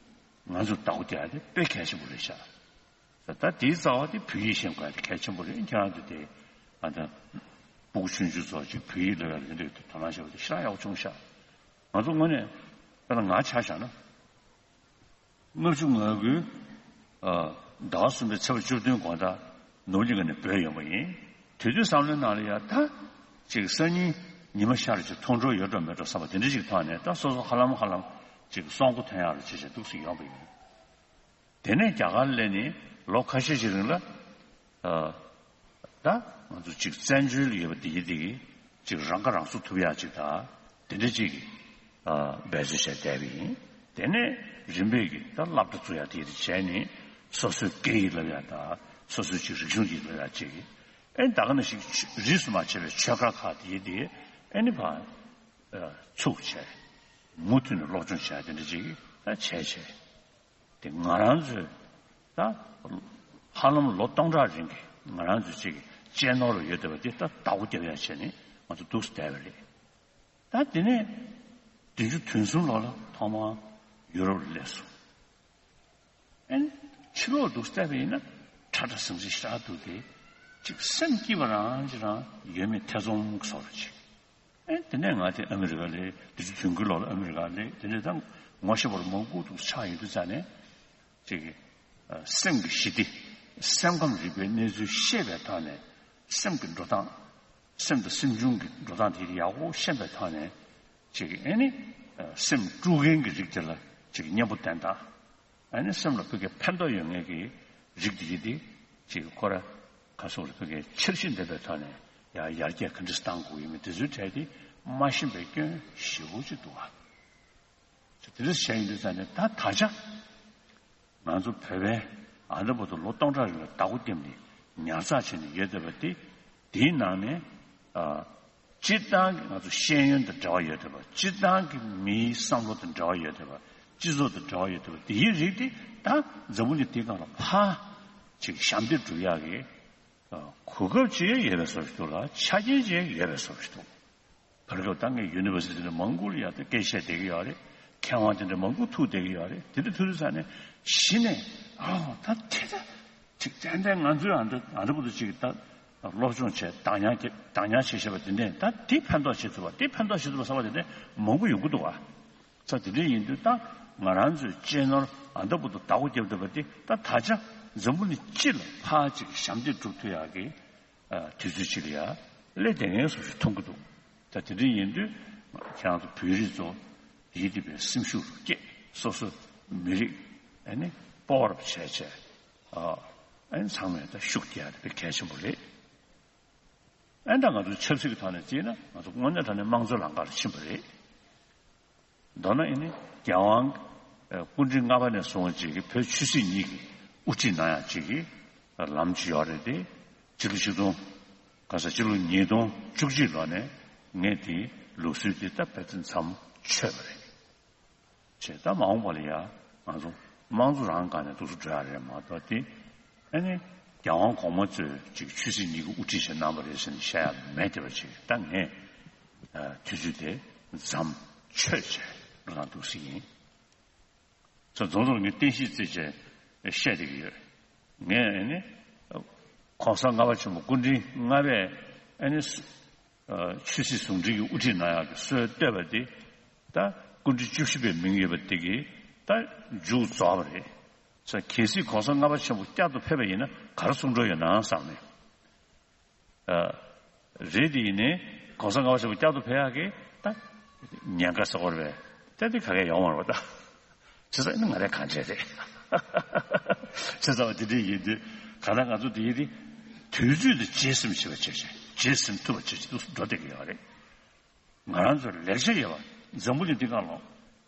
ང་ཚོ་བདག་པོ་རྒྱག་ཡ་དེ་དཔེ་གལ་ཆེན་པོ་རེད་ཤག་ད་ད་དེའི་རྩ་བ་དེ་བོད་ཡིག་ཤེས་དགོས་ཡ་དེ་གལ་ཆེན་པོ་རེད། ཁྱེད་རང་ཚོ་དེ་ཨ་ད་སྤུ་གུ་ཆུང་ཆུང་ཚོ་ཅིག་བོད་ཡིག་སློབ་ཡ་ལ་དེ་འདྲ་དོ་སྣང་བྱེད་པ་དེ་ཞེ་དྲག་ཡག་པོ་བྱུང་ཤག་ང་ཚོ་དངོས་གནས་དཔེར་ན་ང་ཆ་བཞག་ན། ལྔ་བཅུ་ང་དགུའི་ཟླ་བ་གསུམ་པའི་ཚེས་པ་བཅུ་བདུན་དགོང་དག་ནོར་གླིང་ཁ་ནས་བྲོས་ཡོང་བ་ཡིན། དེ་དུས་བསམ་བློའི་ནང་ལ་ཡ་ད་ཅིག་སང་ཉིན་ཉི་མ་ཤར་ཅིག་མཐོང་གྲོལ་ཡོད་འགྲོ་མེད་འགྲོ་བསམ་པ་དེ་འདྲ་ཅིག་ཐོག་ནས་ད་སོ་སོ་ཧ་ལམ་ཧ་ལམ་ ཅིག་སྲོག་མགོ་ཐོན་ཡག་ལ་ཅི་བྱས་འདུག་སེ་ཡོང་པ་ཡིན། དེ་ནས་རྒྱ་གར་སླེབས་ནས་ལོ་ཁ་ཤས་ཤིག་རིང་ལ། ཨ། ད་ང་ཚོ་ཅིག་བཙན་བྱོལ་ལ་ཡོད་པ་དེ་ཡི་དེ་གི་ཅིག་རང་ཁ་རང་གསོ་ཐུབ་ཡག་ཅིག་དང་དེ་འདྲ་ཅིག་གི་ཨ་འབད་རྩོལ་བྱས་བསྡད་པ་ཡིན། དེ་ནས་རིམ་པས་ཀྱི་ད་སློབ་གྲྭ་བཙུགས་ཡག་དེ་ཡི་དེ་བྱས་ནས་སོ་སོའི་སྐད་ཡིག་སློབ་ཡག་དང་སོ་སོའི་ཅིག་རིག་གཞུང་ཅིག་སློབ་ཡག་ཅིག་གི་ཨེ་ད་ག་ནང་བཞིན་རིས་སུ་མ་ཆད་པའི་ཆོས་སྒར་ཁག་དེ་ཡི་དེ་ཨེ་ནི་ཕར་ཚུགས་བྱས་མུ་མཐུད་ནས་སློབ་སྦྱོང་བྱས་དེ་འདྲ་ཅིག་ད་བྱས་བྱས། དེ་ང་རང་ཚོས་ད་ཧ་ལམ་ལོ་སྟོང་ཕྲག་རིང་གི་ང་རང་ཚོས་ཅིག་གཅེས་ནོར་ཡོད་བསྡད་པ་དེ་ད་བདག་པོ་རྒྱབ་ཡག་བྱས་ནས་ང་ཚོ་འདུག་སེ་བསྡད་པ་རེད། ད་དེ་ནས་བདུན་ཅུ་དོན་གསུམ་ལོ་ལ་ཐོག་མར་ཡུ་རོབ་ལ་སླེབས་སོང་། ཨེ་ཕྱི་ལོགས་འདུག་སེ་བལྟས་པ་ཡིན་ན་ཁྲ་ཁྲ་ཟིང་ཟིང་ཞེ་དྲག་འདུག་སྟེ། ཅིག་སེམས་སྐྱིད་པ་རང་ཅིག་རང་ཡོད་མེད་ཐེ་ཚོམ་གྱི་བཟོ་འདྲ་ཅིག་ཨེ་དེ་ནས་ང་དེ་ཨ་མི་རི་ཀ་སླེབས། དེ་ཚོ་དུས་འགོའི་ལོག་ལ་ཨ་མི་རི་ཀ་སླེབས། དེ་ནས་ད་ངོ་ཤེས་པ་མང་པོ་འདུག་ཆགས་ཡོང་དུས་ཙ་ནས་ཅིག་གི་ཨ་སེམས་ཀྱི་ཞི་བདེ། སེམས་ཁམས་རིག་པའི་གནས་ཚུལ་ཤེས་པའི་ཐོག་ནས་སེམས་ཀྱི་འགྲོ་སྟངས། སེམས་དང་སེམས་བྱུང་གི་འགྲོ་སྟངས་དེ་ཡག་པོ་ཤེས་པའི་ཐོག་ནས་ཅིག་གི་ཨེ་ནི་ཨ་སེམས་དཀྲུག་མཁན་གྱི་རིགས་དེ་ལ་ཅིག་གི་གཉེན་པོ་བསྟེན་སྟངས། ཨ་ནི་སེམས་ལ་ཕ་གིའི་ཕན་ཐོགས་ཡོད་མཁན་གྱི་རིགས་དེ་ཡི་དེ་ཅིག་ཁོ་ར་ཁ་སོགས་ལ་ཕ་གིའི་འཆར་གཞི་འདེབས་པའི་ཐོག་ནས་ཡང་ཡར་རྒྱས་ག་འདྲ་བཏང་དགོས་ཡོད་མེད་དེ་ཚོའི་གྲས་དེ་མ་ཤེས་པའི་སྐྱོན་ཞེ་པོ་ཅིག་འདུག་ཨ། དེ་འདྲ་བྱས་ཡིན་དུས་ཙང་ནས་ད་ད་ཆ་ང་ཚོ་བོད་པའི་ཨ་འདྲ་པོ་དུ་ལོ་སྟོང་ཕྲག་རིང་ལ་བདག་པོ་བརྒྱབ་ནས་ཉར་ཚགས་བྱས་ནས་ཡོད་བསྡད་པ་དེ་དེའི་ནང་ནས་ཨ། སྤྱིར་བཏང་གི་ང་ཚོ་ཤེས་ཡོན་དང་འབྲེལ་བ་ཡོད་བསྡད་པ། སྤྱིར་བཏང་གི་མིའི་བསམ་བློ་དང་འབྲེལ་བ་ཡོད་བསྡད་པ། སྤྱི་ཚོགས་དང་འབྲེལ་བ་ཡོད་བསྡད་པ་དེའི་རིགས་དེ་ད་འཛམ་བུ་གླིང་འདིའི་སྒང་ལ་ཕར་ཅིག་ཞབས་འདེགས་སྒྲུབ་ཡག་གི་གོ་སྐབས་ཅིག་ཡོད་པའི་བཟོ་ཞིག་འདུག་ལ། ཆ་རྐྱེན་ཅིག་ཡོད་པའི་བཟོ་ཞིག་འདུག་བར་སྐབས་ད་ངས་ཡུ་ནི་ཝར་སི་ཊི་ནས་མང་པོ་ལ་ཡང་ད་སྐད་བཤད་བསྡད་ཀྱི་ཡོད་རེད། མཁས་དབང་དེ་འདྲ་མང་པོ་ཐུག་བསྡད་ཀྱི་ཡོད་རེད། དེ་འདྲ་ཐུག་དུས་ཙང་ནས་གཞི་ནས་ཨ་ད་དེ་ད་ཅིག་ཏན་ཏན་ང་ཚོའི་ཨ་འདྲ་ཨ་འདྲ་པོ་དུ་ཅིག་ད་སློབ་སྦྱོང་བྱས་བདག་ཉར་བདག་ཉར་བྱས་བཞག་པ་དེ་ནས་ད་དེ་ཕན་ཐོགས་བྱེད་ཐུབ་པ་དེ་ཕན་ཐོགས་བྱེད་ཐུབ་པ་ཟེར་བ་དེ་འདྲ་མང་པོ་ཡོང་གི་འདུག་བ། ས་དེ་འདྲ་ཡིན་དུས་ད་ང་རང་ཚོའི་གཅེས་ནོར་ཨ་འདྲ་པོ་དུ་བདག་པོ་རྒྱབ་ཐུབ་པ་དེ་ད་ད་ཆ་འཛམ་བུ་གླིང་སྤྱི་ལ་ཕར་ཅིག་ཞབས་འདེགས་སྒྲུབ་ཐུབ་ཡག་གི་ཨ་དུས་ཚོད་ཅིག་ལ་ཡ་སླེབས་བསྡད་མཁན་བཟོ་ཞིག་མཐོང་གི་འདུག་ད་དེ་འདྲ་ཡིན་དུས་ཁྱེད་རང་ཚོ་བོད་རིགས་ཚོ་ཡིད་བདེ་བའི་སེམས་ཤུགས་རུ་སྐྱེད། སོ་སོ་མི་རིགས་ཨ་ནི་སྤོབས་པ་རབ་བྱས་བྱས་ཨ་ཨ་ནི་ཚང་མས་ད་ཤུགས་རྒྱག་ཡ་དེ་དཔེ་གལ་ཆེན་པོ་རེད། ཨ་ནི་ད་ང་ཚོ་ཆབ་སྲིད་ཀྱི་ཐོག་ནས་བརྩིས་ན་ང་ཚོ་དངོས་གནས་དྲང་གནས་དམངས་གཙོའི་ལམ་ཁ་ལ་ཕྱིན་པ་རེད། མདོར་ན་ཨ་ནི་རྒྱལ་དབང་སྐུ་ཕྲེང་ལྔ་པ་ནས་བཟུང་ཅིག་གི་བོད་ཆོས་སྲིད་གཉིས་ཀྱི་དབུ་ཁྲིད་གནང་ཡག་ཅིག་གི་ལམ་ཅིག་ཡོད་རེད་དེ། སྤྱི་ལོ་ཆིག་སྟོང་ག་ས་སྤྱི་ལོ་ཉིས་སྟོང་བཅུ་གཅིག་ལོ་ནས་ངས་དེའི་ལུགས་སྲོལ་དེ་ད་ཕལ་ཆེར་མཚམས་ཆོད་པ་རེད། བྱས་ད་མ་འོངས་པ་ལ་ཡ་ང་ཚོ་དམངས་གཙོ་རང་སྒང་ནས་འདུག་སེ་འགྲོ་ཡག་རེད་མ་གཏོགས་དེ་ཨ་ནི་རྒྱལ་དབང་གོང་མ་ཚོས་ཅིག་ཆོས་སྲིད་གཉིས་ཀྱི་དབུ་ཁྲིད་བྱས་གནང་བ་རེད་ཟེར་ནས་བཤད་ཡག་མེད་བསྡད་པ་ཅིག་ད་ངས་དུས་ཚོད་དེ་མཚམས་ཆོད་བྱས་འགྲོ་སྟངས་འདུག་སེ་ཡིན། ཚོ་རྫོང་རྫོང་ངས་བསྟན་བཤིག་རྩིས་བྱས་བཤད་བསྡད་ཀྱི་ཡོད། ངས་ཨ་ནི་༸གོང་ས་ལྔ་པ་ཆེན་པོ་སྐུ་ཕྲེང་ལྔ་པས་ཨ་ནི་ཆོས་སྲིད་ཟུང་འབྲེལ་གྱི་དབུ་ཁྲིད་གནང་ཡག་གི་སྲོལ་བཏོད་པ་དེ་ད་སྐུ་ཕྲེང་བཅུ་བཞི་པའི་མིང་ཡོད་པ་དེ་གིས་ད་མཇུག་རྫོགས་པ་རེད། ས་གལ་སྲིད་༸གོང་ས་ལྔ་པ་ཆེན་པོ་བསྐྱར་དུ་ཕེབས་པ་ཡིན་ན་ག་རེ་གསུང་འགྲོ་ཡོད་ན་བསམ་ནས། ཨ། རེད་དེ་ཡིན་ནའི་༸གོང་ས་ལྔ་པ་ཆེན་པོ་བསྐྱར་དུ་ཕེབས་ཡག་གི་ད་ཉེན་ཁ་ཟེར་བ་རེད་པས། ད་དེ་ག་གེ་ཡོང་མ་རེད་པ་ད། བྱས་ཙང་ཨ་ནི་ང་རའི་གང་བྱས་རེད། བྱས་ཙང་དེ་འདྲ་ཡིན་དུས་གང་ལྟར་ང་ཚོ་དེ་ཡིན་དུས་དུས་ཚོད་དེ་རྗེས་ཟིན་བྱེད་པ་བྱེད་བྱེད་རྗེས་ཟིན་ཐུབ་པ་བྱེད་བྱེད་འདུག་འགྲོ་བསྡད་ཀྱི་ཡོད་རེད། ང་རང་ཚོར་ལེགས་ཆ་ཡོད་པ། འཛམ་བུ་གླིང་འདི་སྒང་ལ་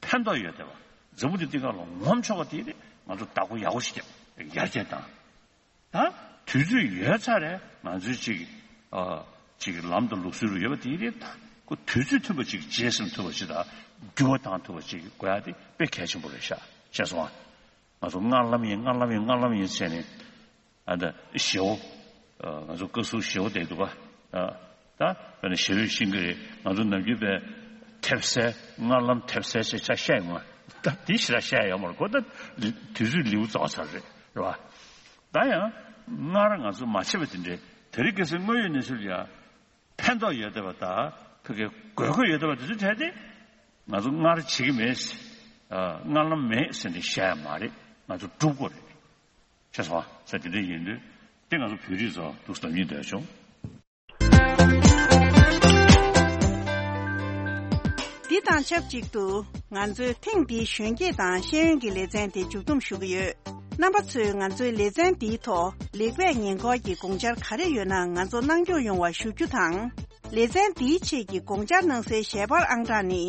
ཕན་ཐོགས་ཡོད་བསྡད་པ། འཛམ་བུ་གླིང་འདི་སྒང་ལ་ངོམ་ཆོག་པ་དེ་རེད། ང་ཚོ་བདག་པོ་ཡག་པོ་ཞིག་བརྒྱབ་ཡར་རྒྱས་བཏང་། ད་དུས་ཚོད་ཡོལ་ཚར་རེད། ང་ཚོའི་ཅིག་ཨ་ཅིག་ལམ་དང་ལུགས་སྲོལ་རུ་ཡོད་པ་དེ་རེད། ད་ཁོ་དུས་ཚོད་མཐུན་པ་ཅིག་རྗེས་ཟིན་ཐུབ་པ་ཅིག་དང་འགྱུར་བ་བཏང་ཐུབ་པ་ཅིག་དགོས་ཡ་དེ་དཔེ་གལ་ཆེན་པོ་རེད་ཤག་ཤེས་སོང་ཨ། ང་ཚོ་སྔར་ལམ་ཡིན་སྔར་ལམ་ཡིན་སྔར་ལམ་ཡིན་བྱས་ནས། ཨ་ད་ཞེའོ། ཨ་ང་ཚོ་བཀའ་ཟུར་ཞེའོ་བསྡད་འདུག་ག་ཨ་ད་དཔེར་ན་ཞེ་པོ་ཤེས་ཀྱི་རེད། ང་ཚོ་ནམ་རྒྱུན་པའི་ཐེབས་སེ་སྔར་ལམ་ཐེབས་སེ་ཞེས་ཆ་བཤད་ཡོང་ང་། ད་དེ་ཞེ་དྲག་བཤད་ཡོད་མ་རེད་གོ། ད་དུས་ཚོད་ལེའུ་རྫོགས་ཚར་རེད། རེད་བ། ད་ཡང་སྔར་ང་ཚོ་མ་བྱས་པ་དེ་འདྲའི་དེ་རིང་ཁ་སང་དངོས་ཡོད་གནས་ཚུལ་ལ་ཡང་ཕན་ཐོགས་ཡོད་བསྡད་པ་དང་ཕ་གིའི་དགོས་མཁོ་ཡོད་བསྡད་པ་དེ་ཚོའི་གྲས་དེ་ང་ཚོ་སྔར་བྱེད་ཀྱི་མེད། ཨ་སྔར་ལམ་མེད་ཟེར་ནས་བཤད་ཡ་མ་རེད། ང་ཚོ་སྒྲུབ་དགོས་རེད། ཤེས་སོང་ཨ། ས་དེ་འདྲ་ཡིན་དུས་དེ་ང་ཚོ་བོད་རིགས་ཚོ་འདུག་སེ་ལབ་སྙིང་འདོད་བྱུང་། འདི་དང་ཆབས་ཅིག་ཏུ་ ང་ཚོས་ཐེངས་འདིའི་གཞོན་སྐྱེས་དང་ཤེས་ཡོན་གྱི་ལེ་ཚན་དེ་མཇུག་བསྡོམས་ཞུ་གི་ཡོད། རྣམ་པ་ཚོས་ང་ཚོའི་ལེ་ཚན་འདིའི་ཐོག་ལེགས་སྤེལ་ཉེས་འཁོར་གྱི་དགོངས་འཆར་ག་རེ་ཡོད་ན་ང་ཚོ་གནང་སྐྱོང་ཡོང་བ་ཞུ་རྒྱུ་དང་། ལེ་ཚན་འདིའི་ཆེད་ཀྱི་དགོངས་འཆར་གནང་སའི་ཞལ་པར་ཨང་གྲངས་ནི།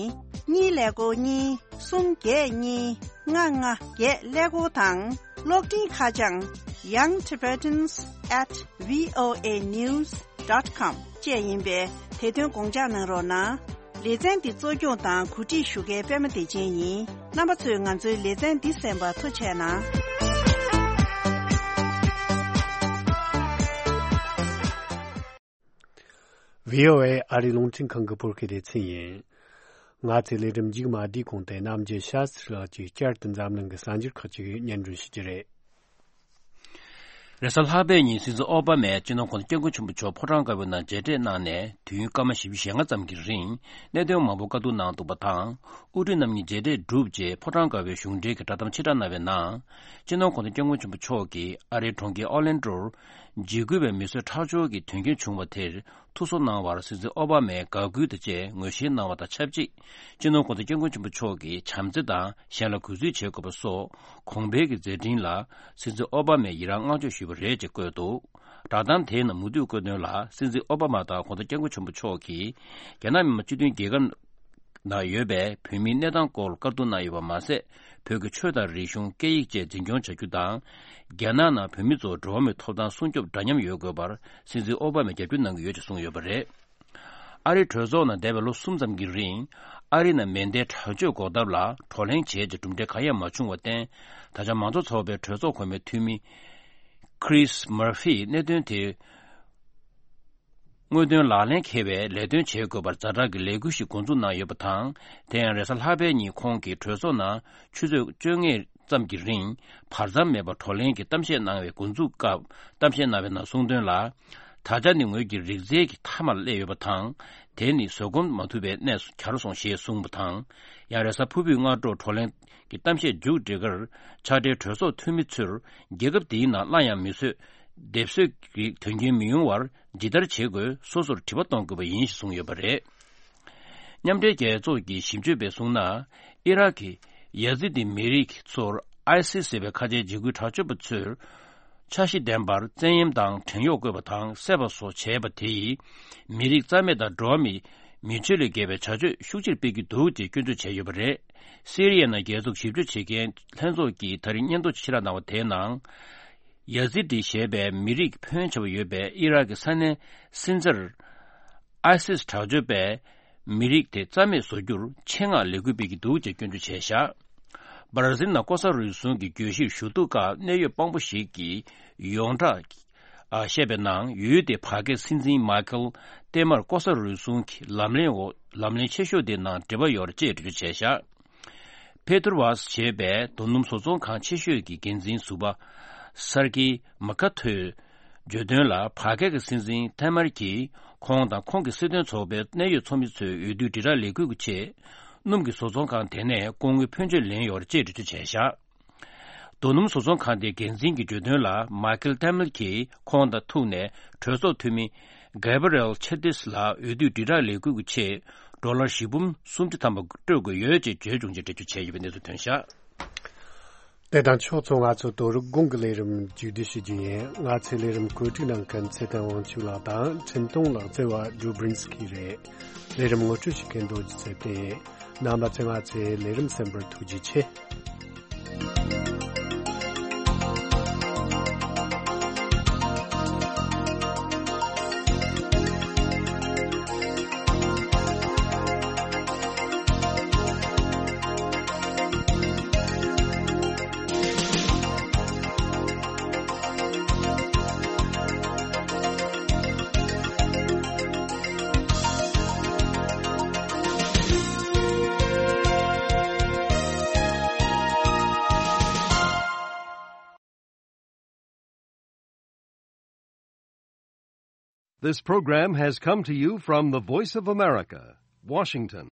གཉིས་ཀླད་ཀོར་གཉིས། གསུམ་བརྒྱད་གཉིས། ལྔ་ལྔ་བརྒྱད་ཀླད་ཀོར་དང་། གློག་འཕྲིན་ཁ་བྱང་young tibetans at voa news dot com བཅས་ཡིན་པས། དེ་དོན་དགོངས་འཇགས་གནང་རོགས་གནང་། ལེ་ཚན་འདི་གཙོ་སྐྱོང་དང་གོ་སྒྲིག་ཞུ་མཁན་པད་མ་བདེ་ཆེན་ཡིན། རྣམ་པ་ཚོས་ང་ཚོའི་ལེ་ཚན་འདི་གསན་པར་ཐུགས་རྗེ་གནང་། བྷི་ཨོ་ཨེ་ཨ་རིའི་རླུང་འཕྲིན་ཁང་གི་བོད་སྐད་སྡེ་ཚན་ཡིན། ང་ཚོའི་ལས་རིམ་མཇུག་མ་འདིའི་གོང་དུ་རྣམ་རྒྱལ་ཤཱ་སི་རི་ལགས་ཀྱིས་བསྐྱར་དུ་འཛམ་གླིང་གི་གསར་འགྱུར་ཁག་ཅིག་སྙན་སྒྲོན་ཞུ་རྒྱུ་རེད། རེས་གཟའ་ལྷག་པའི་ཉིན་སྲིད་འཛིན་ཨོ་བྷ་མས་སྤྱི་ནོར་༧གོང་ས་༧སྐྱབས་མགོན་ཆེན་པོ་མཆོག་ཕོ་བྲང་དཀར་པོའི་ནང་མཇལ་འཕྲད་གནང་ནས་དུས་ཡུན་སྐར་མ་བཞི་བཅུ་ཞེ་ལྔ་ཙམ་གྱི་རིང་གནད་དོན་མང་པོ་བཀའ་བསྡུར་གནང་འདུག་པ་དང་། དབུ་ཁྲིད་རྣམ་གཉིས་མཇལ་འཕྲད་གྲུབ་རྗེས་ཕོ་བྲང་དཀར་པོའི་གཞུང་འབྲེལ་གྱི་བསྒྲགས་གཏམ་ཕྱིར་བསྒྲགས་གནང་བའི་ནང་། སྤྱི་ནོར་༧གོང་ས་༧སྐྱབས་མགོན་ཆེན་པོ་མཆོག་གིས་ཨ་རིའི་གྲོང་ཁྱེར་ཨོ་ལན་ཌོར་འཇིགས་སྐུལ་བའི་མི་གསོད་ཁྲག་སྦྱོར་གྱི་དོན་རྐྱེན་བྱུང་བ་དེར་ཐུགས་གསོ་གནང་བར་སྲིད་འཛིན་ཨོ་བྷ་མས་དགའ་གུས་དང་བཅས་ངོས་བཞེས་གནང་བ་དང་ཆབས་ཅིག་སྤྱི་ནོར་༧གོང་ས་༧སྐྱབས་མགོན་ཆེན་པོ་མཆོག་གིས་བྱམས་བརྩེ་དང་གཞན་ལ་གུས་བརྩི་བྱེད་དགོས་པ་སོགས་གོང་འཕེལ་གྱི་མཛད་འཕྲིན་ལ་སྲིད་འཛིན་ཨོ་བྷ་མས་ཡི་རངས་བསྔགས་བརྗོད་ཞུས་པ་རེད་ཅེས་བཀོད་འདུག་བསྒྲགས་གཏམ་དེའི་ནང་མུ་མཐུད་བཀོད་དོན་ལ། སྲིད་འཛིན་ཨོ་བྷ་མ་དང་༧གོང་ས་༧སྐྱབས་མགོན་ཆེན་པོ་མཆོག་གིས་རྒྱ་ནག་མི་དམངས་སྤྱི་མཐུན་རྒྱལ་ཁབ་ནང་ཡོད་པའི་བོད་མིའི་གནས་སྟངས་སྐོར་བཀའ་བསྡུར་གནང་ཡོད་པ་མ་ཟད། བོད་ཀྱི་ཆོས་དང་རིག་གཞུང་། སྐད་ཡིག་བཅས་འཛིན་སྐྱོང་བྱ་རྒྱུ་དང་། རྒྱ་ནག་ནང་བོད་མི་ཚོར་འགྲོ་བ་མིའི་ཐོབ་ཐང་སྲུང་སྐྱོབ་འདྲ་མཉམ་ཡོད་དགོས་པར་སྲིད་འཛིན་ཨོ་བྷ་མས་རྒྱབ་སྐྱོར་གནང་གི་ཡོད་ཅེས་གསུངས་ཡོད་པ་རེད། ཨ་རིའི་གྲོས་ཚོགས་ནང་འདས་པའི་ལོ་གསུམ་ཙམ་གྱི་རིང་། ཨ་རི་ནང་མེ་མདའི་དྲག་སྤྱོད་འགོག་ཐབས་ལ་བགྲོ་གླེང་བྱས་རྗེས་གྲུབ་འབྲས་གང་ཡང་མ་བྱུང་བར་བརྟེན། ད་ཆ་མང་གཙོ་ཚོགས་པའི་གྲོས་ཚོགས་གོང་མའི་འཐུས་མི་Chris Murphy་གནད་དོན་དེ་དངོས་དོན་ལག་ལེན་འཁེལ་བའི་ལས་དོན་བྱེད་དགོས་པར་ཛ་དྲག་གི་ལས་འགུལ་ཞིག་འགོ་འཛུགས་གནང་ཡོད་པ་དང་། དེ་ཡང་རེས་གཟའ་ལྷག་པའི་ཉིན་ཁོང་གིས་གྲོས་ཚོགས་ནང་ཆུ་ཚོད་བཅོ་ལྔ་ཙམ་གྱི་རིང་བར་མཚམས་མེད་པར་བགྲོ་གླེང་གི་གཏམ་བཤད་གནང་བའི་འགོ་འཛུགས་སྐབས་གཏམ་བཤད་གནང་བའི་ནང་གསུངས་དོན་ལ། ད་ཆ་ནི་ངོས་ཀྱི་རིག་རྩལ་གྱི་མཐའ་མར་སླེབས་ཡོད་པ་དང་། དེ་ནི་བཟོད་སྒོམ་མ་ཐུབ་པའི་གནས་སུ་གྱར་སོང་ཞེས་གསུངས་པ་དང་། ཡང་རེས་གཟའ་ཕུར་བུའི་སྔ་དྲོ་བགྲོ་གླེང་གི་གཏམ་བཤད་མཇུག་སྒྲིལ་ཁར་ཕྱག་སྦྲེལ་གྲོས་ཚོགས་འཐུས་མི་ཚོར་རྒྱལ་ཁབ་འདིའི་ནང་སླར་ཡང་མི་གསོད་སྡེབ་གསོད་ཀྱི་དོན་རྐྱེན་མི་ཡོང་བར་ཇི་ལྟར་བྱེད་དགོས་སོ་སོར་དྲི་བ་གཏོང་དགོས་པ་ཡིན་ཞེས་གསུངས་ཡོད་པ་རེད། མཉམ་འབྲེལ་རྒྱལ་ཚོགས་ཀྱི་ཞིབ་དཔྱོད་པས་གསུངས་ན། ཨི་རག་གི་ཡ་ཛི་དི་མི་རིགས་ཚོར་ཨའི་སི་ཟེར་བའི་ཁ་ཆེའི་འཇིགས་སྐུལ་དྲག་སྤྱོད་པ་ཚོས་འཆར་གཞི་ལྡན་པར་བཙན་གཡེམ་དང་བྲན་གཡོག་བཀོལ་བ་དང་བསད་པ་སོགས་བྱས་པ་དེ་ཡིས་མི་རིགས་རྩ་མེད་དང་འགྲོ་བ་མིའི་མི་ཆོས་ལས་འགལ་བའི་བྱ་སྤྱོད་ཤུགས་ཆེར་སྤེལ་གྱི་འདུག་ཅེས་སྐྱོན་བརྗོད་བྱས་ཡོད་པ་རེད། སི་རི་ཡའི་ནང་རྒྱལ་ཚོགས་ཞིབ་དཔྱོད་བྱེད་མཁན་ལྷན་ཚོགས་ཀྱིས་ད་རེས་སྙན་ཐོ་ཕྱིར་བསྒྲགས་གནང་བ་དེའི་ནང་། ཡ་ཛི་ཏི་ཞེས་པའི་མི་རིགས་ཕོན་ཆེ་བ་ཡོད་པའི་ཨི་རག་གི་ས་གནས་སིན་ཛར། ཨའི་སིས་དྲག་སྤྱོད་པས་མི་རིགས་དེ་རྩ་མེད་བཟོ་རྒྱུར་ཆེད་མངགས་ལས་འགུལ་སྤེལ་གྱི་འདུག་ཅེས་སྐྱོན་བརྗོད་བྱས་བཞག་བར་ཛིལ་ནང་ལྐོག་ཟ་རུལ་སུངས་ཀྱི་གྱོད་གཞིར་ཞུ་གཏུག་སྐབས་གནད་ཡོད་དཔང་པོ་ཞིག་གིས་ཡོངས་གྲགས་བཤད་པའི་ནང་ཡུལ་དེའི་བར་བརྒལ་སྲིད་འཛིན་མཱ་ཁེལ་ཏེ་མར་ལྐོག་ཟ་རུལ་སུངས་ཀྱི་ལམ་ལྷོང་འོག་ལམ་ལྷོང་ཆེ་ཤོས་དེའི་ནང་འབྲེལ་བ་ཡོད་རེད་ཅེས་འགྲེལ་བརྗོད་བྱས་བཞག་ཕེ་ཐུར་ཝཱས་ཞེས་པའི་རྡོ་སྣུམ་བཟོ་ཚོང་ཁང་ཆེ་ཤོས་ཀྱི་འགན་འཛིན་ཟུར་པ་སར་ཀི་མ་ཀ་ཐོས་བརྗོད་དོན་ལ། བར་བརྒལ་གྱི་སྲིད་འཛིན་ཐེ་མར་གྱིས་ཁོང་དང་ཁོང་གི་སྲིད་དོན་ཚོགས་པའི་གནད་ཡོད་ཚོགས་མི་ཚོའི་འོས་བསྡུའི་དྲིལ་བསྒྲགས་ལས་འགུལ་གྱི་ཆེད། སྣུམ་གྱི་བཟོ་ཚོང་ཁང་དེ་ནས་སྐུ་ངོའི་ཕོན་ཆེན་ལེན་ཡོད་རེད་ཅེས་འགྲེལ་བརྗོད་བྱས་བཞག་རྡོ་སྣུམ་བཟོ་ཚོང་ཁང་དེའི་འགན་འཛིན་གྱིས་བརྗོད་དོན་ལ། མཱ་ཁེལ་ཏེ་མལ་གྱིས་ཁོང་དང་ཐུག་ནས་གྲོས་ཚོགས་འཐུས་མི་གྷ་བྷ་རི་ཨེལ་ཆེ་ཏིས་ལ་འོས་བསྡུའི་དྲིལ་བསྒྲགས་ལས་འགུལ་གྱི་ཆེད་ཌོ་ལར་བཞི་འབུམ་སུམ་ཁྲི་ཐམ་པ་སྤྲོད་དགོས་ཡོད་ཅེས་བརྗོད་བྱུང་ཅེས་འགྲེལ་བརྗོད་བྱས་ཡོད་པའི་གནས་ཚུལ་ཐོན་བཞག་དེ་དང་ཕྱོགས་མཚུངས་ང་ཚོ་དོ་རུང་གོང་གི་ལས་རིམ་མཇུག་སྒྲིལ་ཞུ་རྒྱུ་ཡིན། ང་ཚོའི་ལས་རིམ་བཀོད་སྒྲིག་གནང་མཁན་ཚེ་བརྟན་དབང་ཕྱུག་ལགས་དང་འཕྲིན་གཏོང་ལག་རྩལ་བ་ཌྲུ་བྷྲིན་སི་ཀི་རེད། ལས་རིམ་ངོ་སྤྲོད་བྱེད་མཁན་རྡོ་རྗེ་ཚེ་བརྟན་ཡིན། རྣམ་པ་ཚོས་ང་ཚོའི་ལས་རིམ་གསན་པར་ཐུགས་རྗེ་ཆེ། This program has come to you from the Voice of America, Washington.